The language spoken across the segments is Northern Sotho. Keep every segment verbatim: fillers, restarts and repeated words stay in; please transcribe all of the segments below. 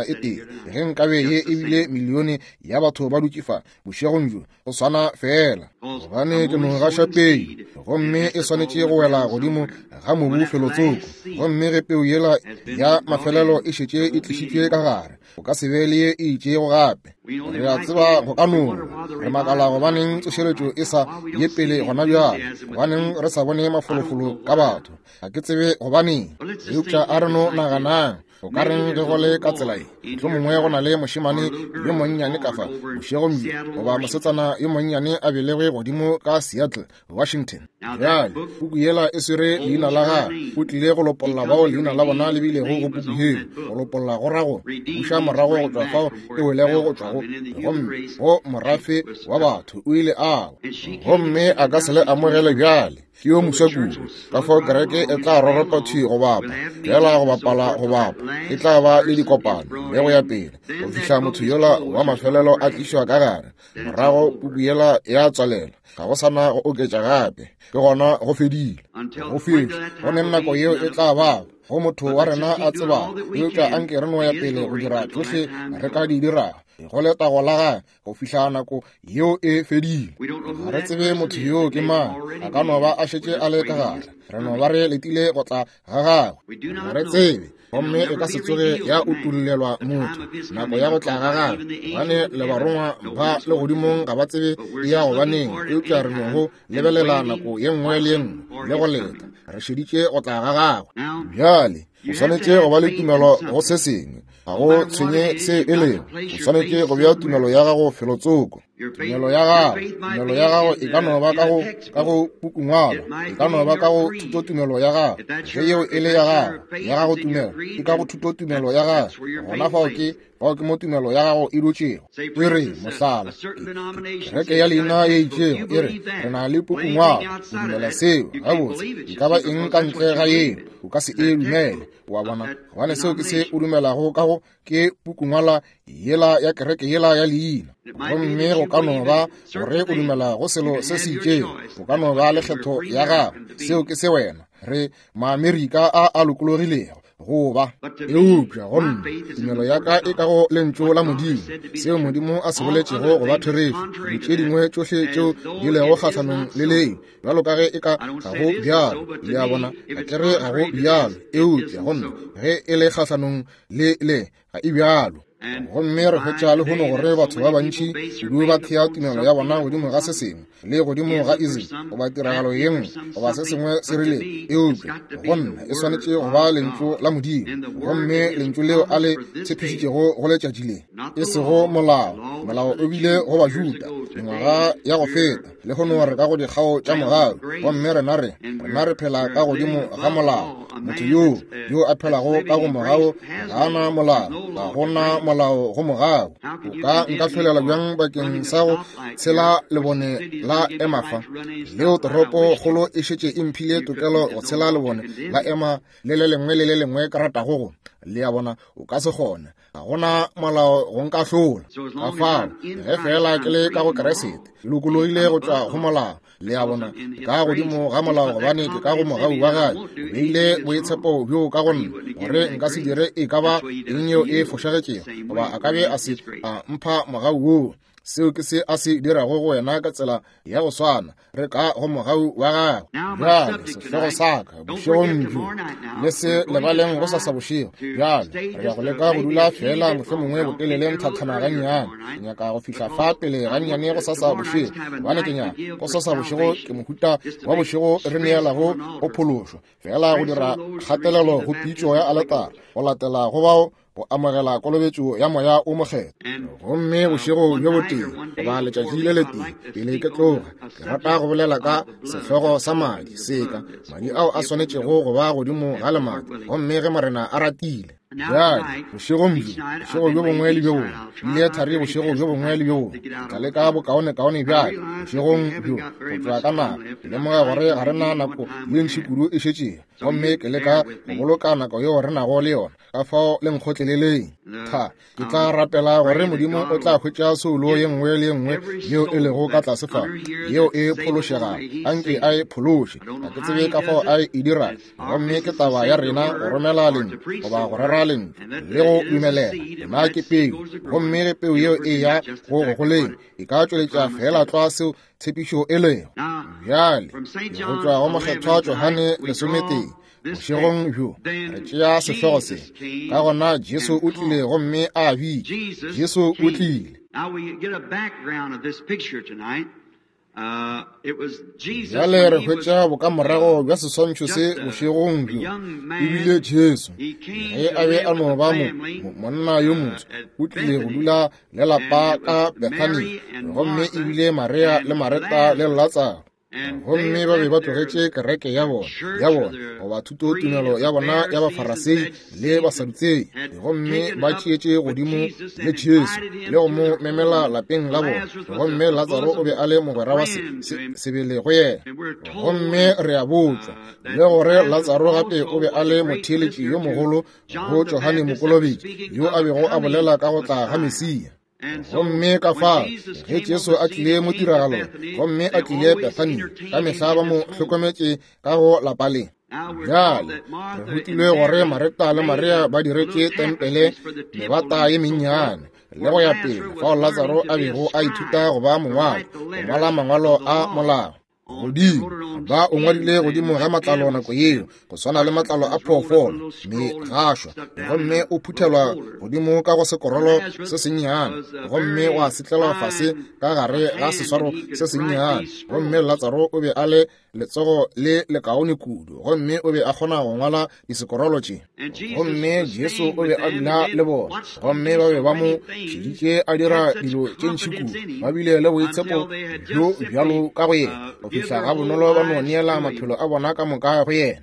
tema e tee. Ge nkabe ye e bile milione ya batho ba dutše fa bošegong bjo, go swana fela, gobane ke no gaša peu. Gomme e swanetše go wela godimo ga mobu felotsoko. Gomme ge peu yela ya mafelelo e šetše e tlišitšwe ka gare, o ka se be le ye e itšego gape. Re a tseba go ka no re makala gobaneng tsošeletšo e sa ye pele gona bjale, gobaneng re sa bone mafolofolo ka batho. Ga ke tsebe gobaneng, eupša a re no naganang. O ka reng ge go le ka tsela ye? Mohlomongwe go na le mošemane yo monnyane ka fa bošegong bjo, goba mosetsana yo monnyane a belegwe godimo ka Seattle, Washington. Bjale puku yela e swere leina la gagwe. O tlile go lopolla bao leina la bona le bilego go puku yeo. Go lopolla go ra go buša morago go tšwa fao e welego go tšwa go, gomme go morafe wa batho o ile a wa, gomme a ka se le amogele bjale. Ke yo moswa kudu, ka fao kereke e tla roropa thwi go bapa, fela go bapala go bapa, e tla ba le dikopano le go ya pele, go fihla motho yola wa mafelelo a tlišwa ka gare. Morago puku yela ya tswalela, ga go sana go oketša gape, ke gona go fedile. Go fetše, go neng nako yeo e tla ba go motho wa rena a tsebago, eupša anke re no ya pele go dira tšohle re ka di dirago go letago la gagwe go fihla nako yeo e fedile. Ga re tsebe motho yoo ke mang, a ka no ba a šetše a le ka gare, re no ba re letile go tla ga gagwe. Ga re tsebe, gomme e ka se tsoge ya utullelwa motho nako ya go tla ga gagwe, gobane le barongwa ba legodimong ga ba tsebe e ya gobaneng, eupša re no go lebelela nako ye nngwe le ye nngwe le go leta, re šeditše go tla ga gagwe. Bjale o swanetše go ba le tumelo go se sengwe, ga go tshwenye se e lego, o swanetše go bea tumelo ya gago felotsoko. Tumelo ya gago, tumelo ya gago e ka no ba ka go ka go pukungwalo, e ka no ba ka go thutotumelo ya gago. Ge yeo e le ya gago, ya gago tumelo e ka go thutotumelo ya gago, gona fao ke fao ke mo tumelo ya gago e dutšego. E re mohlala, kereke ya leina ye itšego e re re na le pukungwalo, o dumela seo gabotse, e ka ba eng ka ntle ga yeo o ka se e dumele. Wa bona, gobane seo ke se o dumelago ka go ke pukungwala yela ya kereke yela ya leina. Gomme go ka no ba gore o dumela go selo se se itšego, o ka no ba le kgetho ya gago, seo ke se wena. Re Maamerika a a lokologilego go ba, eupša gomme tumelo ya ka e ka go lentšu la Modimo, seo Modimo a se boletšego go ba therešo. Dilo tše dingwe tšohle tšeo di lego kgahlanong le leo, bjalo ka ge e ka ga go bjalo, le a bona, ga ke re ga go bjalo, eupša gomme ge e le kgahlanong le le, ga e bjalo. Gomme re hwetša lehono gore batho ba bantši kudu ba thea tumelo ya bona godimo ga se sengwe le godimo ga ism goba tiragalo ye nngwe goba se sengwe se rile, eupša go nna e swanetše go ba lentšu la Modimo, gomme lentšu leo a le tshepišitšego go letšatši le, e sego molao. Molao o bile go Bajuda mengwaga ya go feta, lehono re ka go dikgao tša mogau, gomme rena re rena re phela ka godimo ga molao. Motho yoo yo a phelago ka go mogau ga ana molao, ga gona molao go mogau. O ka nka hlolela bjang bakeng sa go tshela lebone la ema fa, leo toropo kgolo e šetše e mphile tokelo go tshela lebone la ema le le lengwe le le lengwe ka ratago go? Le a bona, o ka se kgone, ga gona molao go nka hlola. Ka fao ge fela ke le ka go Keresete, ke lokologile go tšwa go molao. Le a bona, ka godimo ga molao, gobane ke ka go mogau wa gagwe. O beile boitshepo bjo ka go nna, gore nka se dire e ka ba eng yeo e fošagetšego, goba a ka be a se a mpha mogau woo. Seo ke se a se dirago go wena ka tsela ya go swana, re ka go mogau wa gagwe. Bjale sehlogo sa ka bošegong bjo, le se lebaleng go sasa bošego. Bjale re ya go leka go dula fela mohlomongwe botelele nthathana gannyane. Ke nyaka go fihla fa pele gannyane go sasa bošego, gobane ke nyaka go sasa bošego ke mohuta wa bošego re neelago go phološwa, fela go dira kgatelelo go pitšo ya aletara, go latela go bao go amogela kolobetšo ya moya o mokgethwa. Gomme bošego bjo botee goba letšatši le letee pele ke tloga, ke rata go bolela ka sehlogo sa madi, seka madi ao a swanetšego go ba godimo ga lemati, gomme ge Morena a ratile. Bjale bošegong bjo, bošego bjo bongwe le bjo bongwe, bile thari bošego bjo bongwe le bjo bongwe, ke tla leka bokaonekaone bjale bošegong bjo go tšwa ka nako. Ke lemoga gore ga re na nako ye ntši kudu e šetšego, gomme ke leka go boloka nako yeo re nago le yona, ka fao le nkgotleleleng. Tha, ke tla rapela gore Modimo o tla hwetša soulo ye nngwe le ye nngwe yeo e lego ka tlase fa, yeo e phološegago, anke a e phološe. Ga ke tsebe ka fao a e dirago, gomme ke taba ya rena go romela lentšu goba go rera swara lentšu le go dumelela. Yona ke peu, gomme ge peu yeo e ya go go goleng, e ka tšweletša fela tlwa seo tshepišo e lego. Bjale go tšwa go Mokgethwa Johane lesometee bošegong bjo re tšea sehlogo se. Ka gona Jesu o tlile gomme a bitša. Jesu o tlile. Bjale re hwetša bokamorago bja seswantšho se bošegong bjo. Ebile Jesu ge a be a no ba mo monna yo moso, o tlile go dula le lapa ka Bethania, gomme ebile Maria le Mareta le Latsaro. Gomme ba be ba tlogetše kereke ya bona ya bona goba thutotumelo ya bona ya Bafarasei le Basadutsei, gomme ba tšeetše godimo le Jesu le go mo memela lapeng la bona. Gomme Latsaro o be a le mogwera wa sebele go yena. Gomme re a botšwa le gore Latsaro gape o be a le motheeletši yo mogolo go Johane Mokolobetši, yo a bego a bolela ka go tla ga Mesia. Gomme ka fao ge Jesu a tlile mo tiragalong gomme a tlile Bethania, ka mehla ba mo hlokometše ka go lapa le. Bjale re rutilwe gore Mareta le Maria ba diretše tempele mebata ye mennyane le go ya pele, fao Latsaro a bego a ithuta go ba mongwadi, go ngwala mangwalo a molao. Godimo ba o ngwadile godimo ga matlalo nako yeo, go swana le matlalo a phoofolo megašwa, gomme o phuthelwa godimo ka go sekorolo se sennyane, gomme wa setlelwa fase ka gare ga seswaro se sennyane. Gomme Latsaro o be a le letsogo le lekaone kudu, gomme o be a kgona go ngwala disekorolo tše. Gomme Jesu o be a dula le bona, gomme ba be ba mo šeditše a dira dilo tše ntši kudu. Ba bile le boitshepo bjo bjalo ka go yena, go fihla ga bonolo ba no neela maphelo a bona ka moka go yena.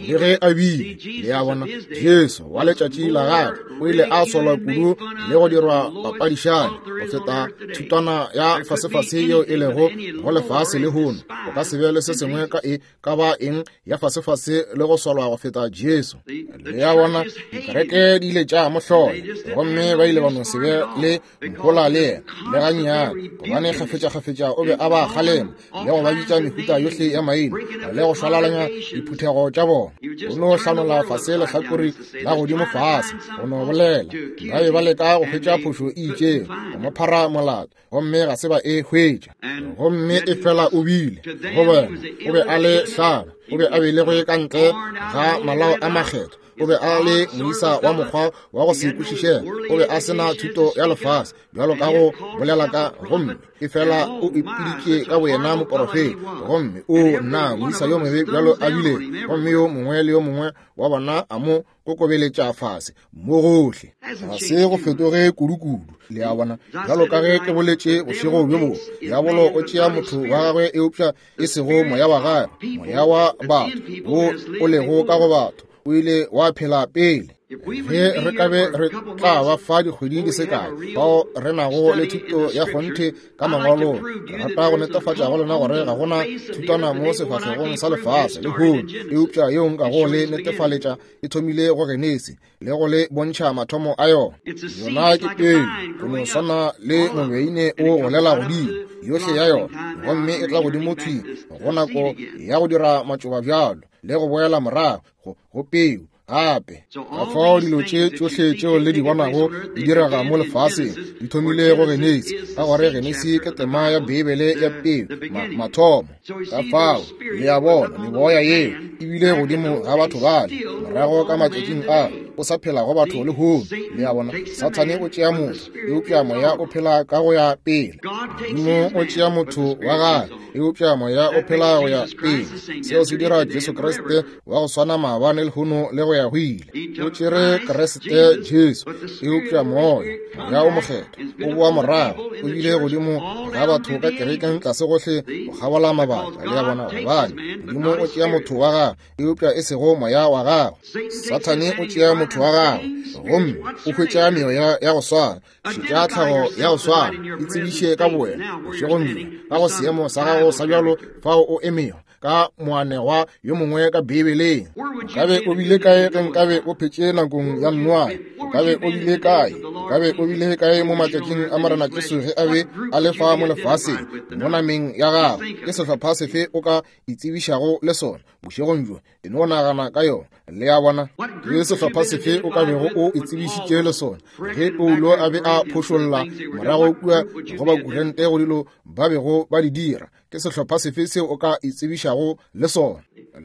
Le ge a bile, le a bona, Jesu wa letšatši la gagwe o ile a solwa kudu le go dirwa papadišane go feta thutwana ya fasefase yeo e lego go lefase lehono. O ka se be le se sengwe ka e ka ba eng ya fasefase le go solwa go feta Jesu. Le a bona, dikereke di ile tša mo hlola, gomme ba ile ba no se be le mohola le yena le gannyane, gobane kgafetša-kgafetša o be a ba kgalema le go ba bitša mehuta yohle ya maina le go šwalalanya diphuthego tša bona. O no hlanola fase lehlakore la godimo fase go no bolela. Ba be ba leka go hwetša phošo e itšego go mo phara molato, gomme ga se ba e hwetša. Gomme e fela o bile go bona, o be a le hlaba, o be a belegwe ka ntle ga malao a makgetho, o be a le moisa wa mokgwa wa go se kwešišege, o be a sena thuto ya lefase bjalo ka go bolela ka, gomme e fela o ipiditše ka boyena moporofeta. Gomme o nna moisa yo mobe bjalo a bile, gomme yo mongwe le yo mongwe wa bona a mo kokobeletša fase mo gohle. Ga se go fetoge kudu-kudu, le a bona. Bjalo ka ge ke boletše bošego bjo bongwe, diabolo o tšea motho wa gagwe eupša e sego moya wa gagwe. Moya wa batho wo o lego ka go batho o ile wa phela pele. Ge re ka be re tla ba fa dikgweding di se kae bao re nago le thuto ya kgonthe ka mangwalong, re rata go netefatša go lena gore ga gona thutwana mo sefahlegong sa lefase lehono eupša yeo nkago le netefaletša e thomile go Genesi le go le bontšha mathomo a yona. Yona ke peu, go no swana le mobeine o golela godimo yohle ya yona, gomme e tla godimo thwi go nako ya go dira matšoba bjalo le go boela morago go, go peu gape. Ka fao dilo tše tšohle tšeo le di bonago di direga mo lefaseng di thomile go Genesi, ka gore Genesi ke tema ya Beibele ya peu, ma, mathomo. Ka fao le a bona meboya yeo e bile godimo ga batho bale morago ka matšatšing a o sa phela go batho lehono. Le a bona, Sathane o tšea motho, eupša moya o phela ka go ya pele. Modimo o tšea motho wa gagwe, eupša moya o phela go ya pele. Seo se dira Jesu Kriste wa go swana maabane lehono le go ya go ile. O tšere Kriste Jesu, eupša moya, moya o mokgethwa o boa morago, o bile godimo ga batho ka kerekeng tlase gohle go kgabola mabaka. Le a bona, gobane Modimo o tšea motho wa gagwe, eupša e sego moya wa gagwe. Sathane o tšea motho wa gagwe, gomme o hwetša meoya ya go swana, šetša tlhago ya go swana, e tsebiše ka bowena bošegong bjo ka go seemo sa gago sa bjalo fao o emego. ka moanegwa yo mongwe ka Beibeleng. O ka be o bile kae ge nkabe o phetše nakong ya Noa? O ka be o bile kae? O ka be o bile kae mo matšatšing a Morena Jesu ge a be a le fa mo lefaseng, mo nameng ya gagwe? Ke sehlopha sefe o ka itsebišago le sona bošegong bjo? E no nagana ka yona. Le a bona? Ke sehlopha sefe o ka bego o itsebišitše le sona ge Paulo a be a phošolla morago kua go Bakorinte go dilo ba bego ba di dira? Ke sehlopha sefe seo o ka itsebišago le sona?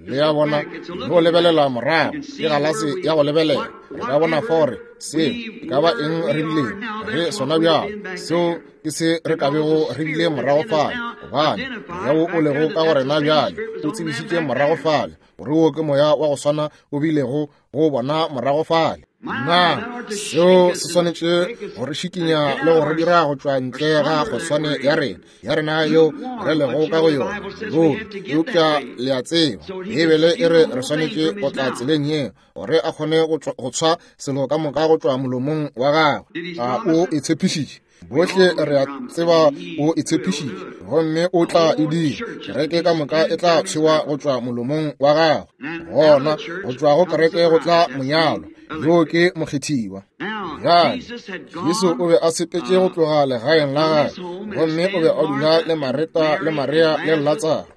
Le a bona? No lebelela morago, ke galase ya go lebelela. Re ka bona fore seo e ka ba eng re bilego re sona bjalo, seo ke se re ka bego re bile morago fale, gobane moya wo o lego ka go rena bjale o tsebišitše morago fale gore wo ke moya wa go swana o bilego go bona morago fale. Na seo se swanetše go re šikinya le go re dira go tšwa ntle ga kgoswane ya rena ya rena yeo re lego ka go yona ruri? Eupša le a tseba, Beibele e re re swanetše go tla tseleng yeo gore a kgone go tshwa selo ka moka go tšwa molomong wa gagwe. A o e tshepišitše? Bohle re a tseba o e tshepišitše, gomme o tla e dira. Kereke ka moka e tla tshwewa go tšwa molomong wa gagwe. Gona go tšwa go kereke go tla monyalo, yo ke mokgethiwa. Bjale Jesu o be a sepetše go tloga legaeng la gagwe, gomme o be a dula le Mareta le Maria le Latsaro.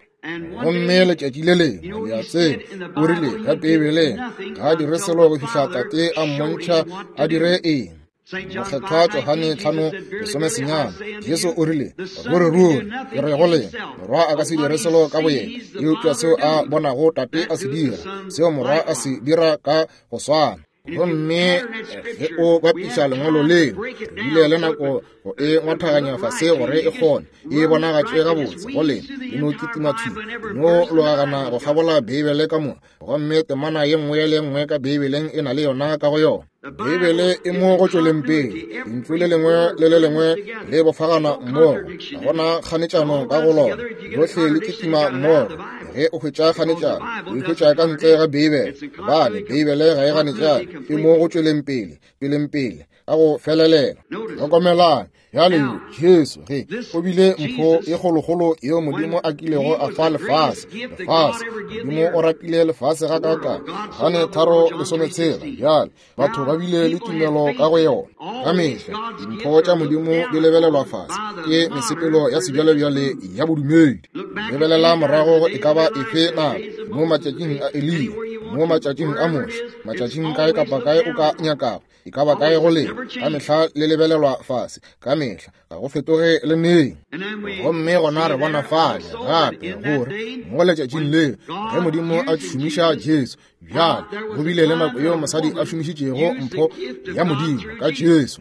Gomme letšatši le lengwe, le a tseba, o rile ka Beibeleng, ga a dire selo go fihla Tate a mmontšha a dire eng. Mokgethwa Johane tlhano lesome senyane, Jesu o rile, ruri ruri ke re go lena, morwa a ka se dire selo ka boyena, eupša seo a bonago Tate a se dira, seo morwa a se dira ka go swana. Gomme ge o bapiša lengwalo leo, re bile le nako go e ngwathaganya fase gore e kgone e bonagatše gabotse go lena. E no kitima thwi, no logagana go kgabola Beibele ka moka, gomme temana ye nngwe le nngwe ka Beibeleng e na le yona ka go yona. Beibele e mo go tšweleng pele, lentšu le lengwe le le lengwe le bofagana mmogo, ga gona kganetšano ka go lona, lohle le kitima mmogo. Ge o hwetša kganetšano, o e hwetša ka ntle ga Beibele, gobane Beibele ga e ganetšane, e mo go tšweleng pele, tšweleng pele ka go felelela. Hlokomelang bjale Jesu ge o bile mpho e kgolokgolo yeo Modimo a kilego a fa lefase. Lefase, Modimo o ratile lefase ga kaka gane tharo lesometshela. Bjale batho ba bile le tumelo ka go yona. Ka mehla dimpho tša Modimo di lebelelwa fase ke mesepelo ya sebjalebjale ya bodumedi. Lebelela morago e ka ba efe nako, mo matšatšing a Eliya, mo matšatšing a Moshe, matšatšing kae kapa kae o ka nyakago, e ka ba kae go lena, ka mehla le lebelelwa fase, ka mehla ga go fetoge le neng. Gomme gona re bona fale gape gore mo letšatšing leo ge Modimo a šomiša Jesu, bjale go bile le nako yeo mosadi a šomišitšego mpho ya Modimo ka Jesu.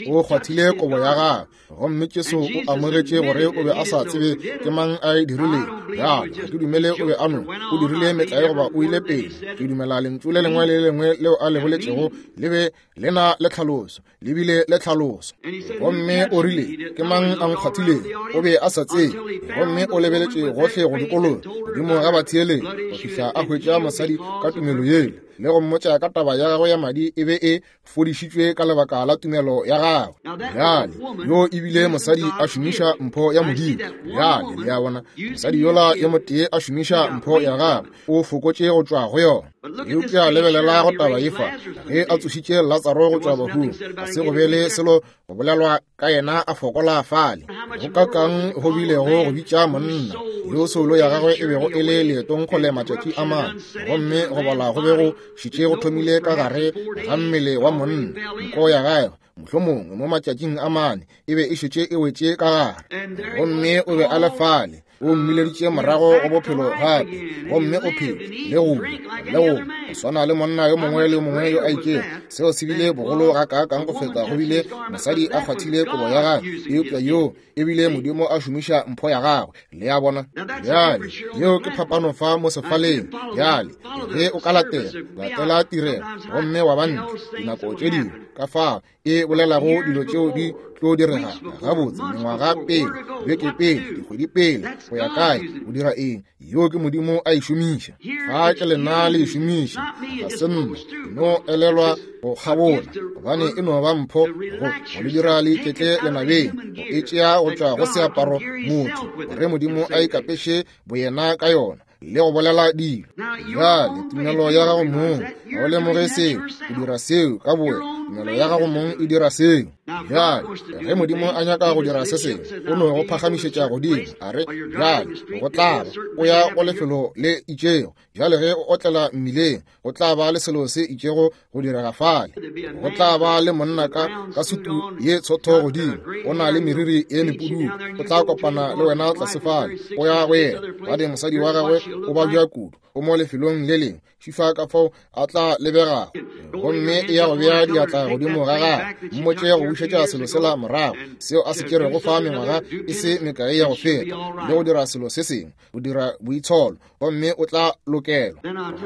O kgwathile kobo ya gagwe, gomme Jesu o amogetše gore o be a sa tsebe ke mang a e dirilego. Bjale ga ke dumele o be a no o dirile metlae goba o ile pele. Ke dumela lentšu le lengwe le le lengwe leo a le boletšego le be le na le tlhaloso, le bile le tlhaloso. Gomme o rile, ke mang a nkgwathilego? O be a sa tsebe, gomme o lebeletše gohle go dikologa godimo ga batheeletši go fihla a hwetša mosadi ka tumelo yela, le go mmotša ka taba ya gagwe ya madi e be e fodišitšwe ka lebaka la tumelo ya gagwe. Bjale yo e bile mosadi a šomiša mpho ya Modimo. Bjale le a bona, mosadi yola yo motee a šomiša mpho ya gagwe, o fokotše go tšwa go yona. Eupša lebelela go taba ye fa, ge a tsošitše Latsaro go tšwa bahung, ga se go be le selo go bolelwa ka yena a fokola fale. Go kakang go bilego go bitša monna yo soulo ya gagwe e bego e le leetong kgole matšatši a mane, gomme go bola go be go šitše go thomile ka gare ga mmele wa monna. Nko ya gagwe mohlomongwe mo matšatšing a mane e be e šetše e wetše ka gare, gomme o be a le fale. O mmileditše morago go bophelo gape, gomme o phetše le go le go go swana le monna yo mongwe le yo mongwe yo a itšego. Seo se bile bogolo ga kaakang go feta go bile mosadi a kgwathile kobo ya gagwe, eupša yo e bile Modimo a šomiša mpho ya gagwe. Le a bona? Bjale yeo ke phapano fa mo sefaleng. Bjale ge o ka latela latela tirelo gomme wa ba ntle dinako tše dingwe ka fao e bolelago dilo tšeo di tlo direga gabotse mengwaga pele, beke pele, dikgwedi pele, go ya kae, o dira eng, yo ke Modimo a e šomiša. Fa ke lena le e šomiša, ga se nna, no elelwa go kgabola, gobane e no ba mpho go go le dira le iketle lenabeng, go e tšea go tšwa go seaparo motho, gore Modimo a ikapeše boyena ka yona. le go bolela dilo. Bjale tumelo ya gago mong ga o lemoge seo, o dira seo ka bowe. Tumelo ya gago mong e dira seo. Bjale ge Modimo a nyaka go dira se sengwe, o no go phagamišetša godimo, a re bjale go tla ba o ya go lefelo le itšego. Bjale ge o otlela mmileng, go tla ba le selo se itšego go direga fale. Go tla ba le monna ka ka sutu ye tshotho godimo, o na le meriri ye mepududu, o tla kopana le wena tlase fale, o ya go yena. Gobane mosadi wa gagwe o babja kudu, o mo lefelong le lengwe, šifa ka fao a tla lebegago, gomme e ya go bea diatla godimo ga gagwe, mmotše go bušetša selo sela morago seo a se tšerego fa mengwaga e se mekae ya go feta, le go dira selo se sengwe, go dira boitsholo, gomme o tla lokelwa.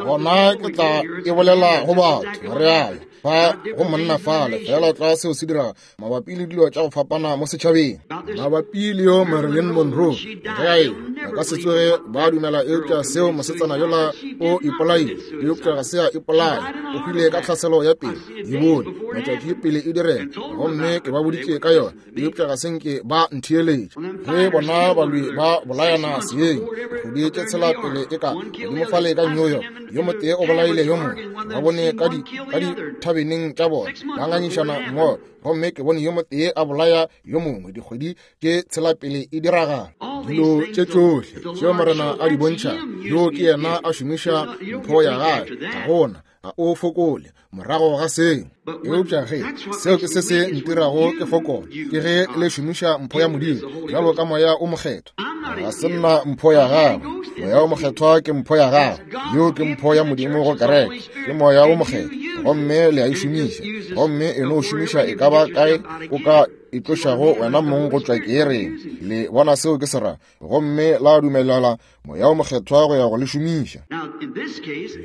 Gona ke tla e bolela go batho, re aya fa go monna fale, fela tla seo se diraga mabapi le dilo tša go fapana mo setšhabeng, mabapi le yo Marilyn Monroe, ge a e ba ka se tsoge ba dumela eupša seo mosetsana yola o ipolaile, eupša ga se a ipolaya, o hwile ka tlhaselo ya pele, e bone matšatši pele e direga, gomme ke ba boditše ka yona, eupša ga se nke ba ntheeletša. Ge bona balwi ba bolayana seeng dikgwedi tše tshela pele e ka godimo fale ka New York, yo motee o bolaile yo mongwe, ba bone ka di ka dithabeneng tša bona ba ngangišana mmogo, gomme ke bone yo motee a bolaya yo mongwe dikgwedi tše tshela pele e diragala. Dilo tše tšohle tšeo Morena a di bontšha, yo ke yena a šomiša mpho ya gagwe, ga gona ga o fokole morago ga seo. Eupša ge seo ke se se ntirago ke fokole, ke ge le šomiša mpho ya Modimo bjalo ka moya o mokgethwa. Ga se nna mpho ya gagwe, moya o mokgethwa ke mpho ya gagwe, yo ke mpho ya Modimo go kereke, ke moya o mokgethwa, gomme le a e šomiša, gomme e no šomiša e ka ba kae o ka e tlošago wena mong go tšwa keereng. Le bona seo ke se ra, gomme la dumelela moya o mokgethwa go ya go le šomiša.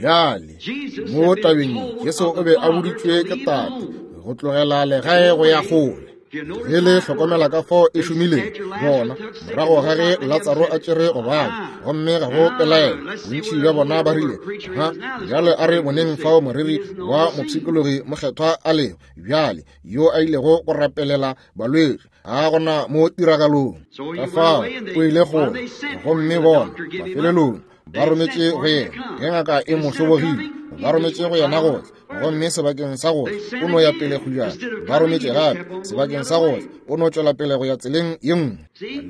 Bjale mo tabeng Jesu o be a boditšwe ke Tate go tlogela legae go ya kgole. Ge le hlokomela ka fao e šomileng, bona morago ga ge Latsaro a tšere go bana, gomme ga go pelaelo, bontši bja bona ba rile, ha bjale a re boneng fao moreri wa mopshikologi mokgethwa a lego bjale, yo a ilego go rapelela balwetši, ga gona mo tiragalong. Ka fao o ile kgole, gomme bona mafelelong ba rometše go yena. Ge ngaka e mo hlobogile, ba rometše go yena go tla, gomme sebakeng sa go tla o no ya pele kgujana. Ba rometše gape sebakeng sa go tla, o no tšwela pele go ya tseleng ye nngwe.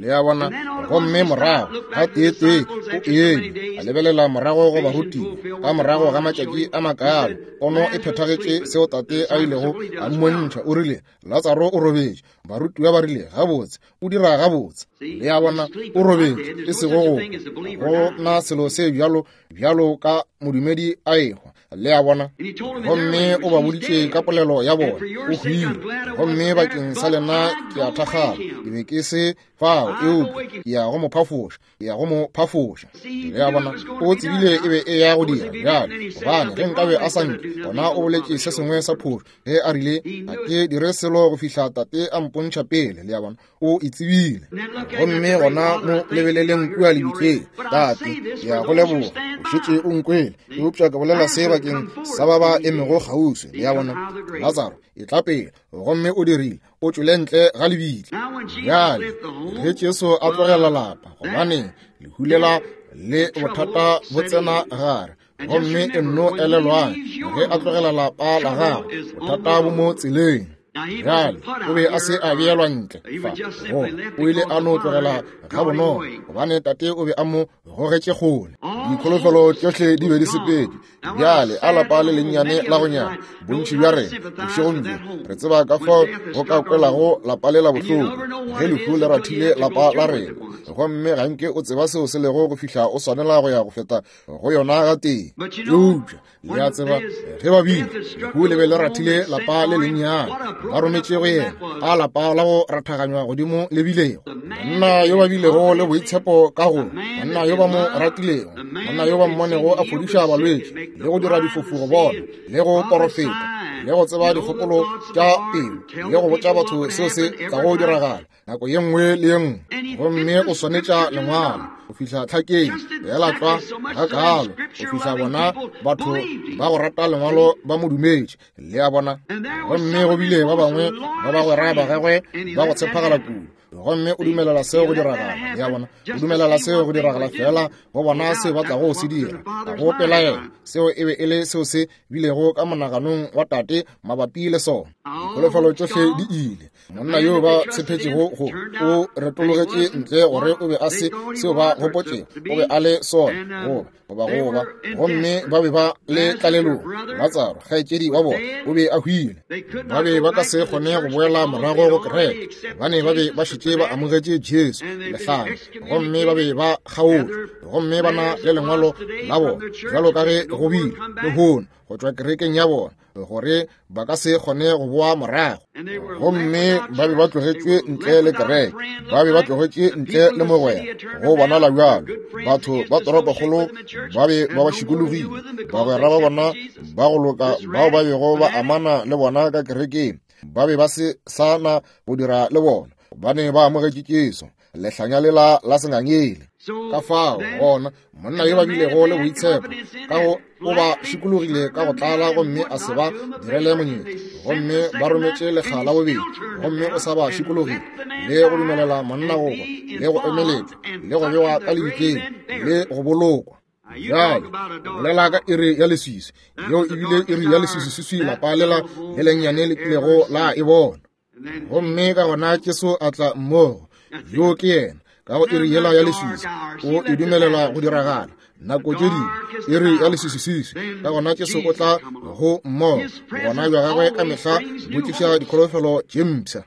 Le a bona? Gomme morago ga tee-tee o eme, a lebelela morago go barutiwa ka morago ga matšatši a makalo, pono e phethagetše seo Tate a ilego a mmontšha. O rile, Latsaro o robetše. Barutiwa ba rile, gabotse, o dira gabotse. Le a bona, o robetše, e sego go go na selo se bjalo bjalo ka modumedi a ehwa. Le a bona? Gomme o ba boditše ka polelo ya bona, o hwile, gomme bakeng sa lena ke a thakgala, ke be ke se fao, eupša ke ya go mo phafoša, ke ya go mo phafoša. Le a bona, o tsebile e be e ya go dira bjale, gobane ge nkabe a sa nke, gona o boletše se sengwe sa phošo ge a rile, ga ke dire selo go fihla Tate a mpontšha pele. Le a bona, o e tsebile. Gomme gona mo lebeleleng kua lebitleng, Tate, ke ya go leboga, o šetše o nkwele, eupša ke bolela se bakeng sa ba ba emego kgauswi. Le a bona, Latsaro, e tla pele, gomme o dirile, o tšwele ntle ga lebitla. Bjale ge Jesu a tlogela lapa, gobane lehu lela le bothata bo tsena gare, gomme e nno elelwang, ge a tlogela lapa la gagwe, bothata bo mo tseleng. Bjale o be a se a beelwa ntle fa, go o ile a no tlogela ga bonolo, gobane Tate o be a mo gogetše kgole. Dikholofelo tšohle di be di sepetše. Bjale a lapa le lennyane la go nyana, bontši bja rena bošegong bjo re tseba ka fao go ka kwelago lapa le la bohloko ge lehu le rathile lapa la rena, gomme ga nke o tseba seo se lego go fihla o swanela go ya go feta go yona ga tee. Eupša le a tseba, ge ba bile lehu le be le rathile lapa le lennyane, ba rometše go yena a lapa la go rathaganywa godimo le bilego, monna yo ba bilego le boitshepo ka go, monna yo ba mo ratilego, monna yo ba mmonego a fodiša balwetši le go dira difofu go bona, le go porofeta, le go tseba dikgopolo tša pelo, le go botša batho seo se tlago diragala nako ye nngwe le ye nngwe. Gomme o swanetša lengwalo go fihla tlhakeng fela tlwa ga kalo, go fihla bona batho ba go rata lengwalo ba mo dumetše. Le a bona? Gomme go bile ba bangwe ba bagwera ba gagwe ba go tshepagala kudu, Gomme o dumelela seo go diragala, le a bona, o dumelela seo go diragala fela go bona seo ba tlago go se dira. Ga go pelaelo, seo e be e le seo se bilego ka monaganong wa tate mabapi le sona. Dikholofelo tšohle di ile. Monna yo ba tshepetšego go o retologetše ntle gore o be a se seo ba gopotšego o be a le sona, goba goba goba gomme ba be ba le tlalelong. Latsaro, kgaetšedi wa bona, o be a hwile. Ba be ba ka se kgone go boela morago go kereke, gobane ba be ba šetše ba amogetše Jesu lehlanya, gomme ba be ba kgaotšwe, gomme ba na le lengwalo la bona, bjalo ka ge go bile lehono go tšwa kerekeng ya bona, gore ba ka se kgone go boa morago. Gomme ba be ba tlogetšwe ntle le kereke, ba be ba tlogetše ntle le mogwera, go bonala bjalo. Batho ba toropokgolo ba be ba ba šikologile, bagwera ba bona ba go loka bao ba bego ba amana le bona ka kerekeng, ba be ba se sa na go dira le bona, gobane ba amogetše Jesu, lehlanya lela la sengangele. Ka fao gona monna yo ba bilego le boitshepo ka go o ba šikologile ka go tlala, gomme a se ba direle monyetla, gomme ba rometše lekga la bobedi, gomme o sa ba šikologile le go dumelela monna go hwa, le go emeletšwa, le go bewa ka lebitleng, le go bolokwa. Bjale bolela ka iri ya leswiswi, yeo e bile iri ya leswiswiswi lapa lela le lennyane le kilego la e bona. Gomme ka gona Jesu a tla mmogo, yo ke yena, ka go iri yela ya leswiswi, o e dumelela go diragala nako tše dingwe, iri ya leswiswiswi. Ka gona Jesu o tla go mmogo, gona bja gagwe ka mehla bo tliša dikholofelo tše mpsha.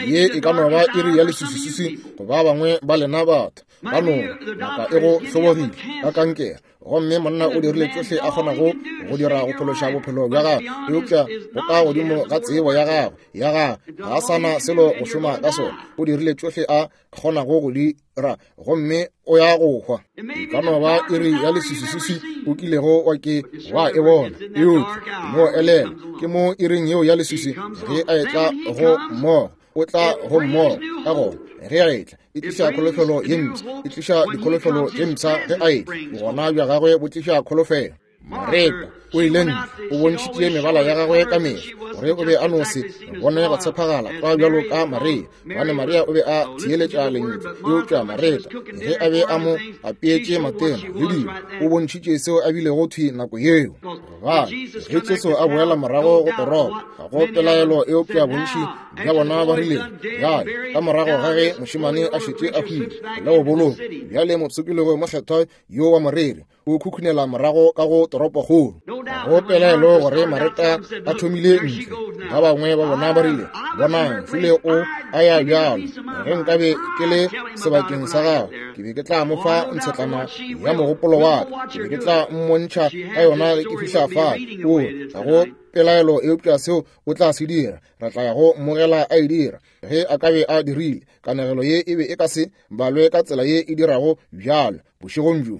Ye e ka no ba iri ya leswiswiswi go ba bangwe ba lena batho ba no ngaka e go hlobogile ka kankere, gomme monna o dirile tšohle a kgonago go dira go phološa bophelo bja gagwe, eupša go ka godimo ga tsebo ya gagwe ya gagwe ga a sa na selo go šoma ka sona. O dirile tšohle a kgonago go dira, gomme o ya go hwa. E ka no ba iri ya leswiswiswi o kilego wa ke wa e bona, eupša no elela ke mo iring yeo ya leswiswi ge a etla go mmogo, o tla go mmogo. Ka gona ge a etla, e tliša kholofelo ye mpsha, e tliša dikholofelo tše mpsha ge a etla. Bogona bja gagwe bo tliša kholofelo. Mareta o ile ntle, o bontšhitše mebala ya gagwe ka mehla gore o be a no se bone go tshepagala kwa bjalo ka Maria, gobane Maria o be a theeletša lentšu, eupša Mareta ge a be a mo apeetše matena le dilo, o bontšhitše seo a bilego thwi nako yeo. Gobane ge Jesu a boela morago go toropo, ga go pelaelo eupša bontši bja bona ba rile, bjale ka morago ga ge mošemane a šetše a hwile le go bolokwa, bjale mopshikologi mokgethwa yo wa moreri o khukhunela morago ka go toropokgolo. Go pelaelo gore Mareta a thomile ntle. Ba bangwe ba bona ba rile, bonang, fule o a ya bjalo. Ge nkabe ke le sebakeng sa gagwe, ke be ke tla mo fa ntshetlana ya mogopolo wa ka, ke be ke tla mmontšha ka yona ge ke fihla fale. O ga go pelaelo eupša seo o tla se dira, re tla ya go mmogela a e dira. Ge a ka be a dirile, kanegelo ye e be e ka se balwe ka tsela ye e dirago bjalo bošegong bjo.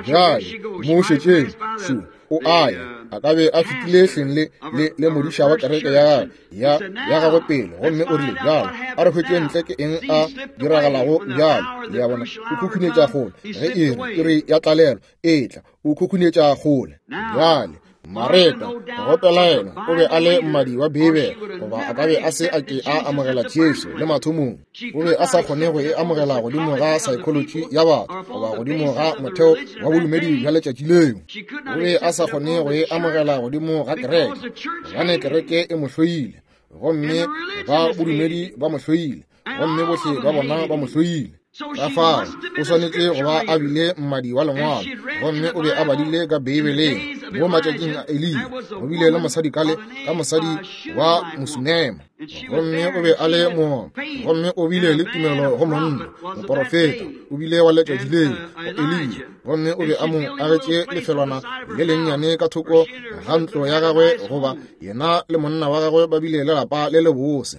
Bjale mo šetšeng, šo o a ya, a ka be a fetile hleng le le le modiša wa kereke ya gagwe ya ya gagwe pele, gomme o rile, bjalo a re hwetše ntle ke eng a diragalago bjalo. Le a bona, o khukhunetša kgole ge iri iri ya tlalelo e tla, o khukhunetša kgole. Bjale Mareta, go pelaelo, o be a le mmadi wa Beibele, goba a ka be a se a ke a amogela Jesu le mathomong. O be a sa kgone go e amogela godimo ga psychology ya batho, goba godimo ga motheo wa bodumedi bja letšatši leo. O be a sa kgone go e amogela godimo ga kereke, gobane kereke e mo hloile, gomme ba bodumedi ba mo hloile, gomme bohle ba bona ba mo hloile. Ka fao o swanetše go ba a bile mmadi wa lengwalo, gomme o be a badile ka Beibeleng mo matšatšing a Eliya. Go bile le mosadi kale ka mosadi wa Mosunema, gomme o be a le moopa, gomme o bile le tumelo go monna moporofeta, o bile wa letšatši leo go Eliya, gomme o be a mo agetše lefelwana le lennyane ka thoko ga ntlo ya gagwe, goba yena le monna wa gagwe ba bile le lapa le lebose.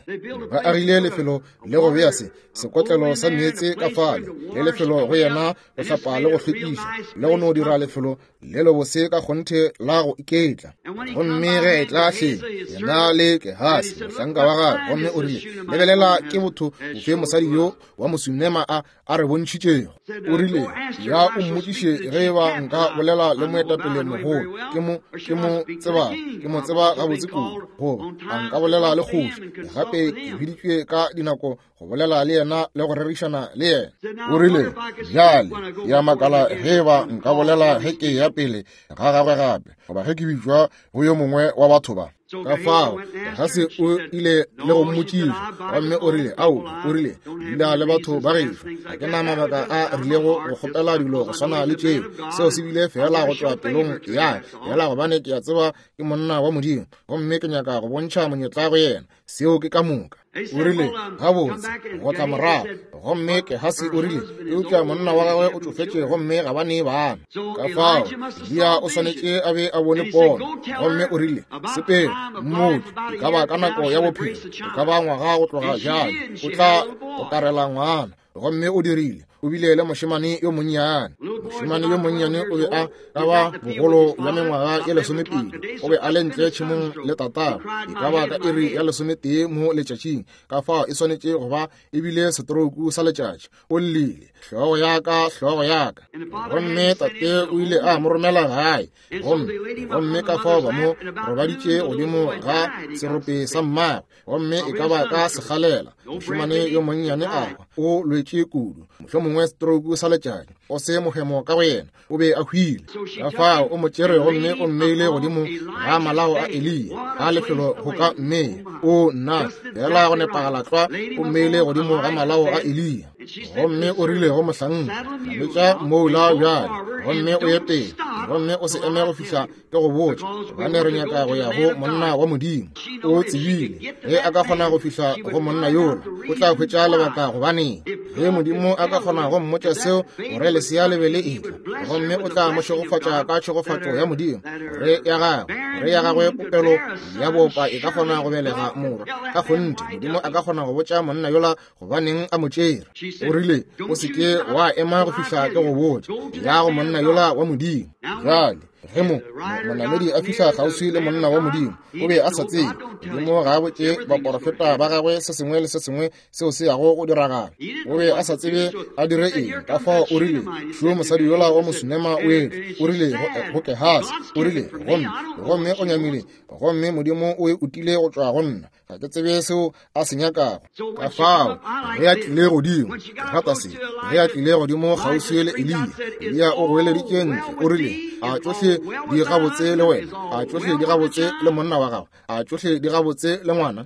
Ba agile lefelo le go bea se sekotlelo sa meetse ka fale, le lefelo go yena go hlapa le go hlwekiša, le go no dira lefelo le lebose ka kgonthe lefase la go iketla. Gomme ge e tla hleng yena le Gehasi mohlanka wa gagwe, gomme o rile, lebelela ke botho bofe mosadi yo wa Mosunema a a re bontšhitšego. O rile, ya o mmotšiše ge eba nka bolela le moetapele mogolo, ke mo ke mo tseba ke mo tseba gabotse kudu, goba a nka bolela le kgoši. Gape ke biditšwe ka dinako go bolela le yena le go rerišana le yena. O rile, bjale ya makala ge eba nka bolela ge ke ya pele ga gagwe gape, goba ge ke bitšwa go yo mongwe wa batho ba. Ka fao Gehasi o ile le go mmotšiša, gomme o rile, ao, o rile, dula le batho ba gešo, ga ke na mabaka a rilego go kgopela dilo go swana le tšeo. Seo se bile fela go tšwa pelong ya fela, gobane ke a tseba ke monna wa Modimo, gomme ke nyaka go bontšha monyetla go yena. Seo ke ka moka. O rile, gabotse, go tla morago. Gomme Gehasi o rile, eupša monna wa gagwe o tšofetše gomme ga ba ne bana. Ka fao Eliya o swanetše a be a bone pono. Gomme o rile, sepela mmotse, e ka ba ka nako ya bophelo, e ka ba ngwaga go tloga bjale, o tla gokarela ngwana. Gomme o dirile, o bile le mošemane yo monnyane. Mošemane yo monnyane o be a ka ba bogolo bja mengwaga ye lesomepedi. O be a le ntle tšhemong le tatagwe, e ka ba ka iri ya lesometee mo letšatšing. Ka fao e swanetše go ba e bile setrouku sa letšatši. O llile, hlogo ya ka, hlogo ya ka. Gomme tate o ile a mo romela gae. Gomme gomme ka fao ba mo robaditše godimo ga serope sa mmagwe, gomme e ka ba ka segalela. Mošemane yo monnyane a hwa, o lwetše kudu, mohlomongwe stroke sa letšatši, o se mohemo ka go yena, o be a hwile. Ka fao o mo tšere gomme o mmeile godimo ga malao a Eliya, ga lefelo go ka mmea. O nna fela go nepagala tlwa, o mmeile godimo ga malao a Eliya. Gomme o rile go mohlanka, nametša moula bjale, gomme o ye pele, gomme o se eme go fihla ke go botša, gobane re nyaka go ya go monna wa Modimo. O tsebile ge a ka kgona go fihla go monna yola, o tla hwetša lebaka. Gobaneng ge Modimo a ka kgona go mmotša seo, gore lesea le be le etla, gomme o tla mo šegofatša ka tšhegofatšo ya Modimo, gore ya gagwe gore ya gagwe popelo ya bopa e ka kgona go belega morwa. Ka kgonthe Modimo a ka kgona go botša monna yola gobaneng a mo tšere. O rile, o se ke wa ema go fihla ke go botša, ya go monna yola wa Modimo. Bjale ge mo monamedi a fihla kgauswi le monna wa Modimo, o be a sa tsebe. Modimo ga a botše baporofeta ba gagwe se sengwe le se sengwe seo se yago go diragala. O be a sa tsebe a dire eng. Ka fao o rile, šo mosadi yola wa Mosunema o etla. O rile go Gehasi, o rile, gomme gomme o nyamile, gomme Modimo o e utile go tšwa go nna, ga ke tsebe seo a se nyakago. Ka fao ge a tlile godimo, ke rata se, ge a tlile godimo kgauswi le Eliya, Eliya o goeleditše ntle, o rile, a tšohle di gabotse le wena, a tšohle di gabotse le monna wa gago, a tšohle di gabotse le ngwana.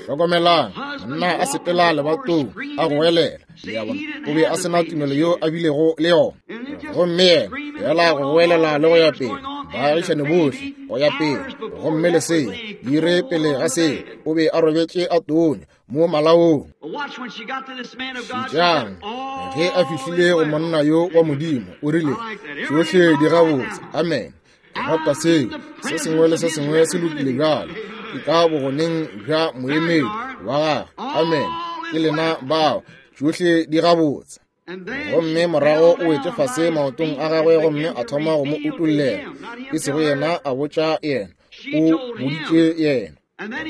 Hlokomelang, monna a sepela lebatong a goelela. Le a bona, o be a sena tumelo yo a bilego le yona. Gomme yena fela go goelela le go ya pele, baagišane bohle go ya pele, gomme lesea dire pele ga seo, o be a robetše a tonya mo malaong. Šetšang, ge a fihlile go monna yo wa Modimo, o rile, tšohle di gabotse. Amen. Ke rata seo. Se sengwe le se sengwe se lokile bjalo. Ke ka bogoneng bja moemedi wa gagwe. Amen. Ke lena bao, tšohle di gabotse. Gomme morago o wetše fase maotong a gagwe, gomme a thoma go mo utollela. E sego yena a botša yena, o boditše yena.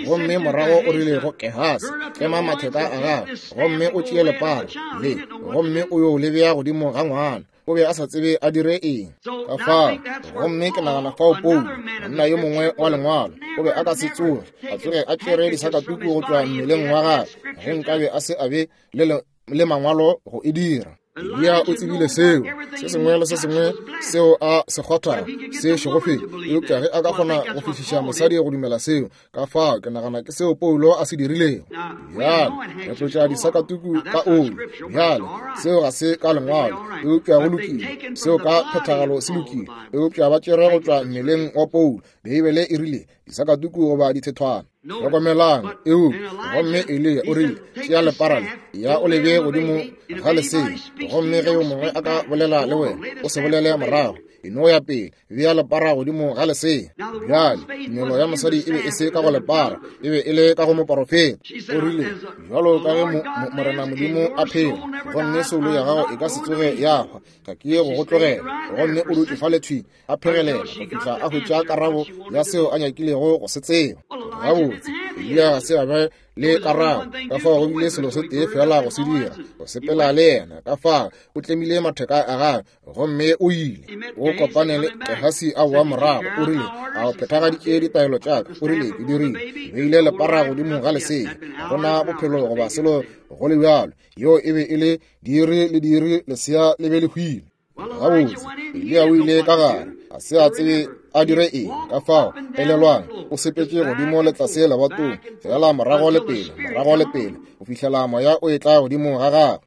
Gomme morago o rile go Gehasi, tlema matheka a gagwe, gomme o tšee lepara le, gomme o yo le bea godimo ga ngwana. O be a sa tsebe a dire eng. Ka fao, gomme ke nagana fao Paulo, monna yo mongwe wa lengwalo, o be a ka se tsoge a tsoge a tšere disakatuku go tšwa mmeleng wa gagwe, ge nkabe a se a be le le mangwalo go e dira. Eliya o tsebile seo, se sengwe le se sengwe seo a se kgwathago se šegofetše, eupša ge a ka kgona go fihliša mosadi go dumela seo, ka fao ke nagana ke seo Paulo a se dirilego. Bjale re tlotša disakatuku ka oli. Bjale seo ga se ka lengwalo, eupša go lokile, seo ka phethagalo se lokile, eupša ba tšere go tšwa mmeleng wa Paulo. Beibele e rile disakatuku goba dithethwana. Hlokomelang, eupša gomme Eliya o rile, tšea lepara le, ya o le bee godimo ga lesea, gomme ge yo mongwe a ka bolela le wena, o se bolele morago. E no ya pele, bea lepara godimo ga lesea. Bjale tumelo ya mosadi e be e se ka go lepara, e be e le ka go moporofeta. O rile, bjalo ka ge Morena Modimo a phela, gomme soulo ya gago e ka se tsoge ya hwa, ga ke ye go go tlogela. Gomme o dutše fale thwi a phegelela go fihla a hwetša karabo ya seo a nyakilego go se tseba. Gabotse, Eliya ga se a be le karabo, ka fao go bile selo se tee fela go se dira, go sepela le yena. Ka fao o tlemile matheka a gagwe gomme o ile. O kopane le Gehasi a boa morago. O rile, a o phethagaditše ditaelo tša ka? O rile, ke dirile. Beile lepara godimo ga lesea, ga gona bophelo goba selo go le bjalo. Yeo e be e le diiri le diiri, lesea le be le hwile. Gabotse, Eliya o ile ka gare, a se a tsebe a dire eng. Ka fao, elelwang, o sepetše godimo le tlase lebatong, fela morago le pele, morago le pele, go fihlela moya o etla godimo ga gagwe.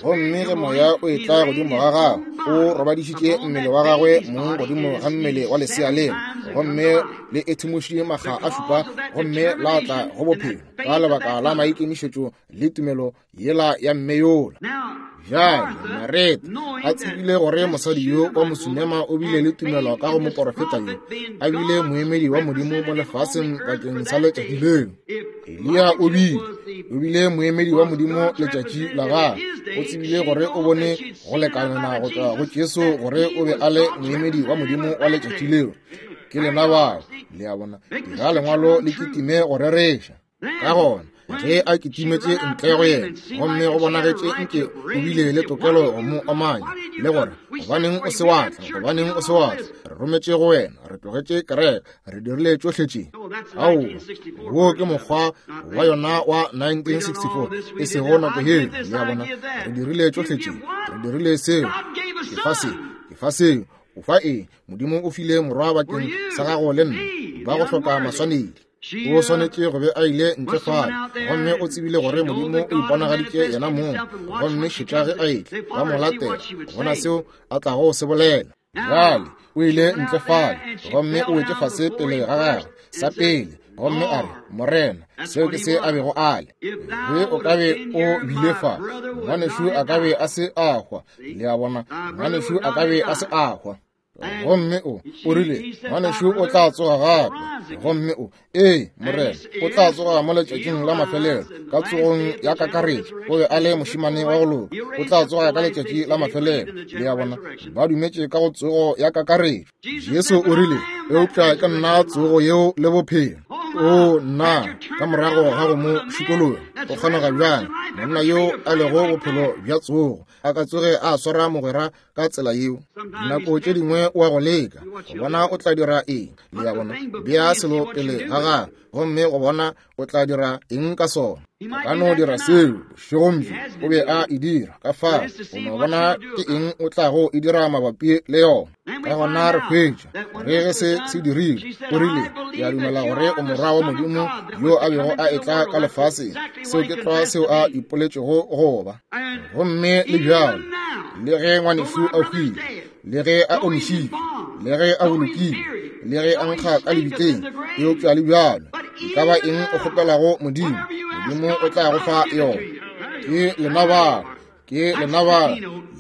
Gomme ge moya o etla godimo ga gagwe, o robadišitše mmele wa gagwe mong godimo ga mmele wa lesea leo, gomme le ethimošitše makga a šupa, gomme la tla go bophelo ka lebaka la maikemišetšo le tumelo yela ya mme yola. Bjale Mareta a tsebile gore mosadi yo wa Mosunema o bile le tumelo ka go moporofeta yo, a bile moemedi wa Modimo mo lefaseng bakeng sa letšatši leo. Eliya o bile o bile moemedi wa Modimo letšatši la gagwe. O tsebile gore o bone go lekanana go tšwa go Jesu gore o be a le moemedi wa Modimo wa letšatši leo. Ke lena bao, le a bona, dira lengwalo le kitime go rereša. Ka gona ge a kitimetše ntle go yena, gomme go bonagetše nke o bile le tokelo go mo omanya le gore, gobaneng o se wa tla, gobaneng o se wa tla, re rometše go wena, re tlogetše kereke, re dirile tšohle tše. Aowa, wo ke mokgwa wa yona wa nineteen sixty-four, e sego nako yeo. Le a bona, re dirile tšohle tše, re dirile seo, ke fa se, ke fa seo, o fa eng? Modimo o file morwa bakeng sa gago le nna, ba go hloka maswanedi. O swanetše go be a ile ntle fale, gomme o tsebile gore Modimo o iponagaditše yena mong. Gomme šetša ge a etla, ba mo latela, bona seo a tlago se bolela. Bjale o ile ntle fale, gomme o wetše fase pele ga gagwe sa pele, gomme a re, Morena, seo ke se a bego a le. Ge o ka be o bile fa, ngwanešu a ka be a se a hwa. Le a bona, ngwanešu a ka be a se a hwa. Gomme o o rile, ngwanešu o tla tsoga gape. Gomme o, ee, Morena, o tla tsoga mo letšatšing la mafelelo, ka tsogong ya kakaretšo. O be a le mošemane wa go loka, o tla tsoga ka letšatši la mafelelo. Le a bona, ba dumetše ka go tsogo ya kakaretšo. Jesu o rile, eupša ke nna tsogo yeo le bophelo. O nna, ka morago ga go mo šikologa, o kgonega bjang monna yo a lego bophelo bja tsogo a ka tsoge a swara mogwera ka tsela yeo? Dinako tše dingwe o a go leka go bona o tla dira eng. Le a bona, bea selo pele ga gagwe, gomme go bona o tla dira eng ka sona. A ka no dira seo bošegong bjo, o be a e dira. Ka fao o no bona ke eng o tlago e dira mabapi le yona. Ka gona re hwetša gore ge se se dirile, o rile, ke a dumela gore o morwa wa Modimo yo a bego a etla ka lefaseng. Seo ke tlwa seo a ipoletšego go ba. Gomme le bjalo, le ge ngwanešu a hwile, le ge a omišitšwe, le ge a bolokile, le ge a nkga ka lebitleng, eupša le bjalo, e ka ba eng o kgopelago Modimo, Modimo o tla go fa yona. Ke lena bao, ke lena bao.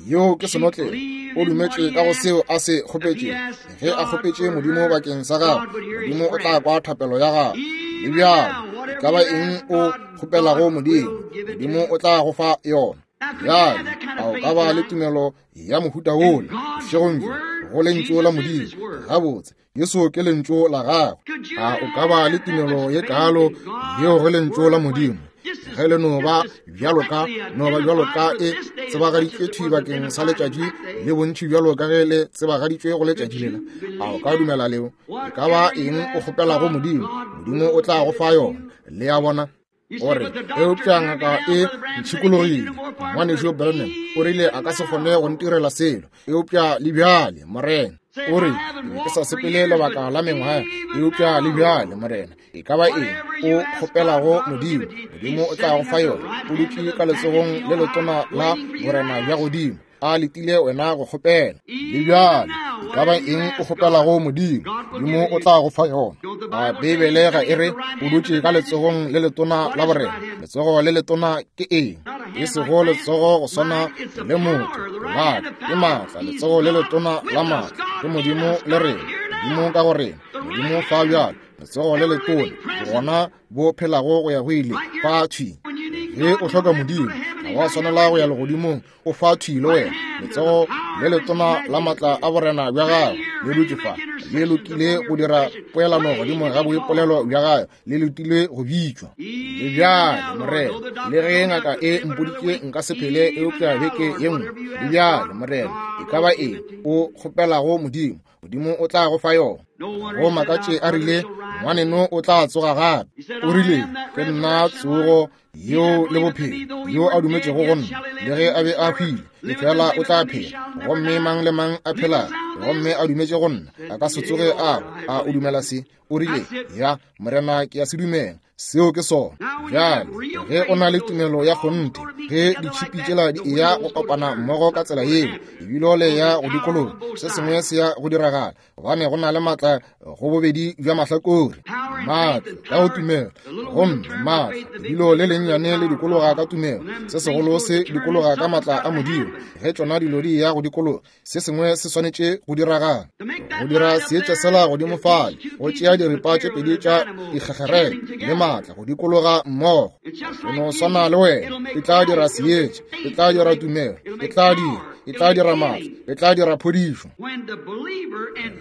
Yeo ke senotlelo. O dumetše ka go seo a se kgopetšego. Ge a kgopetše Modimo bakeng sa gagwe, Modimo o tla kwa thapelo ya gagwe. Le bjalo, e ka ba eng o kgopelago Modimo, Modimo o tla go fa yona. Bjale, a o ka ba le tumelo ya mohuta wola bošegong bjo go lentšu la Modimo? Gabotse, Jesu ke lentšu la gagwe. A o ka ba le tumelo ye kaalo yeo go lentšu la Modimo? Ge le no ba bjalo ka, no ba bjalo ka e tsebagaditšwe thwi bakeng sa letšatši le bontši bjalo ka ge le tsebagaditšwe go letšatši lela, a o ka dumela leo? E ka ba eng o kgopelago Modimo, Modimo o tla go fa yona. Le a bona? O re, eupša ngaka e ntšhikologile, ngwanešu Branham o rile a ka se kgone go ntirela selo, eupša le bjale, Morena. O re, ke ke sa sepele lebaka la mengwaga, eupša le bjale, Morena, e ka ba eng o kgopelago Modimo, Modimo o tla go fa yona. O dutše ka letsogong le letona la borena bja godimo, a letile wena go kgopela. Le bjale, e ka ba eng o kgopelago Modimo, Modimo o tla go fa yona. A Beibele ga e re o dutše ka letsogong le letona la borena? Letsogo le letona ke eng? E sego letsogo go swana le motho, la ke maatla, letsogo le letona la maatla ke Modimo le rena, Modimo ka go rena, Modimo fa bjalo, letsogo le letona gona bo phelago go ya go ile fa thwi. Ge o hloka Modimo, ga wa swanela go ya legodimong, o fa thwi le wena. Letsogo le letona la maatla a borena bja gagwe le dutše fa, le lokile go dira poelano godimo ga boipolelo bja gagwe, le lokile go bitšwa. Le bjale Morena, le ge ngaka e mpoditše nka se phele eupša beke ye nngwe, le bjale Morena, e ka ba eng o kgopelago Modimo, Modimo o tla go fa yona. Go makatše a rile, ngwaneno o tla tsoga gape. O rile, ke nna tsogo yeo le bophelo, yo a dumetšego go nna, le ge a be a hwile, efela o tla phela. Gomme mang le mang a phela gomme a dumetše go nna, a ka se tsoge a a o dumela se. O rile, ya Morena, ke a se dumela. Seo ke sona. Bjale ge o na le tumelo ya kgonthe, ge ditšhipi tšela di eya go kopana mmogo ka tsela yeo, ebile le ya go dikologa, se sengwe se ya go diragala, gobane go na le maatla go bobedi bja mahlakore. Maatla ka go tumelo, gomme maatla ebile le lennyane le dikologa ka tumelo, se segolo se dikologa ka maatla a Modimo. Ge tšona dilo di ya go dikologa, se sengwe se swanetše go diragala. Go dira seetša sela godimo fale, go tšea diripa tše pedi tša dikgekgerele le maatla go dikologa mmogo. Go no swana le wena, e tla dira seetša, e tla dira tumelo, e tla dira, e tla dira maatla, e tla dira phodišo.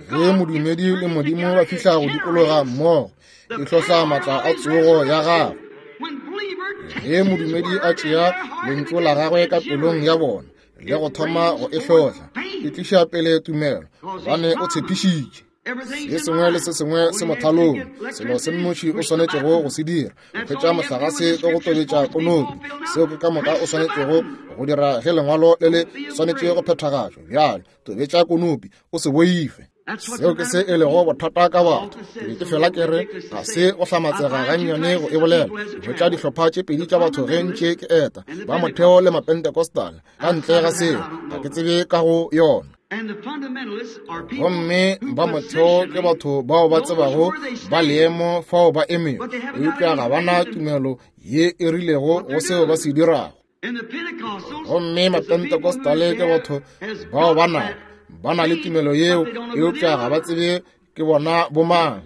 Ge modumedi le Modimo ba fihla go dikologa mmogo, e hlohla maatla a tsogo ya gagwe. Ge modumedi a tšea lentšu la gagwe ka pelong ya bona le go thoma go e hlohla, e tliša pele tumelo, gobane o tshepišitše. Se sengwe le se sengwe se mothalong. Selo se nnoši o swanetšego go se dira, o hwetša mohlagase ka go tobetša konopi. Seo ke ka moka o swanetšego go dira ge lengwalo le le swanetše go phethagatšwa. Bjale tobetša konopi, o se boife. Seo ke se e lego bothata ka batho. Ke be ke fela ke re ga se go hlamatsega gannyane go e bolela. Hwetša dihlopha tše pedi tša batho ge ntše ke eta, ba motheo le mapentecostal. Ka ntle ga seo, ga ke tsebe ka go yona. Gomme ba motheo ke batho bao ba tsebago ba leemo fao ba emego, eupša ga ba na tumelo ye e rilego go seo ba se dirago. Gomme mapentecostale ke batho bao ba nago, ba na le tumelo yeo, eupša ga ba tsebe ke bona bomang.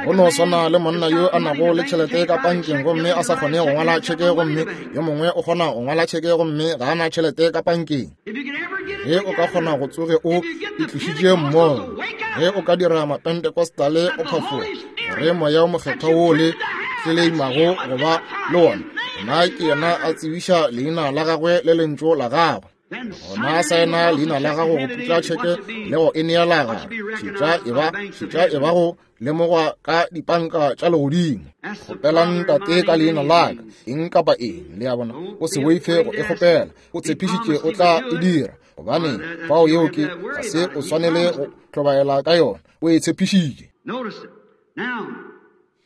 Go no swana le monna yo a nago le tšhelete ka pankeng gomme a sa kgone go ngwala tšheke, gomme yo mongwe o kgona go ngwala tšheke gomme ga a na tšhelete ka pankeng. Ge o ka kgona go tsoge o itlišitše mmogo, ge o ka dira mapentecostale o phafoga, gore moya o mokgethwa wo le tleleimago go ba le wona, gona ke yena a tsebiša leina la gagwe le lentšu la gagwe. Gona saena leina la gago go putla tšheke le go e neela gare. Šetša e ba, šetša e ba go lemogwa ka dipanka tša legodimo. Kgopelang Tate ka leina la ka, eng kapa eng, le a bona. O se boife go e kgopela, o tshepišitše o tla e dira, gobane fao yeo ke, ga se o swanele go hlobaela ka yona, o e tshepišitše.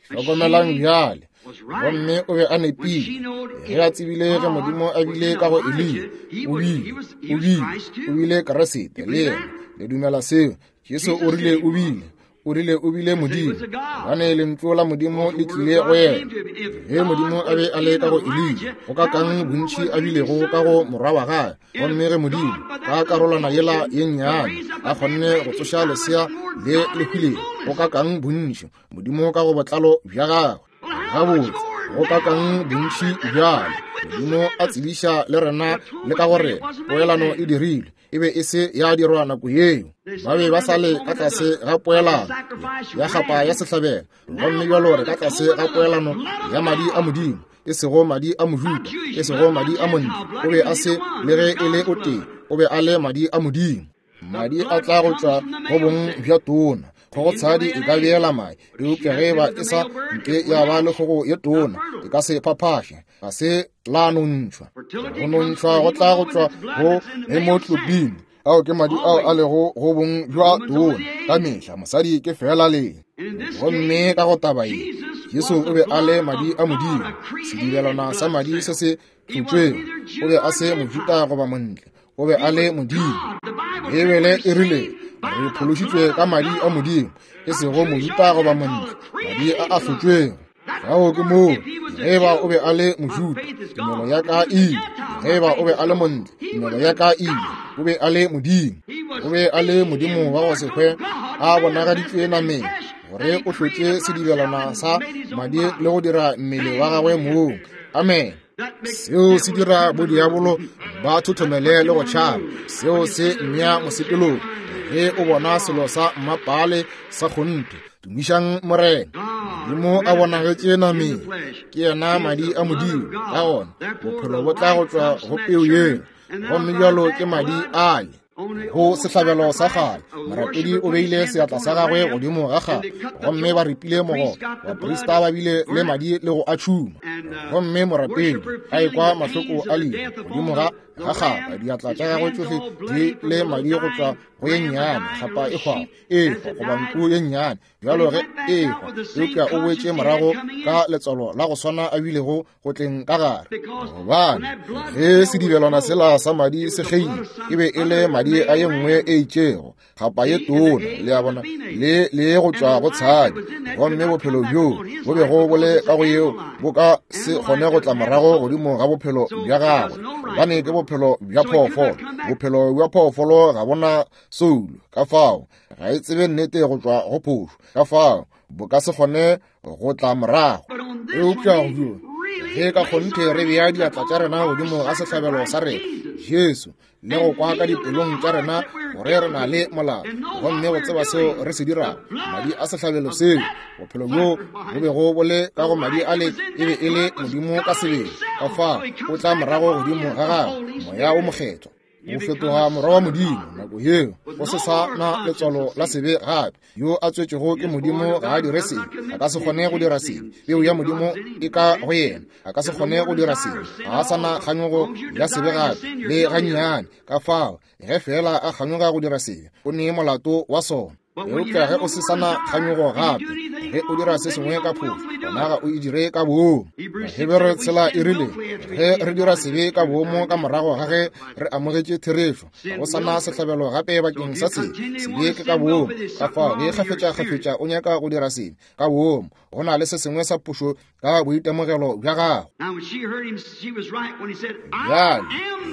Hlokomelang bjale. Gomme o be a nepile ge a tsebile ge Modimo a bile ka go Eliya. O bile, o bile, o bile Kriste le yena. Le dumela seo? Jesu o rile o bile, o rile o bile Modimo, gobane lentšu la Modimo le tlile go yena. Ge Modimo a be a le ka go Eliya, go ka kang bontši a bilego ka go morwa wa gagwe. Gomme ge Modimo ka karolwana yela ye nnyane a kgonne go tsoša lesea le le hwilego, go ka kang bontši Modimo ka go botlalo bja gagwe. Gabotse, go ka kang bontši bjale Modimo a tsebiša le rena le ka gore poelano e dirilwe, e be e se ya dirwa nako yeo. Ba be ba sa le ka tlase ga poelano ya kgapa ya sehlabelo, gomme bjalo re ka tlase ga poelano ya madi a Modimo, e sego madi a Mojuda, e sego madi a montle. O be a se le ge e le o tee, o be a le madi a Modimo. Madi a tla go tšwa go bong bja tona. Kgogotshadi e ka beela mae, eupša ge ba e sa nke ya ba le kgogo ye tona, e ka se phaphaše, ga se la nontšhwa. Go nontšhwa go tla go tšwa go hemoglobin, ao ke madi ao a lego go bong bja tona. Ka mehla mosadi ke fela le. Gomme ka go taba ye, Jesu o be a le madi a Modimo, sedibelwana sa madi se se tlotšwego. O be a se Mojuda goba montle, o be a le Modimo. Beibele e rile re phološitšwe ka madi a Modimo, e sego Mojuda goba montle, madi a a hlotšwego. Fao ke moo Ge ba o be a le Mojuda, tumelo ya ka e ile. Ge ba o be a le Montle, tumelo ya ka e ile. O be a le Modimo. O be a le Modimo wa go se hwe, a bonagaditšwe nameng, gore o hlotše sedibelwana sa madi le go dira mmele wa gagwe mong. Amen. Seo se dira bodiabolo ba thothomele le go tšhaba. Seo se mmea mosepelong. Ge o bona selo sa mmapale sa kgonthe, tumišang Morena. Modimo a bonagetše nameng, ke yena madi a Modimo. Ka gona bophelo bo tla go tšwa go peu yeo, gomme bjalo ke madi ale. Go sehlabelo sa kgale, morapedi o beile seatla sa gagwe godimo ga kgale, gomme ba ripile mogopo. Baprista ba bile le madi le go a tšhuma, gomme morapedi a ekwa mahloko a lehu godimo ga ga kgapa, diatla tša gagwe tšohle di le madi go tšwa go ye nnyane, kgapa e hwago, e hwa goba nku ye nnyane, bjalo ge e hwa. Eupša o boetše morago ka letswalo la go swana a bilego go tleng ka gare, gobane ge sedibelwana sela sa madi se kgeile, e be e le madi a ye nngwe e itšego, kgapa ye tona, le a bona, le le go tšwa go tshadi. Gomme bophelo bjo bo bego bo le ka go yeo bo ka se kgone go tla morago godimo ga bophelo bja gagwe, gobane ke bophelo bja phoofolo. Bophelo bja phoofolo ga bona soulo, ka fao ga e tsebe nnete go tšwa go phošo, ka fao bo ka se kgone go tla morago. Eupša go ge ka kgonthe re bea diatla tša rena godimo ga sehlabelo sa rena, Jesu, le go kwa ka dipelong tša rena gore re na le molato, gomme go tseba seo re se dirago, madi a sehlabelo seo, bophelo bjo bo bego bo le ka go madi ale e be e le Modimo ka sebele. Ka fao o tla morago godimo ga gagwe Moya o Mokgethwa, o fetoga morwa wa Modimo. Nako yeo go se sa na letswalo la sebe gape. Yo a tswetšwego ke Modimo ga a dire sebe, a ka se kgone go dira sebe. Peu ya Modimo e ka go yena, a ka se kgone go dira sebe. Ga a sa na kganyogo ya sebe gape le gannyane. Ka fao ge fela a kganyoga go dira sebe, o ne molato wa sona. Eupša ge o se sa na kganyogo gape, ge o dira se sengwe ka phošo, gona ga o e dire ka boomo. Bahebere tshela e rile, ge re dira sebe ka boomo ka morago ga ge re amogetše therešo, ga go sa na sehlabelo gape bakeng sa sebe. Sebe ke ka boomo. Ka fao ge kgafetša-kgafetša o nyaka go dira sebe ka boomo, go na le se sengwe sa phošo ka boitemogelo bja gago. Bjale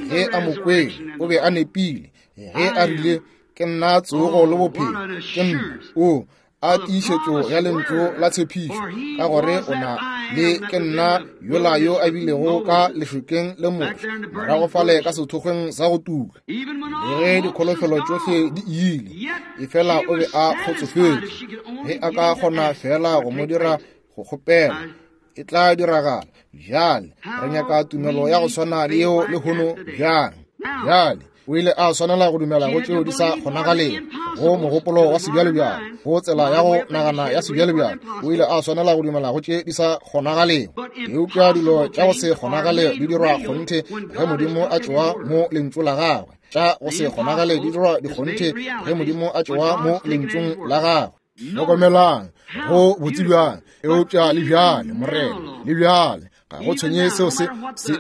ge a mo kwele, o be a nepile ge a rile, ke nna tsogo le bophelo, ke nna o a tiišetšo ya lentšu la tshepišo, ka gore o na le ke nna yola yo a bilego ka lešokeng le Moshe, morago fale ka sethokgweng sa go tuka. Le ge dikholofelo tšohle di ile, efela o be a kgotsofetše. Ge a ka kgona fela go mo dira go kgopela, e tla diragala. Bjale re nyaka tumelo ya go swana le yeo lehono bjang. Bjale o ile a swanela go dumela go tšeo di sa kgonagalego, go mogopolo wa sebjalebjale, go tsela ya go nagana ya sebjalebjale. O ile a swanela go dumela go tše di sa kgonagalego. Eupša dilo tša go se kgonagale di dirwa kgonthe ge Modimo a tšewa mo lentšu la gagwe. Tša go se kgonagale di dirwa dikgonthe ge Modimo a tšewa mo lentšung la gagwe. Hlokomelang go botse bjang, eupša le bjale Morena, le bjale ga go tshwenye seo se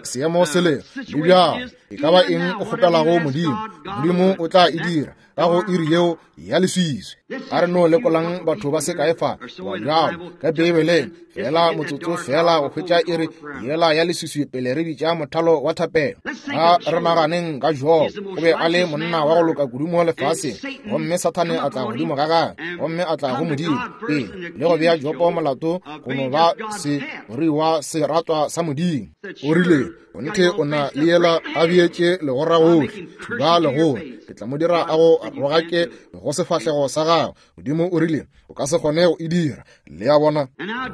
seemo se lego, le bjale e ka ba eng o kgopelago Modimo, Modimo o tla e dira ka go iri yeo ya leswiswi. A re no lekolang batho ba se kae fa ba bjalo ka Beibeleng, fela motsotso fela go hwetša iri yela ya leswiswi pele re bitša mothalo wa thapelo. A re naganeng ka Jobo. O be a le monna wa go loka kudu mo lefaseng, gomme Sathane a tla godimo ga gagwe, gomme a tla go Modimo pele le go bea Jobo molato go no ba seruiwa seratwa sa Modimo. O rile, kgonthe o na le yela a beetše legora gohle, thuba legora, ke tla mo dira a go rogake go sefahlego sa gagwe. Modimo o rile, o ka se kgone go e dira. Le a bona?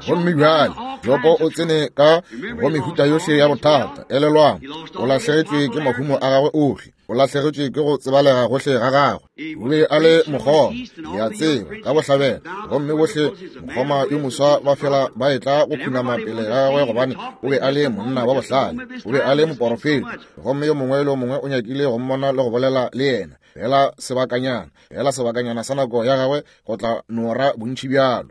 Gomme bjale Jobo o tsene ka go mehuta yohle ya bothata. Elelwang, o lahlegetšwe ke mahumo a gagwe ohle, o lahlegetšwe ke go tsebalega gohle ga gagwe. O be a le mokgoma, le a tseba, ka bohlabela, gomme bohle mokgoma yo moswa ba fela ba etla go khunama pele ga gagwe, gobane o be a le monna wa bohlale, o be a le moporofeta, gomme yo mongwe le yo mongwe o nyakile go mmona le go bolela le yena. Fela sebakanyana, fela sebakanyana sa nako ya gagwe go tla nora bontši bjalo.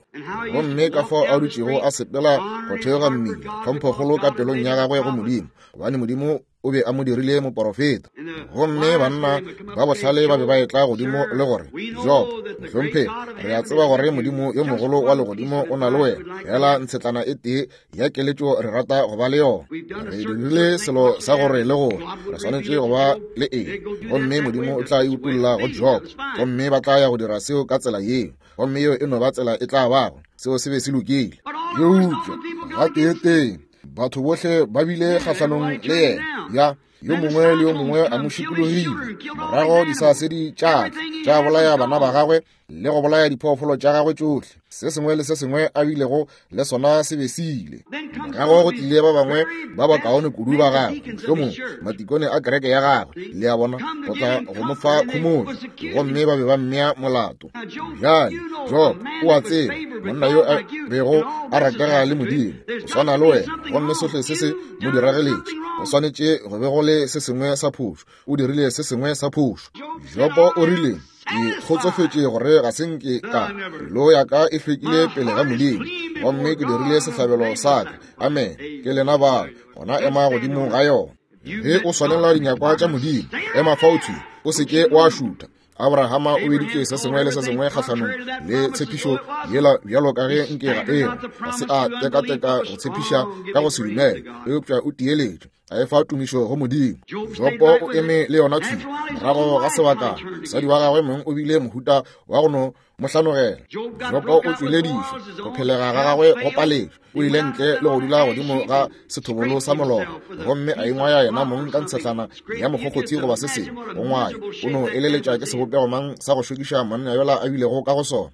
Gomme ka fao a dutšego a sepela go theoga mmila, tlhomphokgolo ka pelong ya gagwe go Modimo, gobane Modimo o be a mo dirile moporofeta. Gomme banna ba bohlale ba be ba etla godimo le gore, Job, mohlomphegi, re a tseba gore Modimo yo mogolo wa legodimo o na le wena, fela ntshetlana e tee ya keletšo re rata go ba le yona. Re dirile selo sa gore le gore re swanetše go ba le eng, gomme Modimo o tla e utolla go Job, gomme ba tla ya go dira seo ka tsela yeo, gomme yeo e no ba tsela e tla bago. Seo se be se lokile. Eupša gateetee batho bohle ba bile kgahlanong le yena, ya yo mongwe le yo mongwe a mo šikologile. Morago disasedi tša tša bolaya bana ba gagwe le go bolaya diphoofolo tša gagwe tšohle. Se sengwe le se sengwe a bilego le sona se be se ile. Morago go tlile ba bangwe ba bakaone kudu ba gagwe, mohlomong matikone a kereke ya gagwe, le a bona, go tla go mo fa khomotšo, gomme ba be ba mmea molato. Bjale Job o a tseba, monna yo a bego a ratega le Modimo, o swana le wena, gomme sohle se se mo dirageletše. O swanetše go be go le se sengwe sa phošo, o dirile se sengwe sa phošo. Jobo o rile, ke kgotsofetše gore ga se nke ka pelo ya ka e hlwekile pele ga Modimo, gomme ke dirile sehlabelo sa ka. Amen. Ke lena bao, gona ema godimo ga yona. Ge o swanela dinyakwa tša Modimo, ema fao thwi, o se ke wa šutha. Abrahama o beditše se sengwe le se sengwe kgahlanong le tshepišo yela bjalo ka ge nke ga ego. Ga se a tekateka go tshepiša ka go se dumele, eupša o tieletše, a efa tumišo go Modimo. Jobo o eme le yona thwi. Morago ga sebaka, mosadi wa gagwe mong o bile mohuta wa go no mo hlanogela. Jobo o tšweledišwe, go phelega ga gagwe go paletšwe. O ile ntle le go dula godimo ga sethobolo sa molora, gomme a ingwaya yena mong ka ntshetlana ya mokgokgothi goba se sengwe. Go ngwaya, o no eleletša ke sebopego mang sa go šokiša monna yola a bilego ka go sona.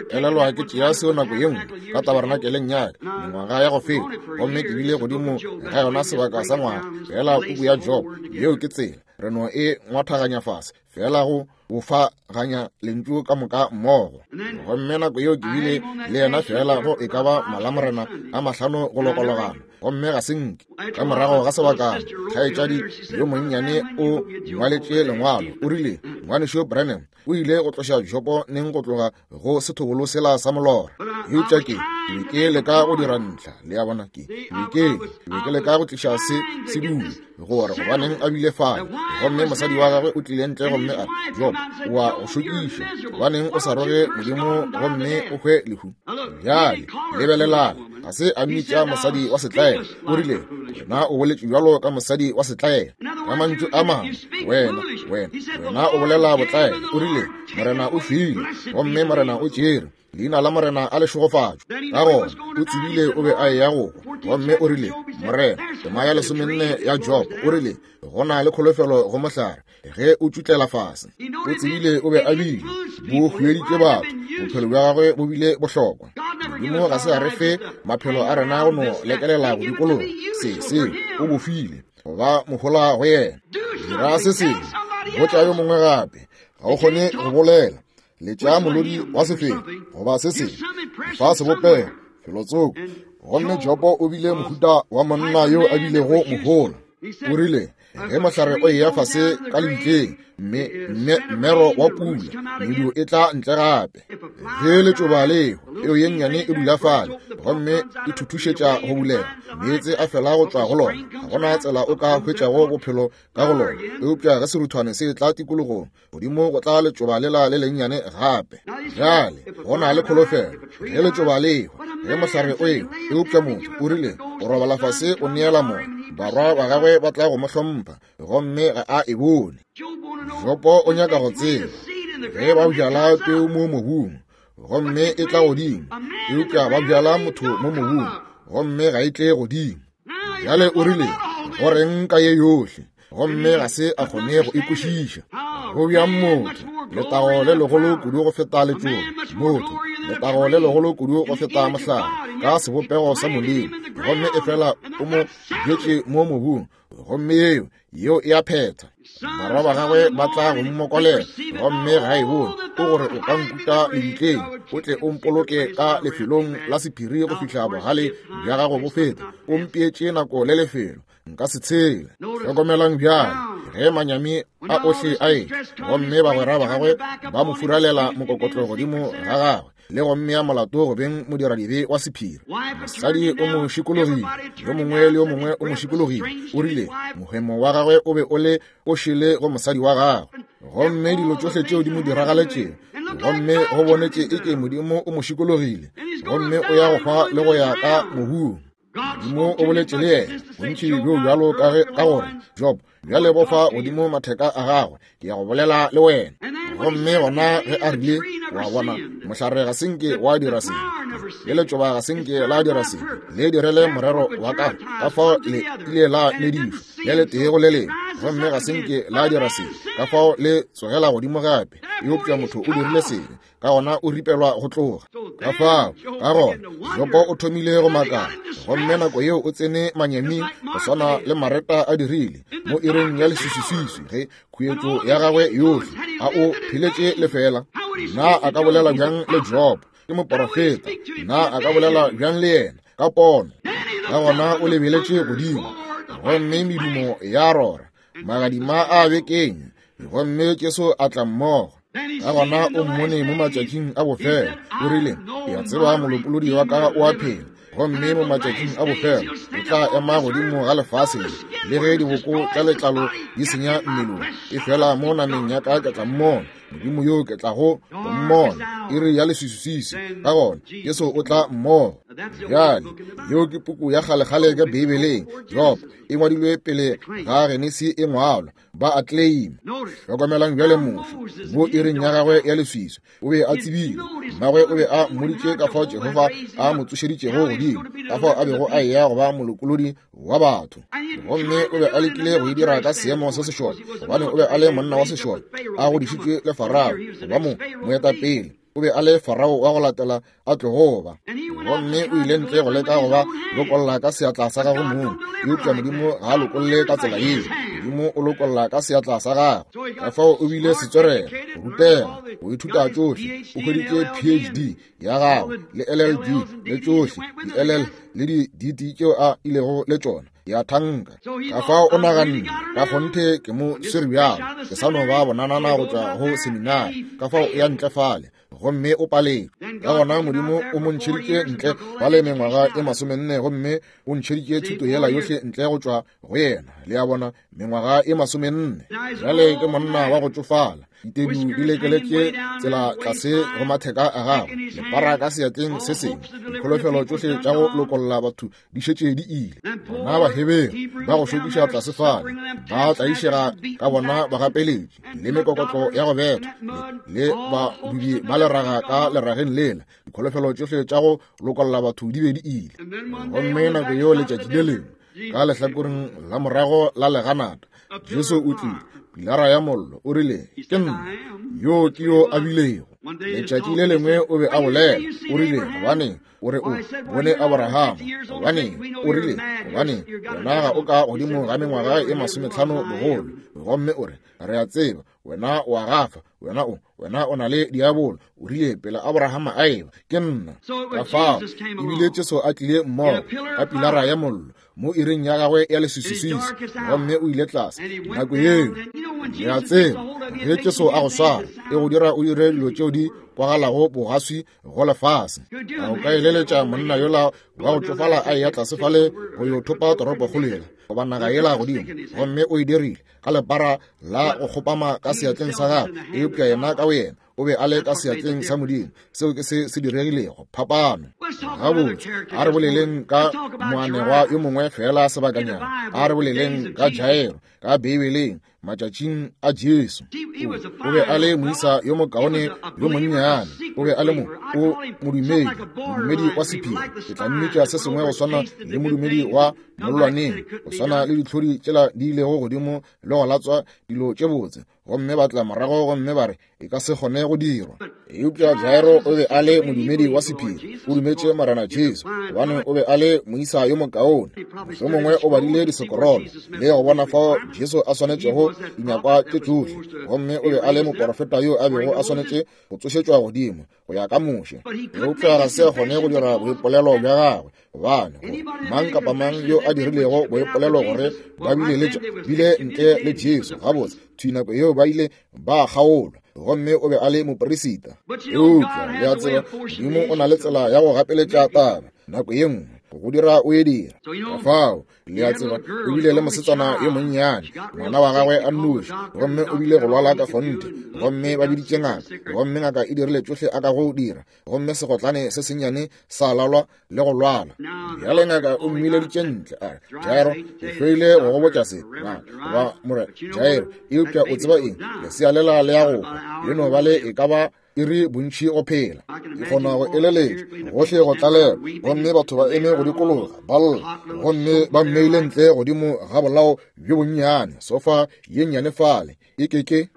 Ke elelwa ke tšea seo nako ye nngwe ka tabernakeleng ya ka mengwaga ya go feta, gomme ke bile godimo ga yona sebaka sa ngwaga. Fela puku ya Job, yeo ke tsela re no e ngwathaganya fase, fela go bofaganya lentšu ka moka mmogo. Gomme nako yeo ke bile le yena fela go e ka ba malamorena a mahlano go lokologana, gomme ga se nke. Ka morago ga sebakana, kgaetšadi yo monnyane o ngwaletše lengwalo, o rile, Ngwanešu Branham o ile go tloša Jobo neng go tloga go sethobolo sela sa molora. Eupša ke be ke leka go dira ntlha, le a bona, ke be ke be ke leka go tliša se se dule gore gobaneng a bile fale. Gomme mosadi wa gagwe o tlile ntle gomme a re, Job, o a go šokiša, gobaneng o sa roge Modimo gomme o hwe lehu? Bjale lebelelang, ga se a mmitša mosadi wa setlaela, o rile, wena o boletše bjalo ka mosadi wa setlaela. Ka mantšu a mangwe, wena wena wena o bolela botlaela. O rile, Morena o file, gomme Morena o tšere, leina la Morena a le šegofatšwe. Ka gona o tsebile o be a eya go hwa, gomme o rile, Morena, tema ya lesomenne ya Job, o rile, go na le kholofelo go mohlare ge o tšutlela fase. O tsebile o be a bile bo hweditše batho, bophelo bja gagwe bo bile bohlokwa. Modimo ga se a re fe maphelo a rena go no lekelela go dikologa. Se seo o bo file go ba mohola go yena. Dira se sengwe, botša yo mongwe gape. Ga o kgone go bolela, letša molodi wa sefelo goba se sengwe, fa sebopego felotsoko. Gomme Jobo o bile mohuta wa monna yo a bilego mohola. O rile, ge mohlare o eya fase ka lebitleng, mme mmero wa pula, medu e tla ntle gape. Ge letšoba leo, peo ye nnyane e dula fale, gomme e thuthušetša go bulega, meetse a fela go tšwa go lona. Ga gona tsela o ka hwetšago bophelo ka go lona. Eupša ge seruthwane se tla tikologong, godimo go tla letšoba lela le lennyane gape. Bjale go na le kholofelo ge letšoba leo, ge mohlare o ewa. Eupša motho o rile, o robala fase o neela moya, barwa ba gagwe ba tla go mo hlompha, gomme ga a e bone. Jobo o nyaka go tseba ge ba bjala peu mo mobung, gomme e tla godimo, eupša ba bjala motho mo mobung, gomme ga e tle godimo. Bjale o rile, go reng ka ye yohle? Gomme ga se a kgone go e kwešiša. Go bjang motho, letago le legolo kudu go feta letšoba, motho, letago le legolo kudu go feta mohlare, ka sebopego sa Modimo, gomme efela o mo bjetše mo mobung, gomme yeo yeo e a phetha. Barwa ba gagwe ba tla go mmokolela, gomme ga e bone. O gore o ka nkuta lebitleng, o tle o mpoloke ka lefelong la sephiri go fihla bogale bja gago bo feta. O mpeetše nako le lefelo, nka se tshele. Hlokomelang bjale, Ge manyami a ohle a e, gomme bagwera ba gagwe ba mo furalela mokokotlo godimo ga gagwe, le go mmea molato go beng modiradibe wa sephiri. Mosadi o mo šikologile, yo mongwe le yo mongwe o mo šikologile. O rile mohemo wa gagwe o be o le o šele go mosadi wa gagwe, gomme dilo tšohle tšeo di mo diragaletšego, gomme go bonetše eke Modimo o mo šikologile, gomme o ya go hwa le go ya ka mobung. Modimo o boletše le yena bontši bjo bjalo ka ge ka gore, Job, bjale bofa godimo matheka a gagwe, ke ya go bolela le wena. Gomme gona ge a rile, wa bona, mohlare ga senke wa dira sebe, le letšoba ga senke la dira sebe, le direle morero wa ka, ka fao le ile la medišwa le letee go le lengwe, gomme ga senke la dira sebe, ka fao le tsogela godimo gape. Eupša motho o dirile sebe, ka gona o ripelwa go tloga. Ka fao, ka gona Jobo o thomile go makala, gomme nako yeo o tsene manyaming go swana le Mareta a dirile mo iring ya leswiswiswiswi ge khuetšo ya gagwe yohle a o pheletše lefela. Na a ka bolela bjang le Job? Ke moporofeta. Na a ka bolela bjang le yena ka pono? Ka gona o lebeletše godimo, gomme medumo ya rora, magadima a bekeng, gomme Jesu a tla mmogo. Ka gona o mmone mo matšatšing a bofelo. O rile, ke a tseba molopolodi wa ka o a phela, gomme mo matšatšing a bofelo o tla ema godimo ga lefase le, le ge diboko tša letlalo di senya mmelong, e fela mo nameng ya ka ke tla mmona Modimo yo ke tlago go mmona. Iri ya leswiswiswi, ka gona Jesu o tla mmogo. Bjale yeo ke puku ya kgalekgale ka Beibeleng, Job, e ngwadilwe pele ga Genesi e ngwalwa, ba a claim. Hlokomelang bjale Moshe mo iring ya gagwe ya leswiswi, o be a tsebile, mmagwe o be a mmoditše ka fao Jehofa a mo tsošeditšego godimo, ka fao a bego a eya go ba molokolodi wa batho. Gomme o be a lekile go e dira ka seemo se sešole, gobane o be a le monna wa sešole, a godišitšwe le Farao go ba mo moetapele. O be a le Farao wa go latela a tlogo ba. Gomme o ile ntle go leka go ba lokolla ka seatla sa gagwe mong, eupša Modimo ga a lokolle ka tsela yeo. Modimo o lokolla ka seatla sa gagwe. Ka fao o bile setswerere, go rutega, go ithuta tšohle. O hweditše P H D ya gagwe le L L D le tšohle di L L le di D T tšeo a ilego le tšona ya thanka. Ka fao o naganne, ka kgonthe ke mo swere bjalo, ke sa no ba bonanana go tšwa go seminari. Ka fao o ya ntle fale, gomme o paletšwe. Ka gona Modimo o mo ntšheditše ntle fale mengwaga e masomenne, gomme o ntšheditše thuto yela yohle ntle go tšwa go yena. Le a bona, mengwaga e masomenne. Bjale ke monna wa go tšofala, ditedu di lekeletše tsela tlase go matheka a gagwe, lepara ka seatleng se sengwe, dikholofelo tšohle tša go lokolla batho di šetše di ile. Bona Baheberu ba go šokiša tlase fale, ba tlaišega ka bona bagapeletši le mekokotlo ya go betha, le badubi ba leraga ka lerageng lela, dikholofelo tšohle tša go lokolla batho di be di ile. Gomme nako yeo letšatši le lengwe ka lehlakoreng la morago la leganata, Jesu o tlile, pilara ya mollo, o rile, ke nna yo ke yo a bilego. Letšatši le lengwe o be a bolela, o rile, gobane o re o bone Abrahama, gobane o rile, gobane wena ga o ka godimo ga mengwaga e masometlhano bogolo, gomme o re, re a tseba wena o a gafa, wena o wena o na le diabolo. O rile, pele Abrahama a eba, ke nna. Ka fao ebile Jesu a tlile mmogo ka pilara ya mollo mo iring ya gagwe ya leswiswiswi, gomme o ile tlase nako yeo. Le a tseba, ge Jesu a go swara, e go dira o dire dilo tšeo di kwagalago bogaswi go lefase. A o ka eleletša monna yola wa go tšofala a eya tlase fale go yo thopa toropokgolo yela goba naga yela godimo, gomme o e dirile ka lepara la go kgopama ka seatleng sa gagwe, eupša yena ka boyena o be a le ka seatleng sa Modimo. Seo ke se se diregilego, phapano. Gabotse, a re boleleng ka moanegwa yo mongwe fela sebakanyana. A re boleleng ka Jairo ka Beibeleng matšatšing a Jesu. O be a le moisa yo mokaone yo monnyane, o be a le mo o modumedi, modumedi wa sephiri. Ke tla mmitša se sengwe go swana le modumedi wa mollwaneng, go swana le ditlhodi tšela di ilego godimo le go latswa dilo tše botse, gomme ba tla morago gomme ba re e ka se kgone go dirwa. Eupša Jairo o be a le modumedi wa sephiri, o dumetše Morena Jesu, gobane o be a le moisa yo mokaone. Mohlomongwe o badile disekorolo le go bona fao Jesu a swanetšego dinyakwa tše tšohle, gomme o be a le moporofeta yo a bego a swanetše go tsošetšwa godimo go ya ka Moshe. Eupša ga se a kgone go dira boipolelo bja gagwe, Gobane mang kapa mang yo a dirilego boipolelo gore ba bile le bile ntle le Jesu, gabotse thwi nako yeo ba ile ba kgaolwa, gomme o be a le moperisita. Eupša le a tseba, Modimo o na le tsela ya go gapeletša taba nako ye nngwe go dira o e dira. Ka fao le a tseba, o bile le mosetsana yo monnyane, ngwana wa gagwe a nnoši, gomme o bile go lwala ka kgonthe, gomme ba biditše ngaka, gomme ngaka e dirile tšohle a ka go dira, gomme segotlane se sennyane sa lalwa le go lwala. Bjale ngaka o mmileditše ntle, a re, Jairo, ke hloile go go botša se, ngaka, goba morena Jairo, eupša o tseba eng, lesea lela le ya go hwa, le no ba le e ka ba iri bontši go phela. Ke kgona go eleletša gohle go tlalelwa, gomme batho ba eme go dikologa ba lla, gomme ba mmeile ntle godimo ga bolao bjo bonnyane, sofa ye nnyane fale e keke.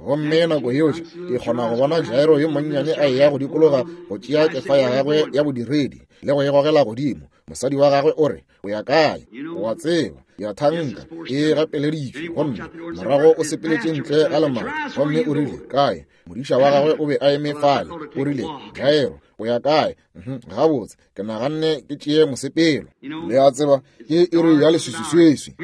Gomme nako yeo ke kgona go bona Jairo yo monnyane a eya go dikologa go tšea kefa ya gagwe ya bodiredi le go e gogela godimo. Mosadi wa gagwe o re, o ya kae? O a tseba, ya thanka e gapeleditšwe. Gomme morago o sepeletše ntle ga lemati, gomme o rile, kae? Modiša wa gagwe o be a eme fale, o rile, Jairo, o ya kae? Gabotse, ke naganne ke tšee mosepelo. Le a tseba, ke iri ya leswiswiswiswi.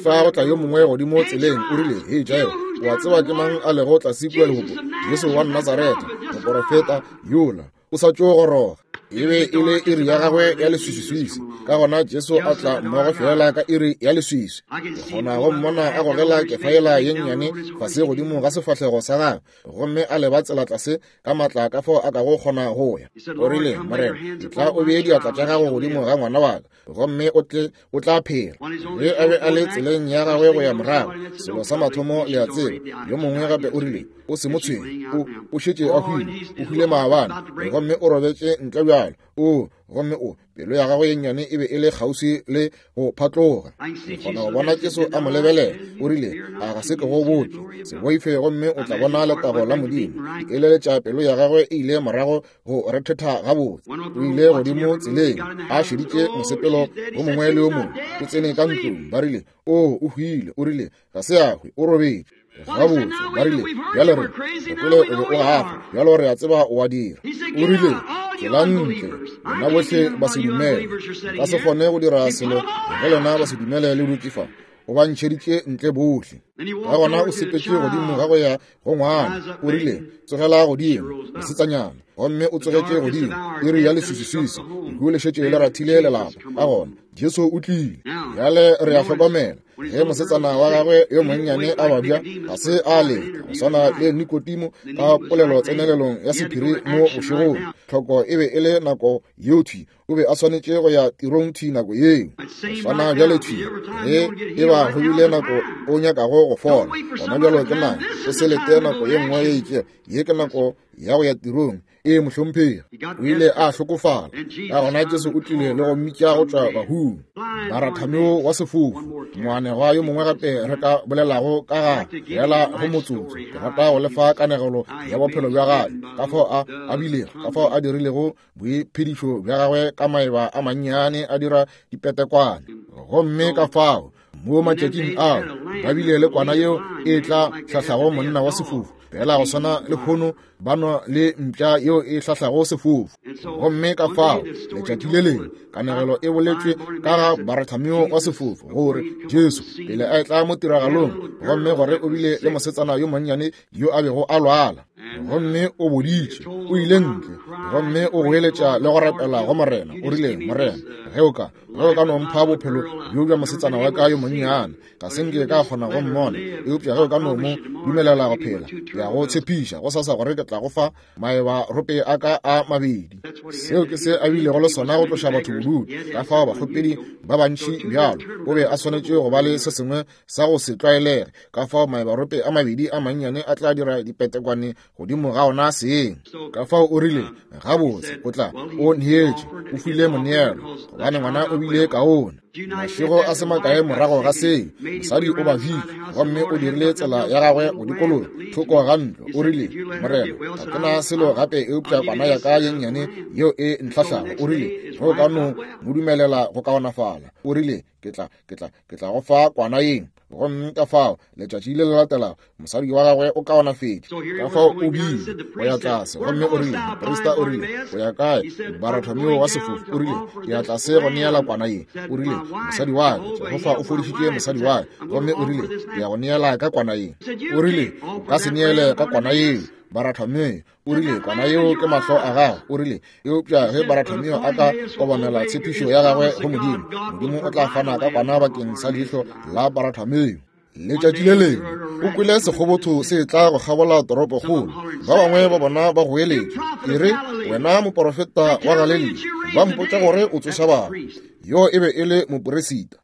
Fa go tla yo mongwe godimo tseleng, o rile, hei Jairo, o a tseba ke mang a lego tlase kua legopo? Jesu wa Nazaretha, moporofeta yola, o sa tšo goroga. E be e le iri ya gagwe ya leswiswiswi. Ka gona Jesu a tla mmogo fela ka iri ya leswiswi. Ke kgona go mmona a gogela kefa yela ye nnyane fase godimo ga sefahlego sa gagwe, gomme a leba tsela tlase ka matla ka fao a kago kgona go ya. O rile, Morena, tla o bee diatla tša gago godimo ga ngwana wa ka, gomme o tle o tla phela. Ge a be a le tseleng ya gagwe go ya morago, selo sa mathomo le a tseba, yo mongwe gape o rile, o se mo tshwenye, o o šetše a hwile, o hwile maabane, gomme o robetše ntle bjalo. O gomme o pelo ya gagwe ye nnyane e be e le kgauswi le go phatloga. Ke kgona go bona Jesu a mo lebelela, o rile, a ga se ke go botše, se boife, gomme o tla bona letago la Modimo. Ke eleletša pelo ya gagwe e ile morago go rethetha gabotse. O ile godimo tseleng a šeditše mosepelo o mongwe le o mongwe. O tsene ka ntlong, ba rile, o o hwile. O rile, ga se a hwe, o robetše. Gabotse, ba rile, bjale re gopole o be o gafa, bjalo re a tseba o a dira. O rile, tsela ntle, lena bohle ba se dumele, ba se kgone go dira selo ge lena ba se dumele le dutše fa. O ba ntšheditše ntle bohle. Ka gona o sepetše godimo ga go ya go ngwana, o rile, tsogela godimo, mosetsanyana, gomme o tsogetše godimo iri ya leswiswiswi. Lehu le šetše le rathile lelapa. Ka gona Jesu o tlile. Bjale re a hlokomela ge mosetsana wa gagwe yo monnyane a babja, ga se a leta go swana le Nikodimo ka polelo tsenelelong ya sephiri mo bošegong. Tlhoko e be e le nako yeo thwi, o be a swanetše go ya tirong thwi nako yeo. Go swana bjale thwi, ge e ba go bile nako o nyakago go fola, gona bjalo ke nako, o se lete nako ye nngwe ye itšego. Ye ke nako ya go ya tirong. E mohlomphegi, o ile a hlokofala. Ka gona Jesu o tlile le go mmitša go tšwa bahung. Barathameo wa sefofu, moanegwa yo mongwe gape re ka bolelago ka ga fela go motsotso. Ke rata go lefa kanegelo ya bophelo bja gagwe, ka fao a a bilego, ka fao a dirilego boiphedišo bja gagwe ka maeba a mannyane a dira dipetekwane. Gomme ka fao mo matšatšing ao ba bile le kwana yeo e tla hlahlago monna wa sefofu, fela go swana le hono ba nwa le mpša yeo e hlahlago sefofu. Gomme ka fao letšatši le lengwe kanegelo e boletšwe ka ga Barathameo wa sefofu, gore Jesu pele a etla mo tiragalong, gomme gore o bile le mosetsana yo monnyane yo a bego a lwala, gomme o boditše, o ile ntle, gomme o goeletša le go rapela go Morena. O rile, Morena, ge o ka ge o ka no mpha bophelo bjo bja mosetsana wa ka yo monnyane, ga se nke ka kgona go mmona, eupša ge o ka no mo dumelela go phela, ke a go tshepiša go sasa gore ke tla go fa maeba rope a ka a mabedi. Seo ke se a bilego le sona go tloša batho bodutu. Ka fao bakgopedi ba bantši bjalo, o be a swanetše go ba le se sengwe sa go se tlwaelege. Ka fao maeba rope a mabedi a mannyane a tla dira dipetekwane godimo ga ona seng. Ka fao o rile, gabotse, o tla o neetše, o file moneelo, gobane ngwana o bile kaone. Mašego a se makae morago ga seo, mosadi o babile, gomme o dirile tsela ya gagwe go dikologa thoko ga ntlo. O rile, Morena, ga ke na selo gape eupša kwana ya ka ye nnyane yeo e ntlhahlago. O rile, ge o ka no mo dumelela go kaonafala, o rile, ke tla ke tla ke tla go fa kwana yeng. Gomme ka fao letšatši le le latelago mosadi wa gagwe o kaonafetše. Ka fao o bile o ya tlase, gomme o rile, moprista o rile, o ya kae Barathomeo wa sefofu? O rile, ke ya tlase go neela kwana ye. O rile, mosadi wa ka, Jehofa o fodišitše mosadi wa ka, gomme o rile, ke ya go neela ka kwana ye. O rile, o ka se neele ka kwana yeo, Barathomeo. O rile, kwana yeo ke mahlo a gago. O rile, eupša ge Barathomeo a ka obamela tshepišo ya gagwe go Modimo, Modimo o tla fana ka kwana bakeng sa leihlo la Barathomeo. Letšatši le lengwe o kwele sekgobotho se tla go kgabola toropokgolo. Ba bangwe ba bona ba goeletša, e re, wena moporofeta wa Galilea, ba mpotša gore o tsoša batho. Yo e be e le moporesita.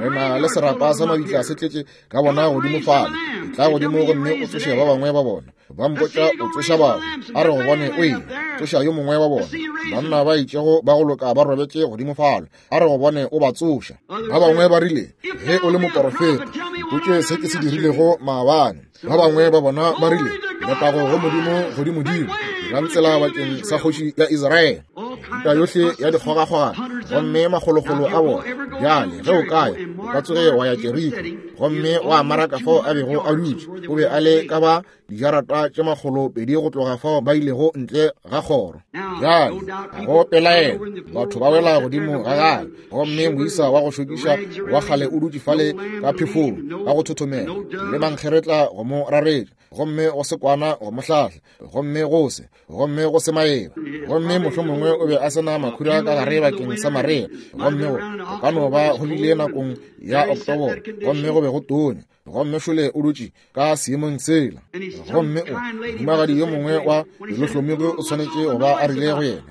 Re na le serapa sa mabitla se tletše ka bona godimo fale. E tla godimo gomme o tsoše ba bangwe ba bona. Ba mpotša o tsoša batho. A re go bone o eng, tsoša yo mongwe wa bona. Banna ba itšego ba go loka ba robetše godimo fale. A re go bone o ba tsoša. Ba bangwe ba rile, ge o le moporofeta, mpotše se ke se dirilego maabane. Ba bangwe ba bona ba rile, letago go Modimo godimodimo, dirang tsela bakeng sa kgoši ya Israele. Mehuta yohle ya dikgogakgogano, gomme makgolokgolo a bona. Bjale ge o kaya, o ka tsoge wa ya Jeriko, gomme wa maraka fao a bego a dutše. O be a le ka ba dijarata tše makgolo pedi go tloga fao ba ilego ntle ga kgoro. Bjale ga go pelaelo, batho ba wela godimo ga gagwe, gomme moisa wa go šokiša wa kgale o dutše fale ka phefong ka go thothomela, le mankgeretla go mo raretša, gomme go se kwana go mo hlahla, gomme go se, gomme go se maeba. Gomme mohlomongwe o be a se na makhura ka gare bakeng sa marea, gomme go ka no ba go bile nakong ya Oktoboro, gomme go be go tonya. Gomme šole o dutše ka seemong sela. Gomme o mohumagadi yo mongwe wa pelohlomigi o swanetše go ba a rile go yena,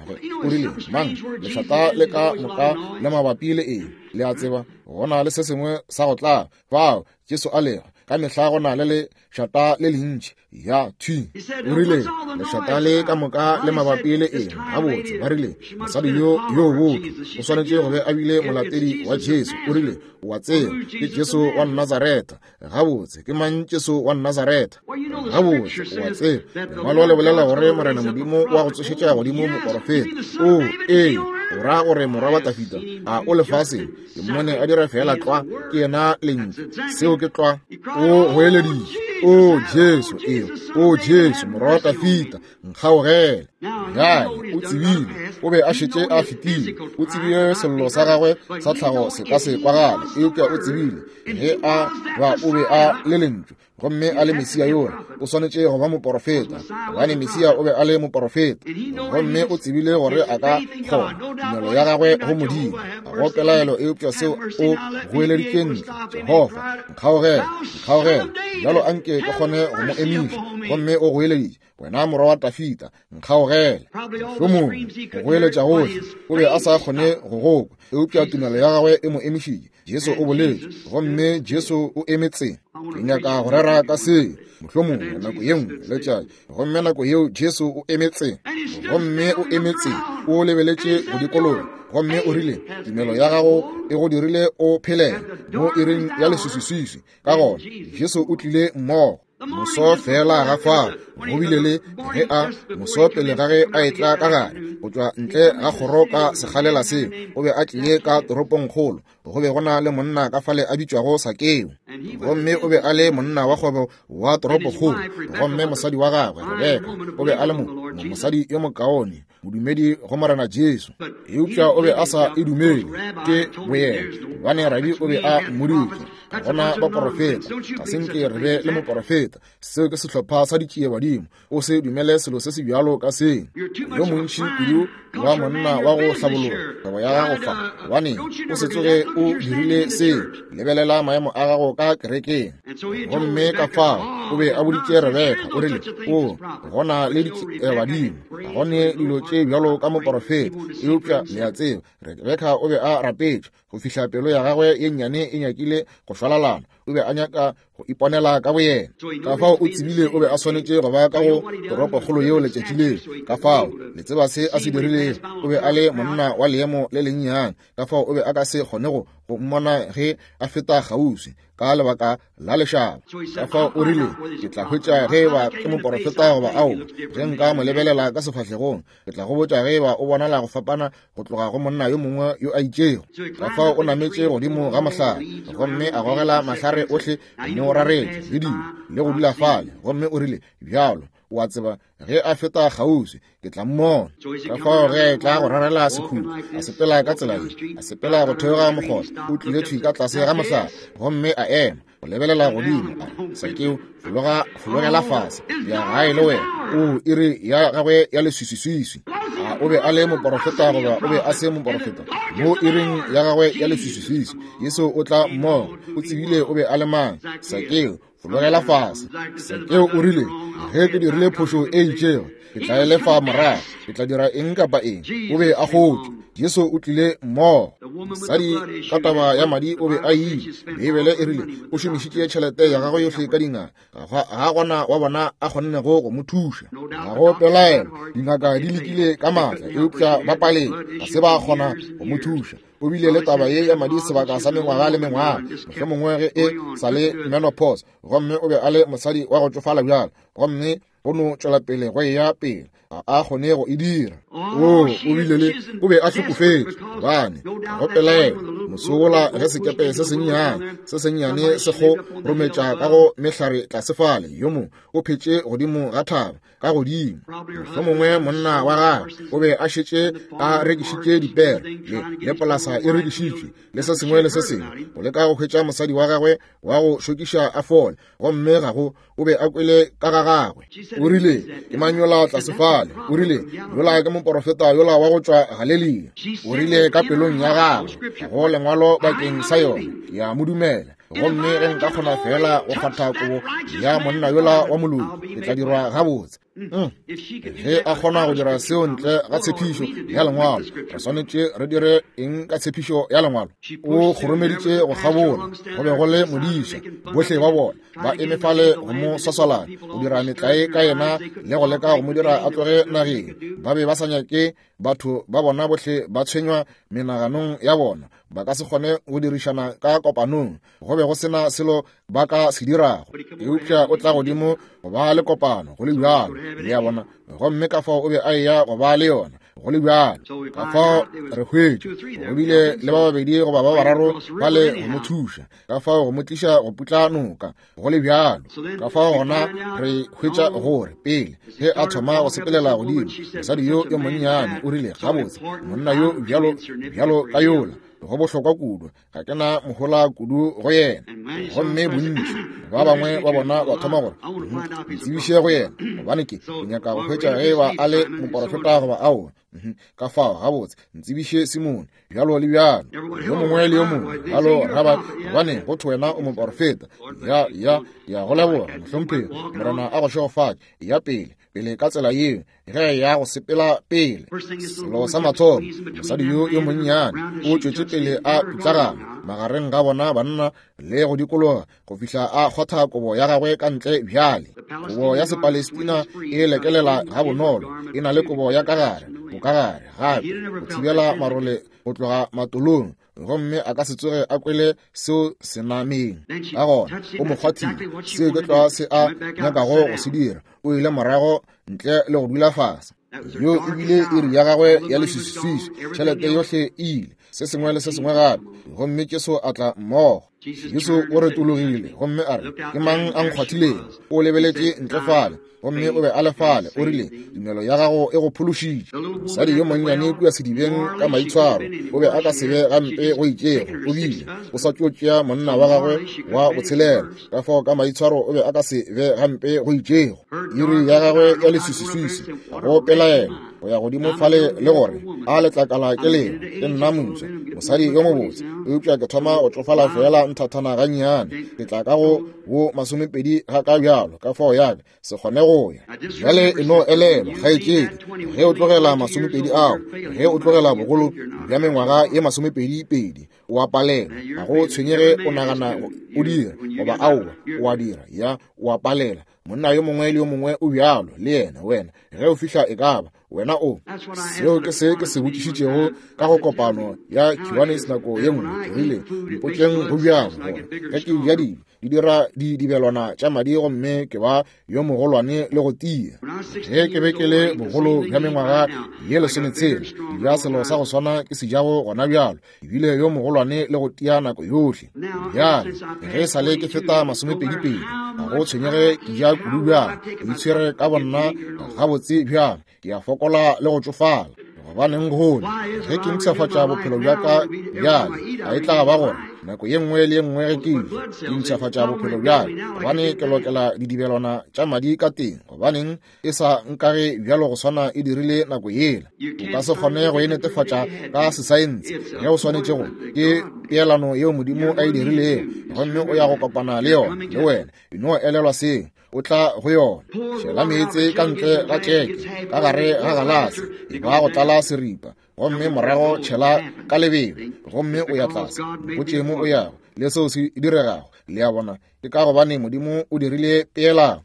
o rile, mang lešata le ka moka le mabapi le eng? Le a tseba, go na le se sengwe sa go tla fao Jesu a lego. Ka mehla go na le lešata le lentši ya thwi. O rile, lešata le ka moka le mabapi le eng? Gabotse, ba rile, mosadi yo yo botho o swanetše go be a bile molatedi wa Jesu. O rile, o a tseba, ke Jesu wa Nazaretha. Gabotse, ke mang Jesu wa Nazaretha? Gabotse, o a tseba, lengwalo le bolela gore Morena Modimo wa go tsošetša godimo moporofeta. O, ee, o ra gore morwa wa Dafida a o lefaseng? Ke mmone a dira fela tlwa, ke yena lentšu. Seo ke tlwa. O goeleditše, o Jesu, ee, o Jesu, morwa wa Dafida, nkgaogele. Bjale o tsebile, o be a šetše a fetile. O tsebile sello sa gagwe sa tlhago se ka se kwagale, eupša o tsebile ge a ba o be a le lentšu, gomme a le Mesia yola, o swanetše go ba moporofeta, gobane Mesia o be a le moporofeta. Gomme o tsebile gore a ka kgona tumelo ya gagwe go Modimo. Ga go pelaelo eupša seo o goeleditše ntle, Jehofa, nkgaogele, nkgaogele, bjalo anke ke kgone go mo emiša. Gomme o goeleditše, wena morwa wa Dafida, nkgaogele. Mohlomongwe go goeletša gohle, o be a sa kgone go gokwa, eupša tumelo ya gagwe e mo emišitše. Jesu o boletše, gomme Jesu o emetse. Ke nyaka go rera ka seo mohlomongwe nako ye nngwe letšatši. Gomme nako yeo Jesu o emetse, gomme o emetse, o lebeletše go dikologa, gomme o rile, tumelo ya gago e go dirile o phelele mo iring ya leswiswiswi. Ka gona Jesu o tlile mmogo. Moso fela ga fao go bile le ge a moso pele ga ge a etla ka gare go tšwa ntle ga kgoro ka sekgalela seo, o be a tlile ka toropongkgolo. Go be go na le monna ka fale a bitšwago Sakeo, gomme o be a le monna wa kgwebo wa toropokgolo. Gomme mosadi wa gagwe Rebeka o be a le mo mosadi yo mokaone, modumedi go Morena Jesu, eupša o be a sa e dumele ke boyena, gobane rabi o be a mmoditše, gona baporofeta ga se nke re be le moporofeta. Seo ke sehlopha sa ditšiebadimo. O se dumele selo se se bjalo ka seng. Yo montši kudu wa monna wa go hlabologa kgwebo ya gago fa, gobane o se tsoge o dirile seo. Lebelela maemo a gago ka kerekeng. Gomme ka fao o be a boditše Rebeka, o rile, o gona le ditšiebadimo, ga gone dilo tše bjalo ka moporofeta. Eupša le a tseba, Rebeka o be a rapetše go fihla pelo ya gagwe ye nnyane e nyakile go šwalalana. O be a nyaka go iponela ka boyena. Ka fao o tsebile o be a swanetše go ba ka go toropokgolo yeo letšatši leo. Ka fao le tseba se a se dirilego. O be a le monna wa leemo le lennyane, ka fao o be a ka se kgone go go mmona ge a feta kgauswi ka lebaka la lešaba. Ka fao o rile, ke tla hwetša ge eba ke moporofeta goba ao. Ge nka mo lebelela ka sefahlegong, ke tla go botša ge eba o bonala go fapana go tloga go monna yo mongwe yo a itšego. Ka fao o nametše godimo ga mohlare, gomme a gogela mahlare ohle mo raretše le dilo le go dula fale. Gomme o rile, bjalo o a tseba ge a feta kgauswi ke tla mmona. Ka fao ge tla go rarela sekhutlo, a sepela ka tsela ye, a sepela go theoga mokgotha, o tlile thwi ka tlase ga mohlare, gomme a ema go lebelela godimo. A re, Sakeo, fologa, fologela fase, ya gae le wena. O iri ya gagwe ya leswiswiswiswi. A o be a le moporofeta goba o be a se moporofeta? Mo iring ya gagwe ya leswiswiswiswi, Jesu o tla mmogo. O tsebile o be a le mang. Sakeo, fologela fase. Sakeo o rile, ge ke dirile phošo e itšego, ke tla e lefa morago, ke tla dira eng kapa eng. O be a kgotšwe. Jesu o tlile mmogo. Mosadi ka taba ya madi o be a ile. Beibele e rile o šomišitše tšhelete ya gagwe yohle ka dingaka, ga gona wa bona a kgonnego go mo thuša. Ga go pelaelo, dingaka di lekile ka maatla, eupša ba paletšwe, ga se ba kgona go mo thuša. O bile le taba ye ya madi sebaka sa mengwaga le mengwaga, mohlomongwe ge e sa le menopause, gomme o be a le mosadi wa go tšofala bjalo, gomme go no tšwela pele go eya pele, ga a kgone go e dira. O o bile le, o be a hlokofetše, gobane ga go pelaelo mosola ge sekepe se sennyane se sennyane se go rometša ka go mehlare tlase fale, yo mongwe o phetše godimo ga thaba ka godimo. Mohlomongwe monna wa gagwe o be a šetše a rekišitše dipere le le polasa e rekišitšwe le se sengwe le se sengwe, go leka go hwetša mosadi wa gagwe wa go šokiša a fole, gomme ga go, o be a kwele ka ga gagwe. O rile, ke mang yola tlase fale? O rile, yola ke moporofeta yola wa go tšwa Galelia. O rile ka pelong ya gagwe, ga go lengwalo bakeng sa yona, ke a mo dumela. Gomme ge nka kgona fela go kgwatha kobo ya monna yola wa moloki, ke tla dirwa gabotse. Ge a kgona go dira seo ntle ga tshepišo ya lengwalo, re swanetše re dire eng ka tshepišo ya lengwalo? O kgoromeditše go kgabola, go be go le modiša, bohle ba bona ba eme fale go mo swaswalana, go dira metlae ka yena le go leka go mo dira a tloge nageng. Ba be ba sa nyake batho ba bona bohle ba tshwenywa menaganong ya bona, ba ka se kgone go dirišana ka kopanong, go be go sena selo ba ka se dirago. Eupša o tla godimo go ba le kopano go le bjalo, le a bona, gomme ka fao o be a eya go ba le yona go le bjalo. Ka fao re hwetše go bile le ba babedi goba ba bararo ba le go mo thuša, ka fao go mo tliša go putla noka go le bjalo. Ka fao gona re hwetša gore pele ge a thoma go sepelela godimo, mosadi yo yo monnyane o rile, gabotse monna yo bjalo bjalo ka yola, go bohlokwa kudu, ga ke na mohola kudu go yena. Gomme bontši ba bangwe ba bona ba thoma gore, ntsebiše go yena, gobane ke nyaka go hwetša ge ba a le moporofeta goba aowa. Ka fao gabotse ntsebiše Simone, bjalo le bjalo, yo mongwe le yo mongwe, bjalo raba, gobane go thwe wena o moporofeta. Ya ya ya go leboga mohlomphegi, Morena a go šegofatše. Ya pele pele ka tsela yeo ge ya go sepela pele. Selo sa mathomo, mosadi yo yo monnyane o tšwetše pele a pitlagana magareng ga bona banna le go dikologa go fihla a kgwatha kobo ya gagwe ka ntle. Bjale kobo ya Sepalestina e lekelela ga bonolo, e na le kobo ya ka gare, bokagare gape go thibela marole go tloga matolong, gomme a ka se tsoge a kwele seo senameng. Ka gona o mo kgwathile, seo ke tlwa se a nyakago go se dira. O ile morago ntle le go dula fase. Yo ebile iri ya gagwe ya leswiswiswi, tšhelete yohle e ile, se sengwe le se sengwe gape. Gomme Jesu a tla mmogo. Jesu o retologile gomme a re, ke mang a nkgwathilego? O lebeletše ntle fale, gomme o be a le fale. O rile, tumelo ya gago e go phološitše. Mosadi yo monnyane kua sedibeng ka maitshwaro, o be a ka se be gampe go itšego, o bile o sa tšo tšea monna wa gagwe wa botshelela, ka fao ka maitshwaro o be a ka se be gampe go itšego. Iri ya gagwe ya leswiswiswi, ga go pelaelo, go ya godimo fale le gore a letlakala ke leo, ke nna moswa, mosadi yo mobotse, eupša ke thoma go tšofala fela nthathana gannyane. Ke tla ka go bo masomepedi ga ka bjalo, ka fao ya ka se kgone go ya. Bjale e no elelwa, kgaetšedi, ge o tlogela masomepedi ao, ge o tlogela bogolo bja mengwaga ye masomepedi pedi, o a palela. Ga go tshwenyege o nagana o dira goba aowa, o a dira, ya, o a palela. Monna yo mongwe le yo mongwe o bjalo le yena, wena ge o fihla e ka ba wena o. Seo ke se ke se botšišitšego ka go kopano ya Kiwanis nako ye nngwe. Ke rile, mpotšeng go bjang gore ge ke ja dijo di dira di dibelwana tša madi gomme ke ba yo mogolwane le go tia. Ge ke be ke le bogolo bja mengwaga ye lesometshela, ke ja selo sa go swana ke se jago gona bjalo, ebile yo mogolwane le go tia nako yohle. Bjale ge sa le ke feta masomepedi pedi, ga go tshwenyege ke ja kudu bjang, ke itshwere ka bonna gabotse bjang, ke a fokola le go tšofala. Gobaneng gone ge ke mpshafatša bophelo bja ka bjale, a e tla ba gore nako ye nngwe le ye nngwe ge ke ja ke mpshafatša bophelo bjale, gobane ke lokela didibelwana tša madi ka teng. Gobaneng e sa nkage bjalo go swana e dirile nako yela? O ka se kgone go e netefatša ka sesaense ge o swanetše go. Ke peelano yeo Modimo a e dirilego, gomme o ya go kopana le yona le wena. E no elelwa seo, o tla go yona. Tšhela meetse ka ntle ga tšeke, ka gare ga galase, e ba go tlala seripa, gomme morago tšhela ka lebelo, gomme o ya tlase. Mpotše mo o yago le seo se diregago. Le a bona, ke ka gobane Modimo o dirile peelano.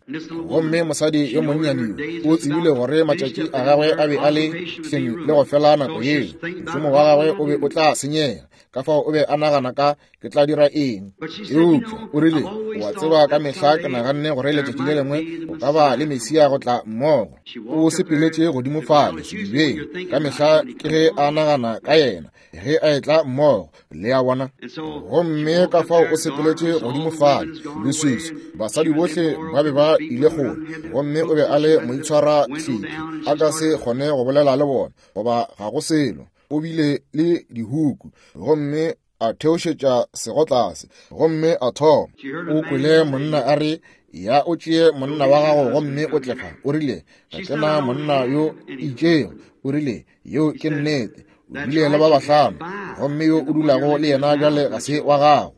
Gomme mosadi yo monnyane yo o tsebile gore matšatši a gagwe a be a le hleng le go fela nako yeo, mošomo wa gagwe o be o tla senyega. Ka fao o be a nagana ka, ke tla dira eng? Eupša o rile, o a tseba, ka mehla ke naganne gore letšatši le lengwe o ka ba le Mesia go tla mmogo. O sepeletše godimo fale sedibeng, ka mehla ke ge a nagana ka yena ge a etla mmogo. Le a bona? Gomme ka fao o sepeletše godimo fale leswiswi, basadi bohle ba be ba ile kgole, gomme o be a le moitshwara hlephi, a ka se kgone go bolela le bona goba ga go selo. O bile le dihuku, gomme a theošetša sego tlase, gomme a thoma. O kwele monna a re, ya o tšee monna wa gago gomme o tle fa. O rile, ga ke na monna yo itšego. O rile, yeo ke nnete. O bile le ba bahlano, gomme yo o dulago le yena bjale ga se wa gago.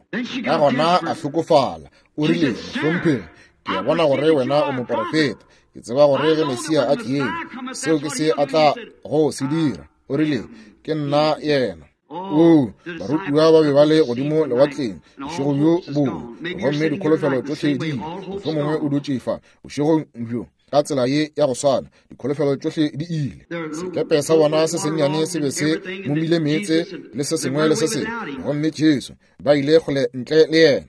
Ka gona a hlokofala. O rile, mohlomphegi, ke a bona gore wena o moporofeta. Ke tseba gore ge Mesia a tlie, seo ke se a tla go se dira. O rile, ke nna yena. O, barutiwa ba be ba le godimo lewatleng bošego bjo bongwe, gomme dikholofelo tšohle di ile. Mohlomongwe o dutše fa bošegong bjo ka tsela ye ya go swana, dikholofelo tšohle di ile. Sekepe sa bona se sennyane se be se momile meetse le se sengwe le se sengwe, gomme Jesu ba ile kgole ntle le yena.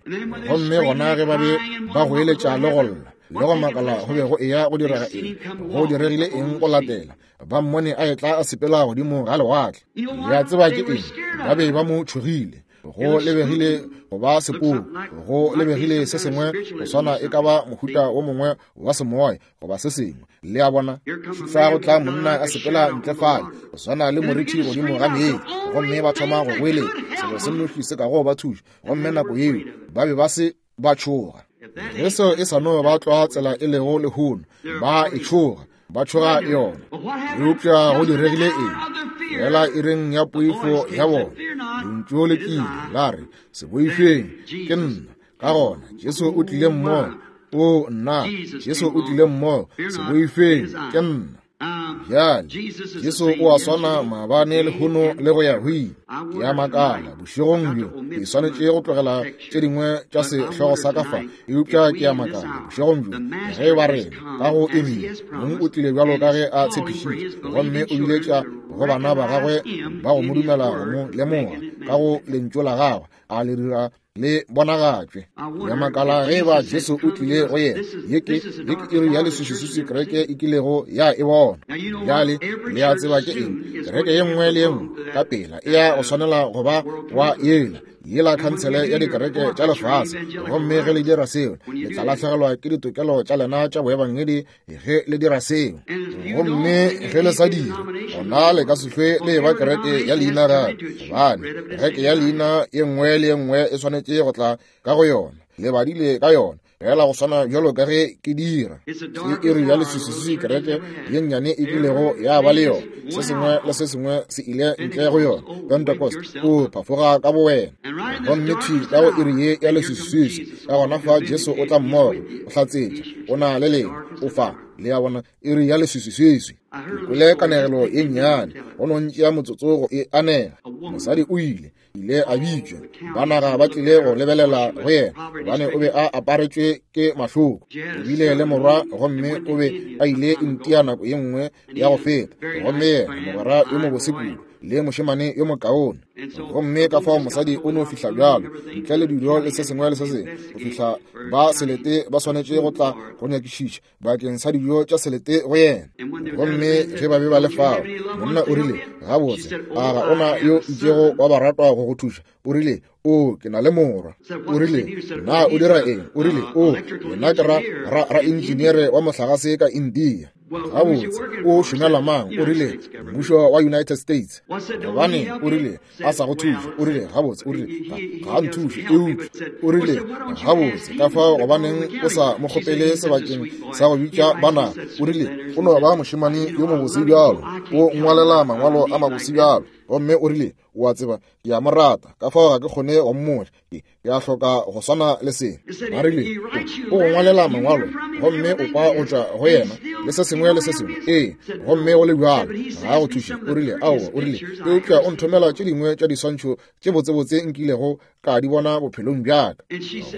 Gomme gona ge ba be ba goeletša le go lla le go makala go be go eya go direga eng, go diregile eng go latela, ba mmone a etla a sepela godimo ga lewatle. Le a tseba ke eng? Ba be ba mo tšhogile. Go lebegile go ba sepoko, go lebegile se sengwe go swana e ka ba mohuta wo mongwe wa semoya goba se sengwe. Le a bona? Fa go tla monna a sepela ntle fale go swana le morithi godimo ga meetse, gomme ba thoma go goeletša selo se nnoši se kago ba thuša, gomme nako yeo ba be ba se ba tšhoga. Ge seo e sa no ba tlwa tsela e lego lehono, ba e tšhoga, ba tšhoga yona. Eupša go diregile eng? Fela ireng ya poifo ya bona, lentšu le tlile la re, se boifeng, ke nna. Ka gona Jesu o tlile mmogo. O nna, Jesu o tlile mmogo. Se boifeng, ke nna. Bjale Jesu o a swana maabane, lehono le go ya go ile. Ke a makala bošegong bjo, ke swanetše go tlogela tše dingwe tša sehlogo sa ka fa, eupša ke a makala bošegong bjo ge ba rena ka go iri mong o tlile bjalo ka ge a tshepišitše, gomme o biletša go bana ba gagwe ba go mo dumela go mo lemoga ka go lentšu la gagwe, a le dira le bonagatšwe. Ya makala ge ba Jesu o tlile go yena. Ye ke ye ke iri ya leswiswiswi kereke e kilego ya e bona. Bjale le a tseba ke eng? Kereke ye nngwe le ye nngwe ka pela e ya go swanela go ba wa yela yela khansele ya dikereke tša lefase, gomme ge le dira seo le tla lahlegelwa ke ditokelo tša lena tša boebangedi ge le dira seo. Gomme ge le sa dire, gona le ka se hlwe le ba kereke ya leina gape, gobane kereke ya leina ye nngwe le ye nngwe e swanetše go tla ka go yona. Le badile ka yona, Fela go swana bjalo ka ge ke dira. Ke iri ya leswiswi kereke ye nnyane e kilego ya ba le yona. Se sengwe le se sengwe se ile ntle go yona. Pentecost, o phafoga ka bowena. Gomme thwi ka go iri ye ya leswiswi, ka gona fa Jesu o tla mmogo, o hlatsetša, o na le lena, o fa. Le a bona, iri ya leswiswiswi. Ke kwele kanegelo ye nnyane, go no ntšea motsotso go e anega. Mosadi o ile, ile a bitšwa. Ba naga ba tlile go lebelela go yena, gobane o be a aparetšwe ke mahloko. O bile le morwa, gomme o be a ile India nako ye nngwe ya go feta. Gomme yena, mogwera yo mobose kudu, le mošemane yo mokaone. Gomme ka fao mosadi o no fihla bjalo, ntle le dijo le se sengwe le se sengwe, go fihla ba selete ba swanetše go tla go nyakišiša bakeng sa dijo tša selete go yena. Gomme ge ba be ba le fao, monna o rile, gabotse, a ga ona yo itšego wa baratwa go go thuša? O rile, o, ke na le morwa. O rile, na o dira eng? O rile, o, nna ke ra, ra, ra engineere wa mohlagase ka India. Gabotse, o šomela mang? O rile, mmušo wa United States. Gobane o rile, a sa go thuše. O rile, gabotse, o rile, ga nthuše, eupša. O rile, gabotse, ka fao gobaneng o sa mo kgopele sebakeng sa go bitša bana? O rile, o no ba mošemane yo mobose bjalo, o ngwalela mangwalo a mabose bjalo. Gomme o rile, o a tseba, ke a mo rata, ka fao ga ke kgone go mmotša, ke ke a hloka go swana le se. Ba rile, o go ngwalela mangwalo, gomme o kwa go tšwa go yena, le se sengwe le se sengwe. Ee, gomme go le bjalo, ga go thuše. O rile, aowa, o rile, eupša o nthomela tše dingwe tša diswantšho tše botsebotse nkilego ka di bona bophelong bja ka.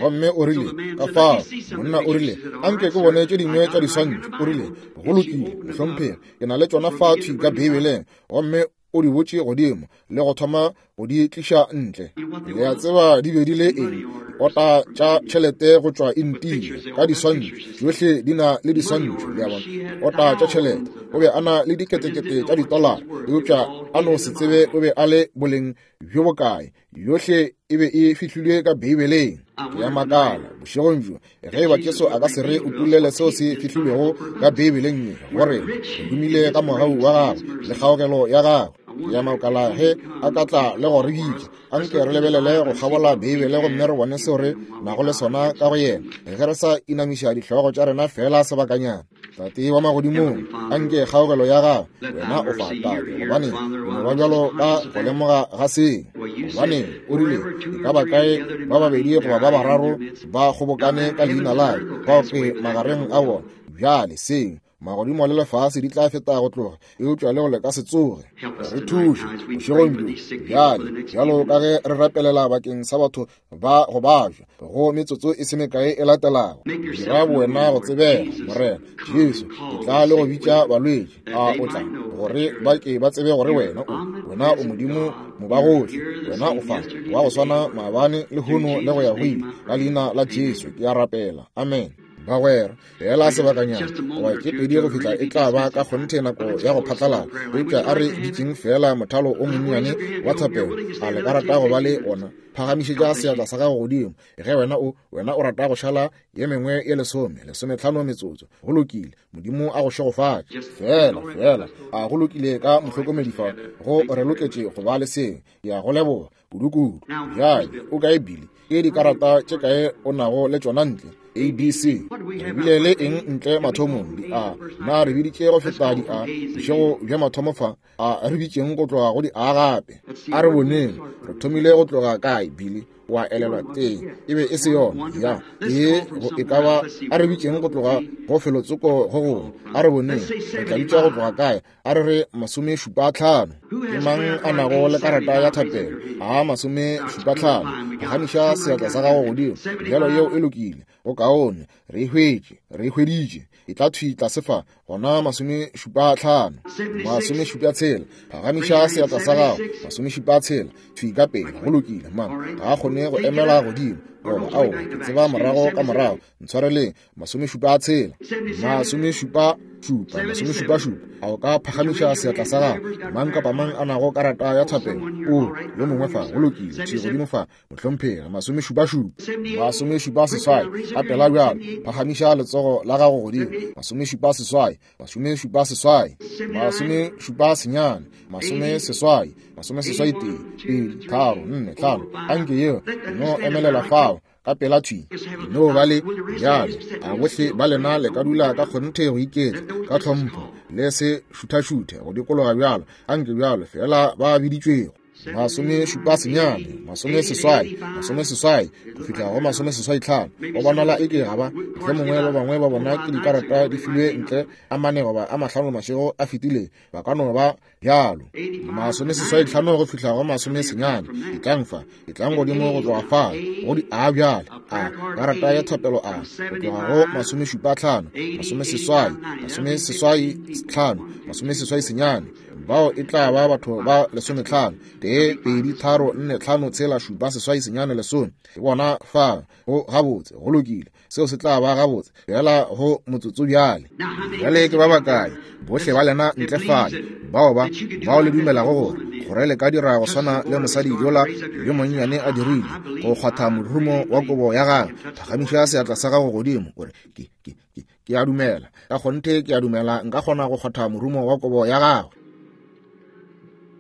Gomme o rile, ka fao, monna o rile, anke ke bone tše dingwe tša diswantšho. O rile, go lokile, mohlomphegi, ke na le tšona fa thwi ka Beibeleng. Gomme o di botše godimo le go thoma go di tliša ntle. Le a tseba di be di le eng? Diota tša tšhelete go tšwa India ka diswantšho, tšohle di na le diswantšho, le a bona. Diota tša tšhelete. O be a na le diketekete tša ditolara, eupša a no se tsebe o be a le boleng bjo bokae. Yohle e be e fihlilwe ka Beibeleng. Ke a makala bošegong bjo ge eba Jesu a ka se re utollele seo se fihlilwego ka Beibeleng ye, gore re humile ka mogau wa gagwe le kgaogelo ya gagwe. Ke a makala ge a ka tla le go re bitša, anke re lebelele go kgabola Beibele gomme re bone seo re nago le sona ka go yena, ge re sa inamiša dihlogo tša rena fela sebakanyana. Tate wa magodimong, anke kgaogelo ya gago, wena o fa, Tate, gobane o no ba bjalo ka go lemoga ga seng. Gobane o rile, e ka ba kae ba babedi goba ba bararo ba kgobokane ka leina la ka, bao ke magareng a bona. Bjale seng, magodimo le lefase di tla feta go tloga, eupša le go le ka se tsoge. Re thuše bošegong bjo bjale, bjalo ka ge re rapelela bakeng sa batho ba go bajwa go metsotso e se mekae e latelago. Dira bowena go tsebega, Morena Jesu, ke tla le go bitša balwetši, a o tla, gore ba ke ba tsebe gore wena o, wena o Modimo mobagohle, wena o fa wa go swana maabane le lehono le go ya go ile. Ka leina la Jesu ke a rapela, amen. Bagwera, fela sebakanyana goba tše pedi go fihla e tla ba ka kgonthe nako ya go phatlalala, eupša a re bitšeng fela mothalo o monnyane wa thapelo. A le ka rata go ba le ona? Phagamišetša seatla sa gago godimo ge wena o, wena o rata go šala ye mengwe ye lesome, lesometlhano metsotso. Go lokile, Modimo a go šegofatše. Fela, fela, a go lokile ka mohlokomedi fa, go re loketše go ba le seng. Ke a go leboga kudu-kudu. Bjale, o kae Billy? Ke dikarata tše kae o nago le tšona ntle? A B C. Re bile le eng ntle mathomong? Di A. Na re biditše go feta di A bošego bja mathomo fa? A re bitšeng go tloga go di A gape. A re boneng, re thomile go tloga kae, Billy? Wa elelwa teng, e be e se yona ya e go e ka ba. A re bitšeng go tloga go felotsoko go gongwe. A re boneng, re tla bitša go tloga kae? A re re masome šupa tlhano. Ke mang a nago le karata ya thapelo? A masome šupa tlhano. Phagamiša seatla sa gago godimo. Bjalo yeo e lokile, go kaone. Re e hwetše, re e hweditše. E tla thwi tlase fa, gona masome šupa tlhano. Masome šupa tshela. Phagamiša seatla sa gago. Masome šupa tshela. Thwi ka pele, go lokile. Mang ga a kgone go emela godimo, goba aowa, ke tseba morago ka morago. Ntshwareleng. Masome šupa tshela. Masome šupa šupa, masome šupa šupa. A o ka phagamiša seatla sa gago? Mang kapa mang a nago karata ya thapelo? O, yo mongwe fa, go lokile. Thwi godimo fa, mohlomphegi. Masome šupa šupa. Masome šupa seswai. Ka pela bjalo, phagamiša letsogo la gago godimo. Masome šupa seswai. Masome šupa seswai. Masome šupa senyane. Masome seswai. Masome seswai tee, pedi, tharo, nne, hlano. Anke yeo no emelela fao. ka pela thwi. No ba le bjale, a bohle ba lena le ka dula ka kgonthe go iketla, ka tlhompho, le se šuthašuthe go dikologa bjalo, anke bjalo fela ba biditšwego. Masome šupa senyane, masome seswai, masome seswai, go fihla go masome seswai tlhano. Go bonala e ke ga ba, mohlomongwe ba bangwe ba bona ke dikarata di filwe ntle a mane goba a mahlano mašego a fetile, ba ka no ba bjalo. Masome seswai tlhano go fihla go masome senyane, etlang fa, etlang godimo go tloga fa, go di a bjale, a karata ya thapelo a, go tloga go masome šupa tlhano, masome seswai, masome seswai tlhano, masome seswai senyane. Bao e tla ba batho ba lesometlhano, tee, pedi, tharo, nne, tlhano, tshela, šupa, seswai, senyane, lesome. Ke bona fa, go gabotse, go lokile. Seo se tla ba gabotse, fela go motsotso bjale. Bjale ke ba bakae, bohle ba lena ntle fale, bao ba, bao le dumelago gore, gore le ka dira go swana le mosadi yola yo monnyane a dirile, go kgwatha morumo wa kobo ya gagwe, phagamiša seatla sa gago godimo, o re, ke, ke, ke, ke a dumela, ka kgonthe ke a dumela, nka kgona go kgwatha morumo wa kobo ya gagwe.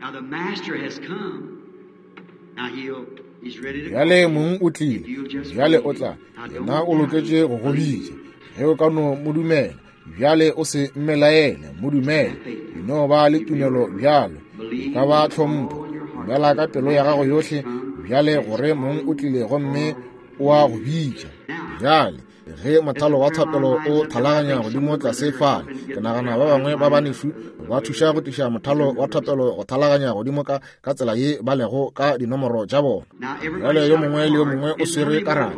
Now the master has come. Now he'll, he's ready to Bjale mong o tlile, bjale o tla, yena o loketše go go bitša. Ge o ka no mo dumela, bjale o se mmelaele, mo dumele. E no ba le tumelo bjalo, e ka ba tlhompho. Dumela ka pelo ya gago yohle, bjale gore mong o tlile gomme o a go bitša. Bjale ge mothalo wa thapelo o thalaganya godimo tlase fale, ke nagana ba bangwe ba banešu ba thuša go tliša mothalo wa thapelo go thalaganya godimo ka, ka tsela ye ba lego ka dinomoro tša bona. Bjale yo mongwe le yo mongwe o swere karata.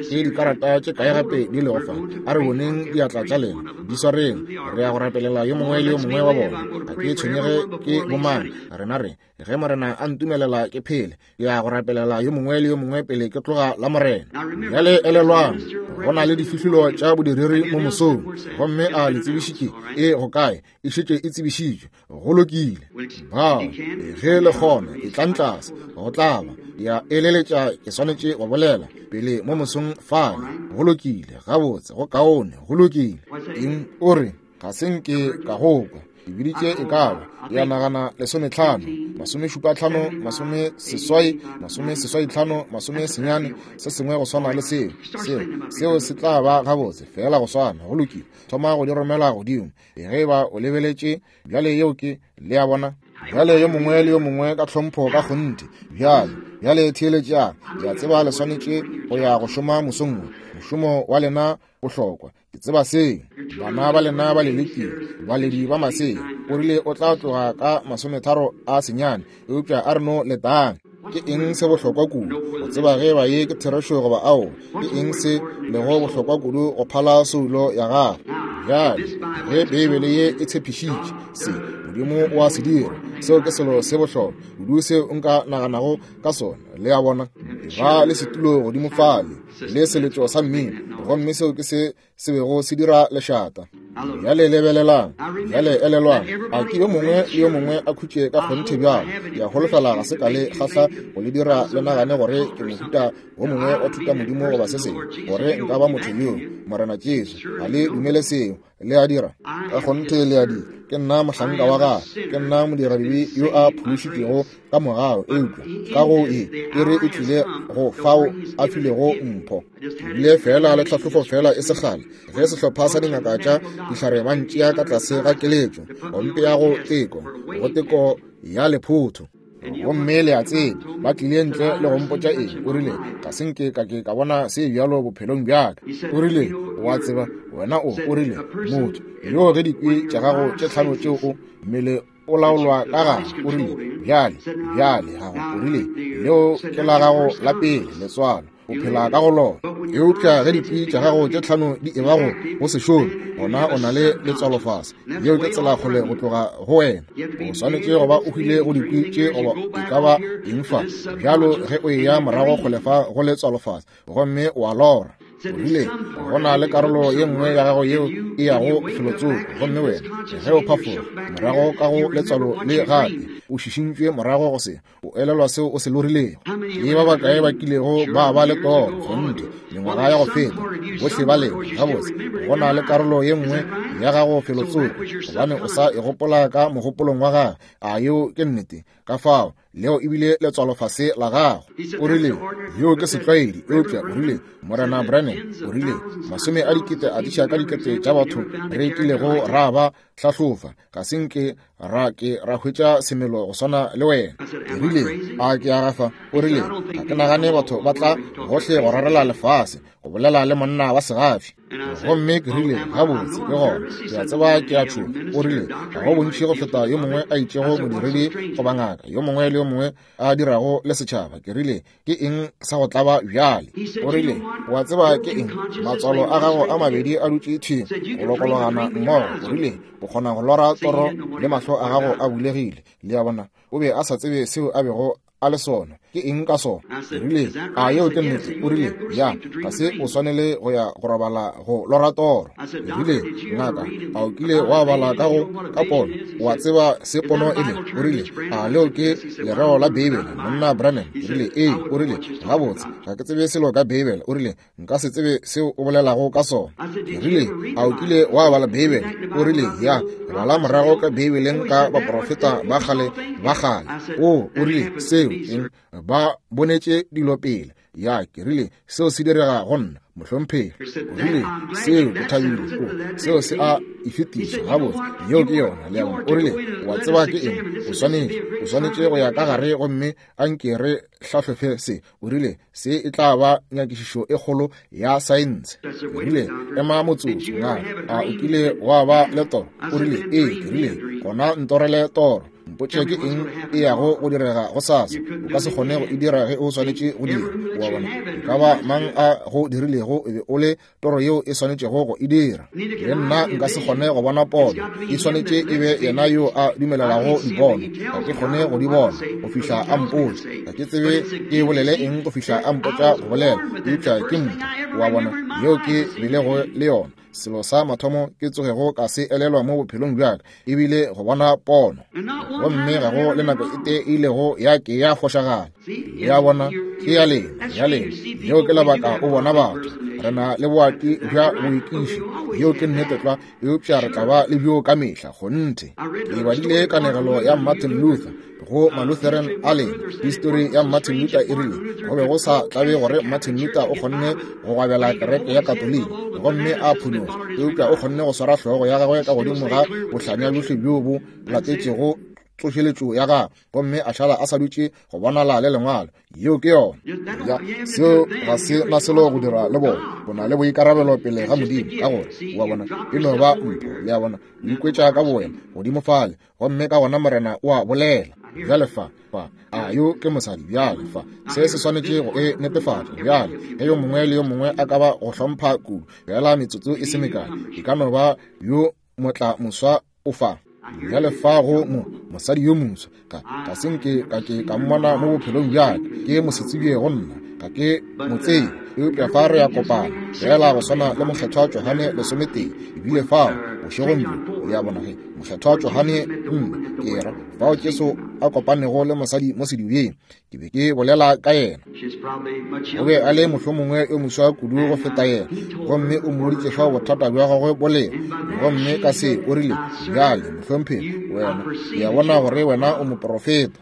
Ke dikarata tše kae gape di lego fa? A re boneng diatla tša lena, di swareng. Re ya go rapelela yo mongwe le yo mongwe wa bona. Ga ke tshwenyege ke bomang, rena re ge Morena a ntumelela ke phele, ke ya go rapelela yo mongwe le yo mongwe pele ke tloga la Morena. Bjale elelwang, go na le difihlolo tša bodiredi mo mosong, gomme a le tsebišitše e go kae, e šetše e tsebišitšwe. Go lokile. Bao ge le kgona, etlang tlase, go tla ba. Ke a eleletša ke swanetše go bolela pele mo mosong fale. Go lokile, gabotse, go kaone, go lokile. Eng o re, ga se nke ka go kwa. Ke biditše e ka ba, ya nagana lesometlhano, masome šupa tlhano, masome seswai, masome seswai tlhano, masome senyane, se sengwe go swana le seo. Seo, seo se tla ba gabotse, fela go swana, go lokile. Thoma go di romela godimo. Ge ba o lebeletše, bjale yeo ke, le a bona. Bjale yo mongwe le yo mongwe ka tlhompho ka kgonthe. Bjale, bjale theeletšang. Ke a tseba le swanetše go ya go šoma mosong wo. Mošomo wa lena bohlokwa. Ke tseba seo. Bana ba lena ba le lekile, baledi ba masea. O rile o tla tloga ka masometharo a senyane, eupša a re no letang. Ke eng se bohlokwa kudu go tseba ge ba ye ke therešo goba ao? Ke eng se lego bohlokwa kudu go phala soulo ya gago? Bjale ge Beibele ye e tshepišitše se, Modimo o a se dira. Seo ke selo se bohlokwa kudu seo nka naganago ka sona. Le a bona, ba le setulo godimo fale le seletšo sa mmino, gomme seo ke se se bego se dira lešata. Bjale lebelelang, bjale elelwang, a ke yo mongwe le yo mongwe a khutše ka kgonthe bjalo. Ke a holofela ga se ka le kgahla go le dira le nagane gore ke mohuta wo mongwe wa thuta modimo goba se sengwe, gore nka ba motho yo. Morena Jesu, ga le dumele seo. Le a dira? Ka kgonthe le a dira. Ke nna mohlanka wa gagwe, ke nna modiradibe yo a phološitšwego ka mogau, eupša ka go e e re e tlile go fao a filego mpho. Bile fela le tlhahlofo fela e segale ge sehlopha sa dingaka tša dihlare ba ntšea ka tlase ga keletšo, go mpea go teko, go teko ya lephotho. Gomme le a tseba, ba tlile ntle le go mpotša eng. O rile, ga se nke ka ke ka bona se bjalo bophelong bjaka. O rile, o a tseba, wena o, o rile, motho yo ge dikwi tša gago tše tlhano tšeo o mmele o laolwa ka gare. O rile, bjale, bjale gago, o rile, leo ke la gago la pele letswalo, o phela ka go lona. Eupša ge dikwi tša gago tše tlhano di eba go go se šome, gona o na le letswalo fase. Yeo ke tsela kgole go tloga go wena. O swanetše go ba o hwile go dikwi tše goba e ka ba eng fa. Bjalo ge o eya morago kgole fa go letswalo fase, gomme o a lora. O rile, go na le karolo ye nngwe ya gago yeo e yago felotsoko, gomme wena ge o phafoga morago ka go letswalo le gape, o šišintšwe morago go se, o elelwa seo o se lorilego. Ke ba bakae ba kilego ba ba le toro kgonthe mengwaga ya go feta? Bohle ba lena gabotse. Go na le karolo ye nngwe ya gago felotsoko, gobane o sa e gopola ka mogopolong wa gagwe. A yeo ke nnete? Ka fao leo ebile letswalofase la gago. O rile, yeo ke setlwaedi, eupša o rile, Morena Branham, o rile, masome a dikete a diša ka dikete tša batho re kilego ra ba hlahlofa, ga se nke ra ke ra hwetša semelo go swana le wena. Ke rile, a ke a gafa? O rile, ga ke nagane batho ba tla gohle go rarela lefase go bolela le monna wa segafi. Gomme ke rile, gabotse ke gona, ke a tseba ke a tšhoga. O rile, ga go bontši go feta yo mongwe a itšego modiredi goba ngaka, yo mongwe le yo mongwe a dirago le setšhaba. Ke rile, ke eng sa go tlaba bjale? O rile, wa tseba ke eng? Matswalo a gago a mabedi a dutše thwi go lokologana mmogo. O rile, o kgona go lora toro le mahlo a gago a bulegile. Le a bona, o be a sa tsebe seo a bego a le sona. Ke eng ka sona? Ke rile, a yeo ke nnete? O rile, ya, ga se o swanele go ya go robala go lora toro. Ke rile, ngaka, a o kile wa bala ka go ka pono? Wa tseba se pono e le? O rile, a leo ke lereo la Beibele, monna Branham? Ke rile, ee. O rile, gabotse, ga ke tsebe selo ka Beibele. O rile, nka se tsebe seo o bolelago ka sona. Ke rile, a o kile wa bala Beibele? O rile, ya, bala morago ka Beibeleng ka baprofeta ba kgale ba kgale. O, o rile, seo eng? Ba bonetše dilo pele. Ya, ke rile, seo se direga go nna, mohlomphegi. O rile, seo ke thabile. O, seo se a e fetiša gabotse. Yeo ke yona, le a bona. O rile, wa tseba ke eng? O swanetše, o swanetše go ya ka gare gomme a nke re hlahlofe se. O rile, se e tla ba nyakišišo e kgolo ya saense. Ke rile, ema motsotso, ngaka, a o kile wa ba le toro? O rile, ee. Ke rile, gona ntorele toro. Mpotše ke eng e yago go direga go sasa. O ka se kgone go e dira ge o swanetše go dira. Wa bona, e ka ba mang a go dirilego e be o le toro yeo e swanetšego go e dira. Le nna nka se kgone go bona pono, e swanetše e be yena yo a dumelelago dipono. Ga ke kgone go di bona go fihla a mpotša. Ga ke tsebe ke bolele eng go fihla a mpotša go bolela, eupša ke mpho. Wa bona, yeo ke bilego le yona. Selo sa mathomo ke tsogego ka se elelwa mo bophelong bjaka ebile go bona pono, gomme ga go le nako e tee e ilego ya ke ya fošagala. Le a bona, ke ya lena, ya lena. Yeo ke lebaka o bona batho. Re na le boati bja boikiši, yeo ke nnete tlwa, eupša re tla ba le bjo ka mehla, kgonthe. Ke badile kanegelo ya Martin Luther go Malutheran a lena. Histori ya Martin Luther e rile go be go sa tlabe gore Martin Luther o kgonne go gwabela kereke ya Katoliki gomme a phunyoga, eupša o kgonne go swara hlogo ya gagwe ka godimo ga bohlanya bjohle bjo bo latetšego tsošeletšo ya gagwe, gomme a šala a sa dutše go bonala le lengwalo. Yeo ke yona. Ya, seo ga se na selo go dira le bona. O na le boikarabelo pele ga Modimo, ka gore wa bona e no ba mpho. Le a bona, o ikwetša ka bowena godimo fale, gomme ka gona Morena o a bolela. Bjale fa, fa, a yo ke mosadi. Bjale fa, se se swanetše go e netefatša. Bjale ge yo mongwe le yo mongwe a ka ba go hlompha kudu, fela metsotso e se mekae, e ka no ba yo motla moswa o fa. Bjale fa go mo mosadi yo moswa, ka ga se nke ka ke ka mmona mo bophelong bjaka, ke mosetsebje go nna, ga ke mo tsebe, eupša fa re ya kopana fela go swana le mokgethwa Johane lesometee. Ebile fao bošegong bjo, le a bona, ge mokgethwa Johane nne ke ra fao Jesu a kopanego le mosadi mo sedibeng, ke be ke bolela ka yena. O be a le mohlomongwe yo moswa kudu go feta yena, gomme o mmoditše fao bothata bja gagwe bo lego. Gomme ka se o rile, bjale mohlomphegi, wena ke a bona gore wena o moprofeta.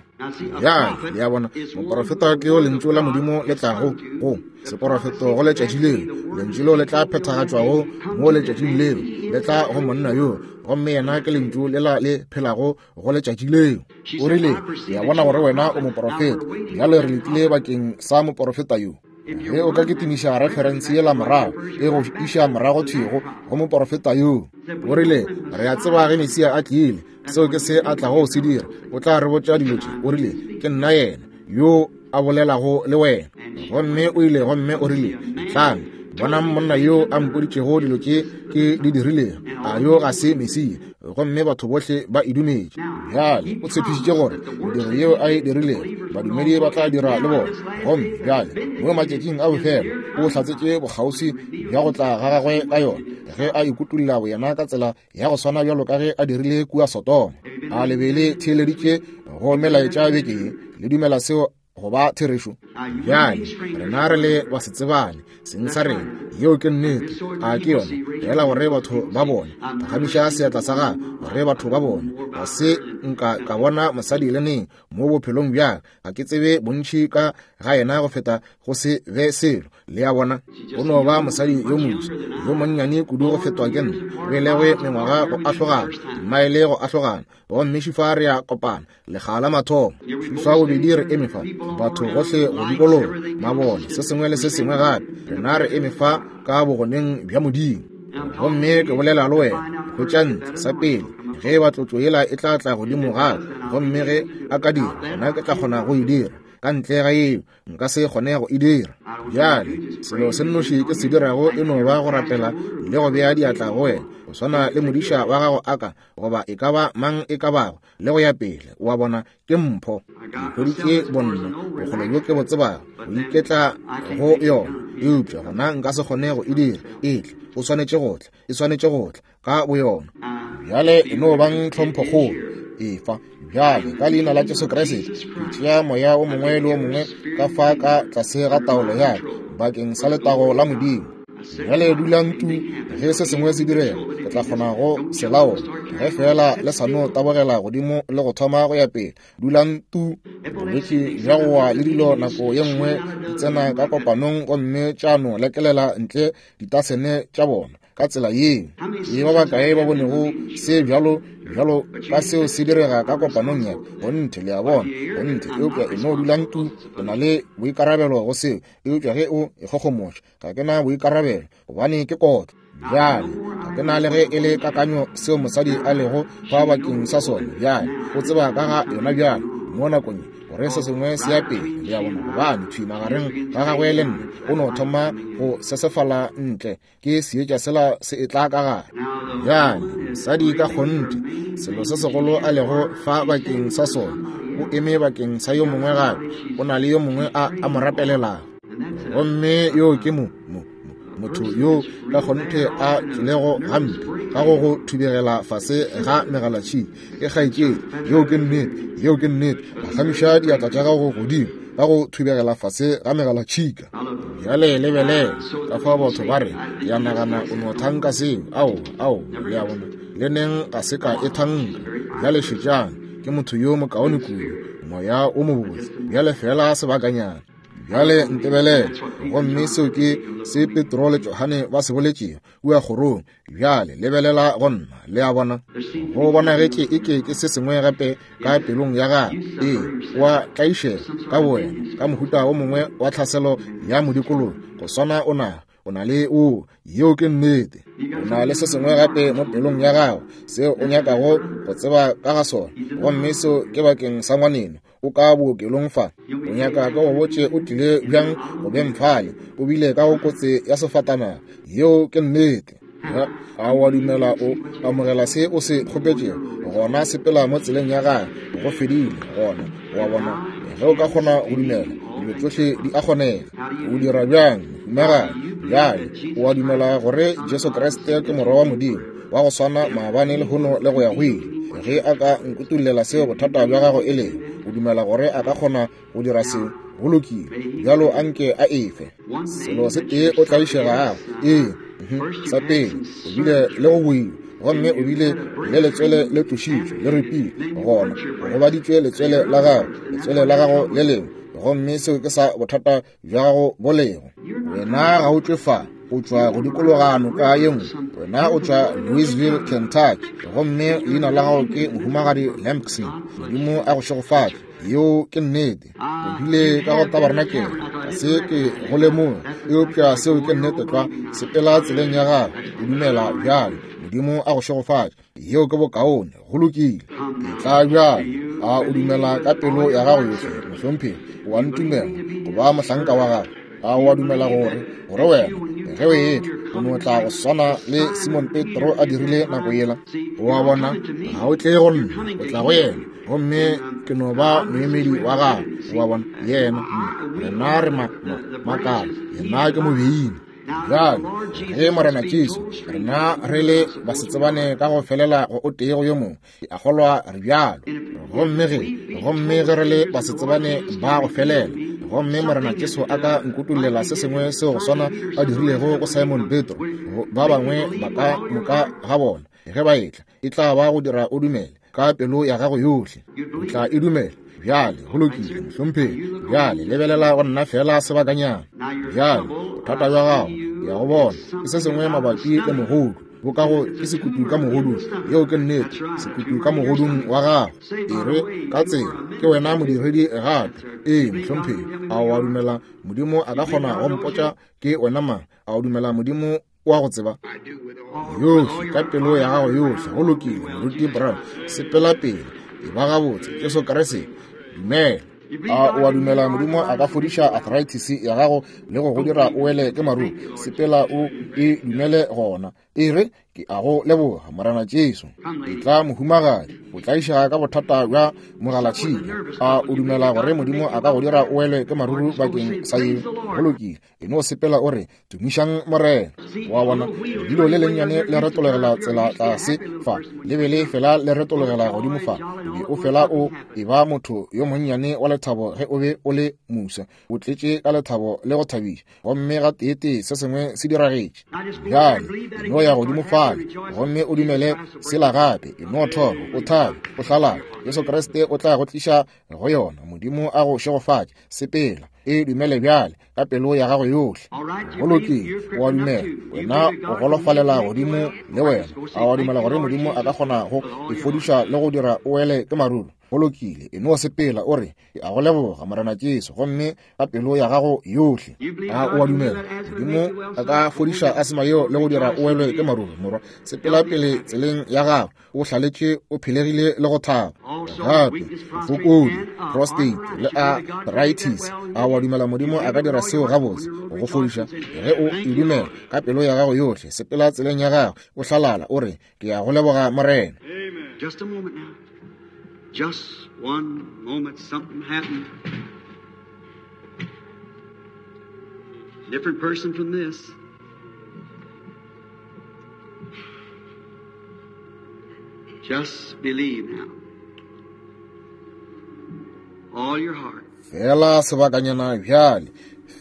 Bjale le a bona, moprofeta ke yo lentšu la Modimo le tlago go seprofeto go letšatši leo. Lentšu leo le tla phethagatšwago mo letšatšing leo, le tla go monna yo, gomme yena ke lentšu lela le phelago go letšatši leo. O rile, ke a bona gore wena o moprofeta. Bjale re letile bakeng sa moprofeta yo. Ge o ka kitimiša referense yela morago, e go iša morago thwi go go moprofeta yo. O rile, re a tseba ge Mesia a tlile, seo ke se a tlago go se dira. O tla re botša dilo tše. O rile, ke nna yena yo a bolelago le wena. Gomme o ile gomme o rile, tlang, bonang monna yo a mpoditšego dilo tše ke di dirilego. A yo ga se Mesia? Gomme batho bohle ba e dumetše. Bjale o tshepišitše gore mediro yeo a e dirilego badumedi ba tla dira le bona. Gomme bjale mo matšatšing a bofelo o hlatsetše bokgauswi bja go tla ga gagwe ka yona, ge a ikutulla boyena ka tsela ya go swana bjalo ka ge a dirile kua Sodoma. A le be le theeleditše go melaetša beke ye? Le dumela seo go ba therešo? Bjale rena re le ba se tsebane seng sa rena, yeo ke nnete. A ke yona fela gore batho ba bone. Phagamiša seatla sa gago gore batho ba bone. Ga se nka ka bona mosadi le neng mo bophelong bjaka, ga ke tsebe bontši ka ga yena go feta go se be selo. Le a bona, o no ba mosadi yo moswa yo monnyane kudu go fetwa ke nna, belegwe mengwaga go ahlogana, maele go ahlogana, gomme šifa re a kopana lekga la mathomo. Šifa bobedi re eme fa, batho gohle go dikologa mabone, se sengwe le se sengwe gape. Rena re eme fa ka bogoneng bja Modimo, gomme ke bolela le wena hwetša ntle sa pele ge ba tlotšo yela e tla tla godimo gape, gomme ge a ka dira, gona ke tla kgona go e dira. Ka ntle ga eo nka se kgone go e dira. Bjale selo se nnoši ke se dirago e no ba go rapela le go bea diatla go wena, go swana le modiša wa gago a ka, goba e ka ba mang e ka bago, le go ya pele. Wa bona, ke mpho. Ke hweditše bonna bokgole bjo ke bo tsebago go iketla go yona, eupša gona nka se kgone go e dira. E tle, o swanetše go tla, e swanetše go tla ka boyona. Bjale e no bang tlhomphokgolo efa. Bjale ka leina la Jesu Kriste ke tšea moya o mongwe le o mongwe ka fa ka tlase ga taolo ya ka bakeng sa letago la Modimo. Bjale dulang tu, ge se sengwe se direga ke tla kgona go se laola. Ge fela le sa no tabogela godimo le go thoma go ya pele, dulang tu. Bolwetši bja go wa le dilo nako ye nngwe di tsena ka kopanong gomme tša no lekelela ntle ditasene tša bona ka tsela yeo. Ke ba bakae ba bonego se bjalo bjalo ka seo se direga ka kopanong ya gonthe? Le a bona, gonthe. Eupša e no dulang tu, o na le boikarabelo go seo. Eupša ge o ikgogomoša, ga ke na boikarabelo, gobane ke kotlo. Bjale ga ke na le ge e le kakanyo seo mosadi a lego fa bakeng sa sona. Bjale o tseba ka ga yona bjale mo nakong gore se sengwe se ya pele. Le a bona, gobane thwi magareng ga gagwe le nna o no thoma go sesefala ntle, ke seetša sela se e tla ka gare. Bjale mosadi ka kgonthe selo se segolo a lego fa bakeng sa sona, o eme bakeng sa yo mongwe gape, o na le yo mongwe a a mo rapelelago, gomme yo ke mo mo motho yo ka kgonthe a tšwelego gampe ka go go thubegela fase ga megalatšhika. Ke kgaetšedi, yeo ke nnete, yeo ke nnete. Phagamiša diatla tša gago godimo ka go thubegela fase ga megalatšhika. Bjale lebelela ka fa batho ba re, ya nagana o no thanka seo. Ao, ao, le a bona, le neng ga se ka e thanka. Bjale šetšang, ke motho yo mokaone kudu, moya o mobotse. Bjale fela sebakanyana. Bjale ntebelele, gomme seo ke se Petro le Johane ba se boletšego kua kgorong. Bjale lebelela go nna, le a bona, go bonagetše eke ke se sengwe gape ka pelong ya gago. Ee, wa tlaišega ka bowena ka mohuta o mongwe wa tlhaselo ya modikologo, go swana o na o na le o, yeo ke nnete. O na le se sengwe gape mo pelong ya gago seo o nyakago go tseba ka ga sona, gomme seo ke bakeng sa ngwaneno. O ka bookelong fa, o nyaka ka go botše o tlile bjang go beng fale, o bile ka go kotse ya sefatanaga. Yeo ke nnete. A wa dumela o amogela se o se kgopetšego, gona sepela mo tseleng ya gagwe, go fedile. Gona wa bona, ge o ka kgona go dumela, dilo tšohle di a kgonega. O dira bjang, mohumagadi? Bjale o a dumela gore Jesu Kriste ke morwa wa Modimo wa go swana maabane, lehono le go ya go ile? Ge a ka nkutullela seo bothata bja gago e lego, o dumela gore a ka kgona go dira seo? Go lokile, bjalo anke a efe selo se tee o tlaišegago. Ee, sa pele o bile le go boiwa, gomme o bile le letswele le tlošitšwe le ripile, gona o gobaditšwe letswele la gago, letswele la gago le lengwe, gomme seo ke sa bothata bja gago bo lego. Wena ga o tšwe fa, o tšwa go dikologa noka ye nngwe. Wena o tšwa Louisville, Kentucky, gomme leina la gago ke Mohumagadi Lampson. Modimo a go šegofatše. Yeo ke nnete. O bile ka go tabarnakele, ga se ke go lemoga, eupša seo ke nnete tlwa. Sepela tseleng ya gago, o dumela bjale. Modimo a go šegofatše. Yeo ke bokaone, go lokile. E tla bjale. A o dumela ka pelo ya gago yohle, mohlomphegi? O a ntumela go ba mohlanka wa gago? A o a dumela gore gore wena ge o etla o no tla go swana le Simon Petro a dirile nako yela? O a bona, ga o tle go nna, o tla go yena, gomme ke no ba moemedi wa gago. O a bona, yena, rena re makala, yena ke mobeini. Bjale ge Morena Jesu, rena re le basetsebane ka go felela go o tee go yo mongwe, ke a kgolwa re bjalo. Gomme ge gomme ge re le basetsebane ba go felela, gomme Morena Jesu a ka nkutollela se sengwe seo go swana a dirilego go Simon Petro, ba bangwe ba ka moka ga bona ge ba etla, e tla ba go dira o dumele ka pelo ya gago yohle. O tla e dumela. Bjale go lokile, mohlomphegi. Bjale lebelela go nna fela sebakanyana. Bjale bothata bja gago ke ya go bona ke se sengwe mabapi le mogodu, bokago ke sekutu ka mogodung. Yeo ke nnete, sekutu ka mogodung wa gago. E re ka tsela ke wena modiredi gape. Ee, mohlomphegi. A o a dumela Modimo a ka kgona go mpotša ke wena mang? A o dumela Modimo wa go tseba yohle ka pelo ya gago yohle? Go lokile, Moruti Brown, sepela pele, e ba gabotse. Jesu Kriste, dumela. A o a dumela Modimo a ka fodiša arthritis ya gago le go go dira o wele ke maruru? Sepela o e dumele gona. E re, ke a go leboga, Morena Jesu. E tla mohumagadi, o tlaiša ka bothata bja mogalatšhika. A o dumela gore Modimo a ka go dira o wele ke maruru bakeng sa yeo? Go lokile, e no sepela o re, tumišang Morena. Wa bona, lebilo le lennyane le retologela tsela tlase fa, le be le fela le retologela godimo fa. O be o fela o e ba motho yo monnyane wa lethabo ge o be o le musa, o tletše ka lethabo le go thabiša, gomme ga teetee se sengwe se diragetše. Bjale e no ya godimo fale gomme o dumele sela gape. E no thoma o thabe, o hlalale. Jesu Kriste o tla go tliša go yona. Modimo a go šegofatše. Sepela, e dumele bjale ka pelo ya gago yohle. Go lokile, o a dumela. Wena o golofalela godimo le wena. A o a dumela gore Modimo a ka kgona go e fodiša le go dira o wele ke maruru? Go lokile, e no sepela o re, ke a go leboga, Morena Jesu, gomme ka pelo ya gago yohle. A o a dumela Modimo a ka fodiša asma yeo le go dira o welwe ke maruru? Morwa, sepela pele tseleng ya gago, o hlaletše, o phelegile le go thaba. Gape bofokodi, prostate le arthritis. A o a dumela Modimo a ka dira seo gabotse go go fodiša? Ge o e dumela ka pelo ya gago yohle, sepela tseleng ya gago, o hlalala, o re, ke a go leboga, Morena. Just a moment now. Just one moment, something happened. Different person from this. Just believe now. All your heart. Fela sebakanyana bjale,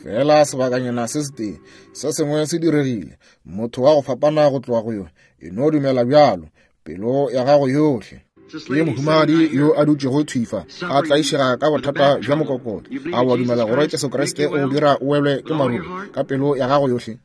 fela sebakanyana se setee, se sengwe se diregile. Motho wa go fapana go tloga go yo, e no dumela bjalo, pelo ya gago yohle. Ke mohumagadi yo a dutšego thwifa, a tlaišega ka bothata bja mokokotlo. A o a dumela gore Jesu Kriste o go dira o welwe ke maruru ka pelo ya gago yohle?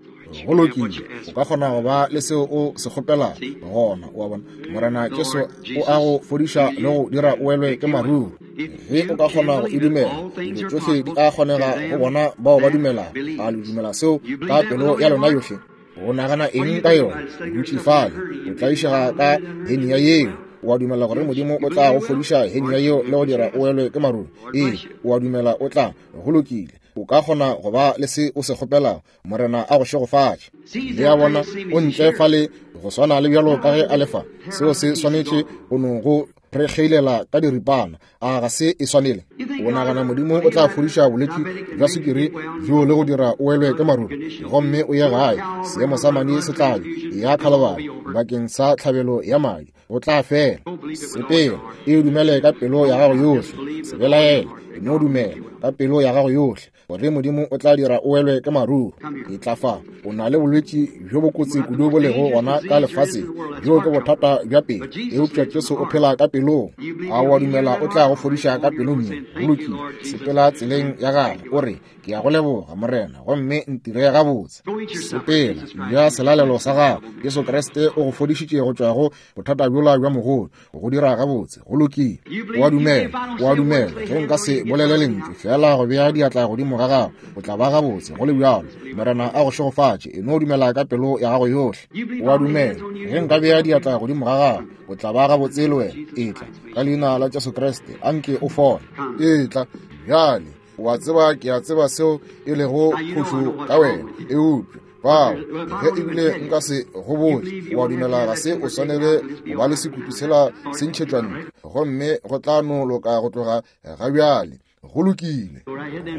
Go lokile, o ka kgona go ba le seo o se kgopelago gona. O a bona, Morena Jesu o a go fodiša le go dira o welwe ke maruru. Ge o ka kgona go e dumela, dilo tšohle di a kgonega go bona bao ba dumelago. A le dumela seo ka pelo ya lona yohle? O nagana eng ka yona? O dutše fale, o tlaišega ka hernia yeo. O a dumela gore Modimo o tla go fodiša hernia yeo le go dira o welwe ke maruru? Ee, o a dumela o tla. Go lokile, o ka kgona go ba le se o se kgopelago. Morena a go šegofatše. Le a bona, o ntle fale go swana le bjalo ka ge a le fa. Seo se swanetše go no go re kgeilela ka diripana. A ga se e swanele? O nagana Modimo o tla fodiša bolwetši bja sukiri bjo le go dira o welwe ke maruru, gomme o ye gae, seemo sa madi se tla ya Khalibari bakeng sa tlhabelo ya madi, o tla fela. Sepela, e dumele ka pelo ya gago yohle. Se belaele, e no dumela ka pelo ya gago yohle gore Modimo o tla dira o welwe ke maruru. E tla fa. O na le bolwetši bjo bokotsi kudu bo lego gona ka lefaseng, bjo ke bothata bja pelo, eupša Jesu o phela ka pelong. A o a dumela o tla go fodiša ka pelong ye? Go lokile, sepela tseleng ya gago, o re, ke a go leboga, Morena, gomme ntire gabotse. Sepela, ja selalelo sa gago. Jesu Kriste o go fodišitše go tšwa go bothata bjola bja mogodu, go dira gabotse. Go lokile, o a dumela, o a dumela. Ge nka se bolele lentšu fela go bea diatla godimo ga gago, o tla ba gabotse. Go le bjalo, Morena a go šegofatše. E no dumela ka pelo ya gago yohle. O a dumela. Ge nka bea diatla godimo ga gago, o tla ba gabotse le wena. Etla ka leina la Jesu Kriste, anke o fole. Etla bjale. O a tseba, ke a tseba seo e lego phošo ka wena, eupša bao ge ebile nka se go botse, o a dumela ga se o swanele go ba le sekutu sela se ntšhetšwa ntle, gomme go tla no loka go tloga ga bjale. Go lokile,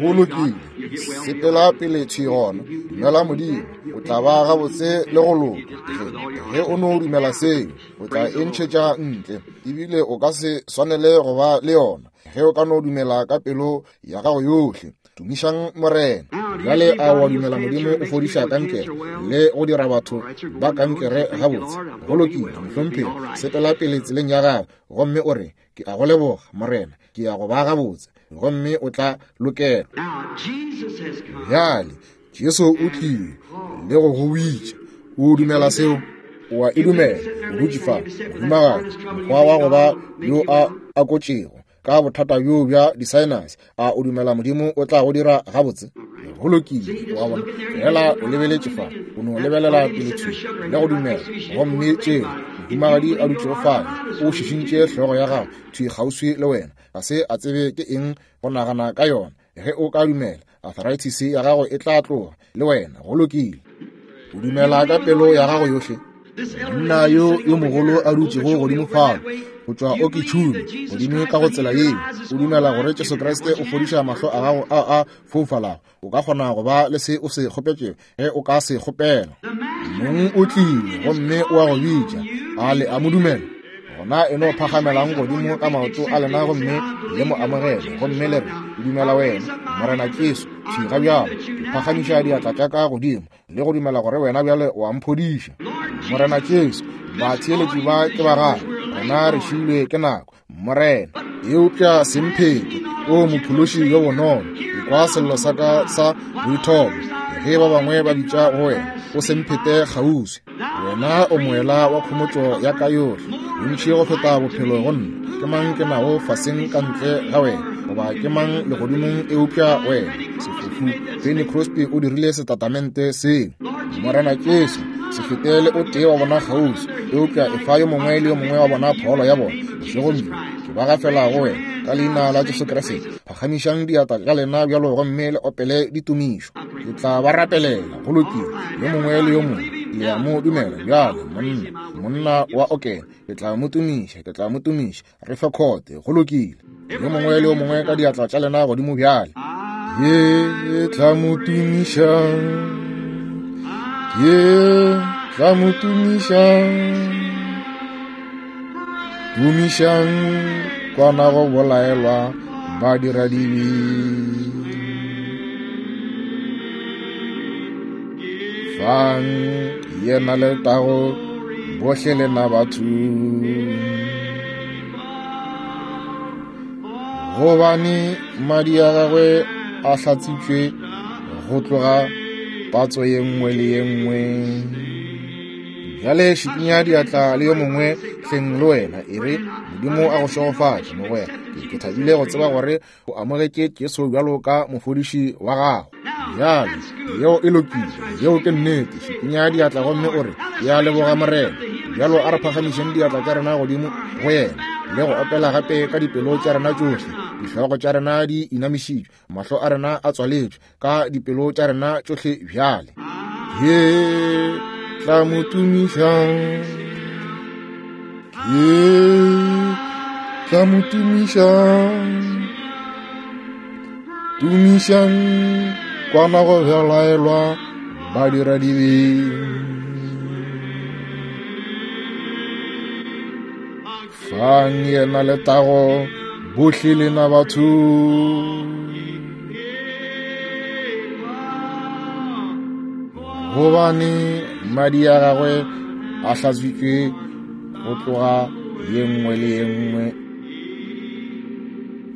go lokile. Sepela pele thwi gona, dumela Modimo, o tla ba gabotse le go loka. Ge o no dumela seo, o tla e ntšhetša ntle, ebile o ka se swanele go ba le yona. Ge o ka no dumela ka pelo ya gago yohle. Tumišang Morena. Bjale a wa dumela Modimo o fodiša kankere le go dira batho ba kankere gabotse? Go lokile, mohlomphegi, sepela pele tseleng ya gago gomme o re, ke a go leboga Morena, ke ya go ba gabotse, gomme o tla lokelwa. Bjale Jesu o tlile le go go bitša. O dumela seo? O a e dumela? O dutše fa, mohumagadi, mokgwa wa go ba yo a akotšego ka bothata bjo bja di-sinus. A o dumela Modimo o tla go dira gabotse? Go lokile, wa bona, fela o lebeletše fa, o no lebelela pele thwi le go dumela. Gomme tšeo mohumagadi a dutšego fale o šišintše hlogo ya gago thwi kgauswi le wena, ga se a tsebe ke eng go nagana ka yona. Ge o ka dumela, arthritis ya gago e tla tloga le wena. Go lokile. O dumela ka pelo ya gago yohle? Monna yo yo mogolo a dutšego godimo fale go tšwa Okitšhumi godimo ka go tsela yeo, o dumela gore Jesu Kriste o fodiša mahlo a gago a a foufalago? O ka kgona go ba le se o se kgopetšego ge o ka se kgopela. Mong o tlile gomme o a go bitša. A le a mo dumela? Gona e no phagamelang godimo ka maoto a lena gomme le mo amogele, gomme le re, ke dumela wena Morena Jesu. Thwi ga bjalo ke phagamiša diatla tša ka godimo le go dumela gore wena bjale o a mphodiša. Morena Jesu, batheeletši ba ke ba gago, rena re šilwe ke nako, Morena. Eupša semphete, o mophološi yo bonolo, ekwa sello sa ka sa boithobo ge ba bangwe ba bitša go wena, o semphete kgauswi. Wena o moela wa khomotšo ya ka yohle, bontši go feta bophelo go nna. Ke mang ke nago faseng ka ntle ga wena, goba ke mang legodimong eupša wena? Sefofu Fanny Crosby o dirile setatamente seo. Morena Jesu, se fetele o tee wa bona kgauswi, eupša efa yo mongwe le yo mongwe wa bona pholo ya bona bošegong bjo. Ke ba gafela go wena ka leina la Jesu Kriste. Phagamišang diatla tša lena bjalo gomme le opele ditumišo. Ke tla ba rapelela. Go lokile, yo mongwe le yo mongwe le a mo dumela bjale. Monna, monna wa okela, ke tla mo tumiša, ke tla mo tumiša. Re fe khote. Go lokile, yo mongwe le yo mongwe ka diatla tša lena godimo bjale. Ke tla mo tumiša, ke tla mo tumiša, tumišang kwana go bolaelwa badiradibe. Fang yena letago bohle lena batho, gobane madi a gagwe a hlatsitšwe go tloga patso ye nngwe le ye nngwe. Bjale šikinya diatla le yo mongwe hleng le wena, e re, Modimo a go šegofatše mogwera. Ke thabile go tseba gore o amogetše Jesu bjalo ka mofodiši wa gago. Bjale yeo e lokile, yeo ke nnete. Šikinya diatla gomme o re, ya leboga Morena. Bjalo a re phagamišeng diatla tša rena godimo go yena le go opela gape ka dipelo tša rena tšohle. Dihlogo tša rena di inamišitšwe, mahlo a rena a tswaletšwe, ka dipelo tša rena tšohle bjale. Ke tla mo tumišang, ke tla mo tumišang, tumišang kwana go belaelwa badiradibe. Fang yena letago bohle lena batho, gobane madi a gagwe a hlatswitšwe go tloga ye nngwe le ye nngwe.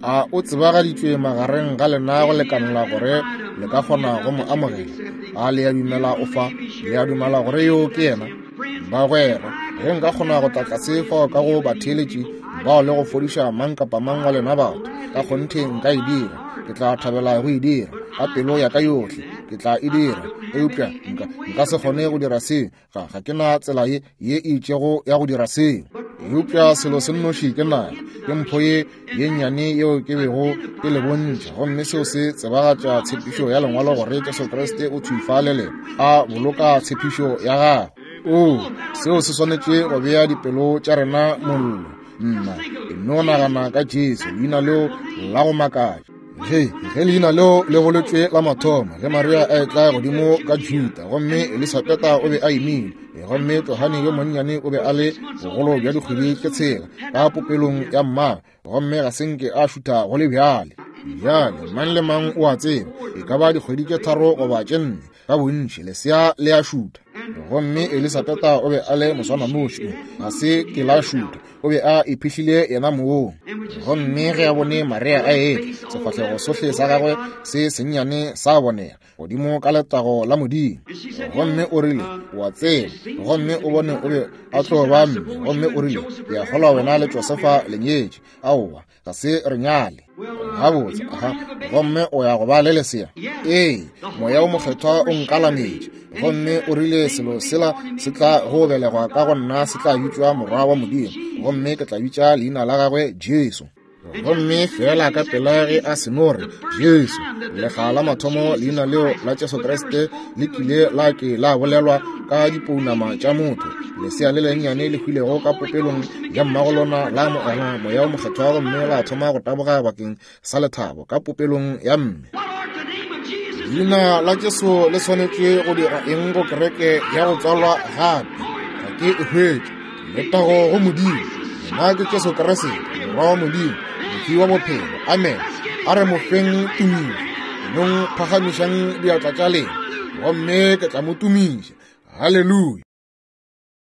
A o tsebagaditšwe magareng ga lena go lekanela gore le ka kgona go mo amogela? A le a dumela o fa? Le a dumela gore yo ke yena? Bagwera, ge nka kgona go tla tlase fao ka go batheeletši bao le go fodiša mang kapa mang wa lena batho, ka kgonthe nka e dira. Ke tla thabela go e dira ka pelo ya ka yohle, ke tla e dira. Eupša nka nka se kgone go dira seo, ga ga ke na tsela ye ye e itšego ya go dira seo. Eupša selo se nnoši ke nago ke mpho ye ye nnyane yeo ke bego ke le bontšha, gomme seo se tsebagatša tshepišo ya lengwalo gore Jesu Kriste o thwi fa le lena a boloka tshepišo ya gagwe. O seo se swanetše go bea dipelo tša rena mollo. Nna e no nagana ka Jesu, leina leo la go makatša. Ge ge leina leo le boletšwe la mathomo, ge Maria a etla godimo ka Juda, gomme Elisabeta o be a imile, gomme Johane yo monnyane o be a le bogolo bja dikgwedi tše tshela ka popelong ya mmagwe, gomme ga se nke a šutha go le bjale. Bjale mang le mang o a tseba, e ka ba dikgwedi tše tharo goba tše nne ka bontši lesea le a šutha. Gomme Elisabeta o be a le moswananoši, ga se ke la šutha, o be a iphihlile yena mong. Gomme ge a bone Maria a etla, sefahlego sohle sa gagwe se sennyane sa bonega godimo ka letago la Modimo. Gomme o rile, o a tseba, gomme o bone o be a tlo ba mme. Gomme o rile, ke a kgolwa wena le Josefa le nyetše. Aowa, ga se re nyale. Gabotse, aha, gomme o ya go ba le lesea. Ee, Moya o Mokgethwa o nkalametše. Gomme o rile selo sela se tla go belegwa ka go nna se tla bitšwa Morwa wa Modimo, gomme ke tla bitša leina la gagwe Jesu. Gomme fela ka pela ge a seno re Jesu, lekga la mathomo leina leo la Jesu Kriste le kile la ke la bolelwa ka dipounama tša motho, lesea le lennyane le hwilego ka popelong ya mmago lona la amogela Moya o Mokgethwa, gomme la thoma go taboga bakeng sa lethabo ka popelong ya mme. Leina la Jesu le swanetše go dira eng go kereke ya go tswalwa gape? Ga ke e hwetše. Letago go Modimo. Nna ke Jesu Kriste, Morwa wa Modimo, mofi wa bophelo. Amen. A re mo feng tumišo. Nong phagamišang diatla tša lena, gomme ke tla mo tumiša. Haleluya.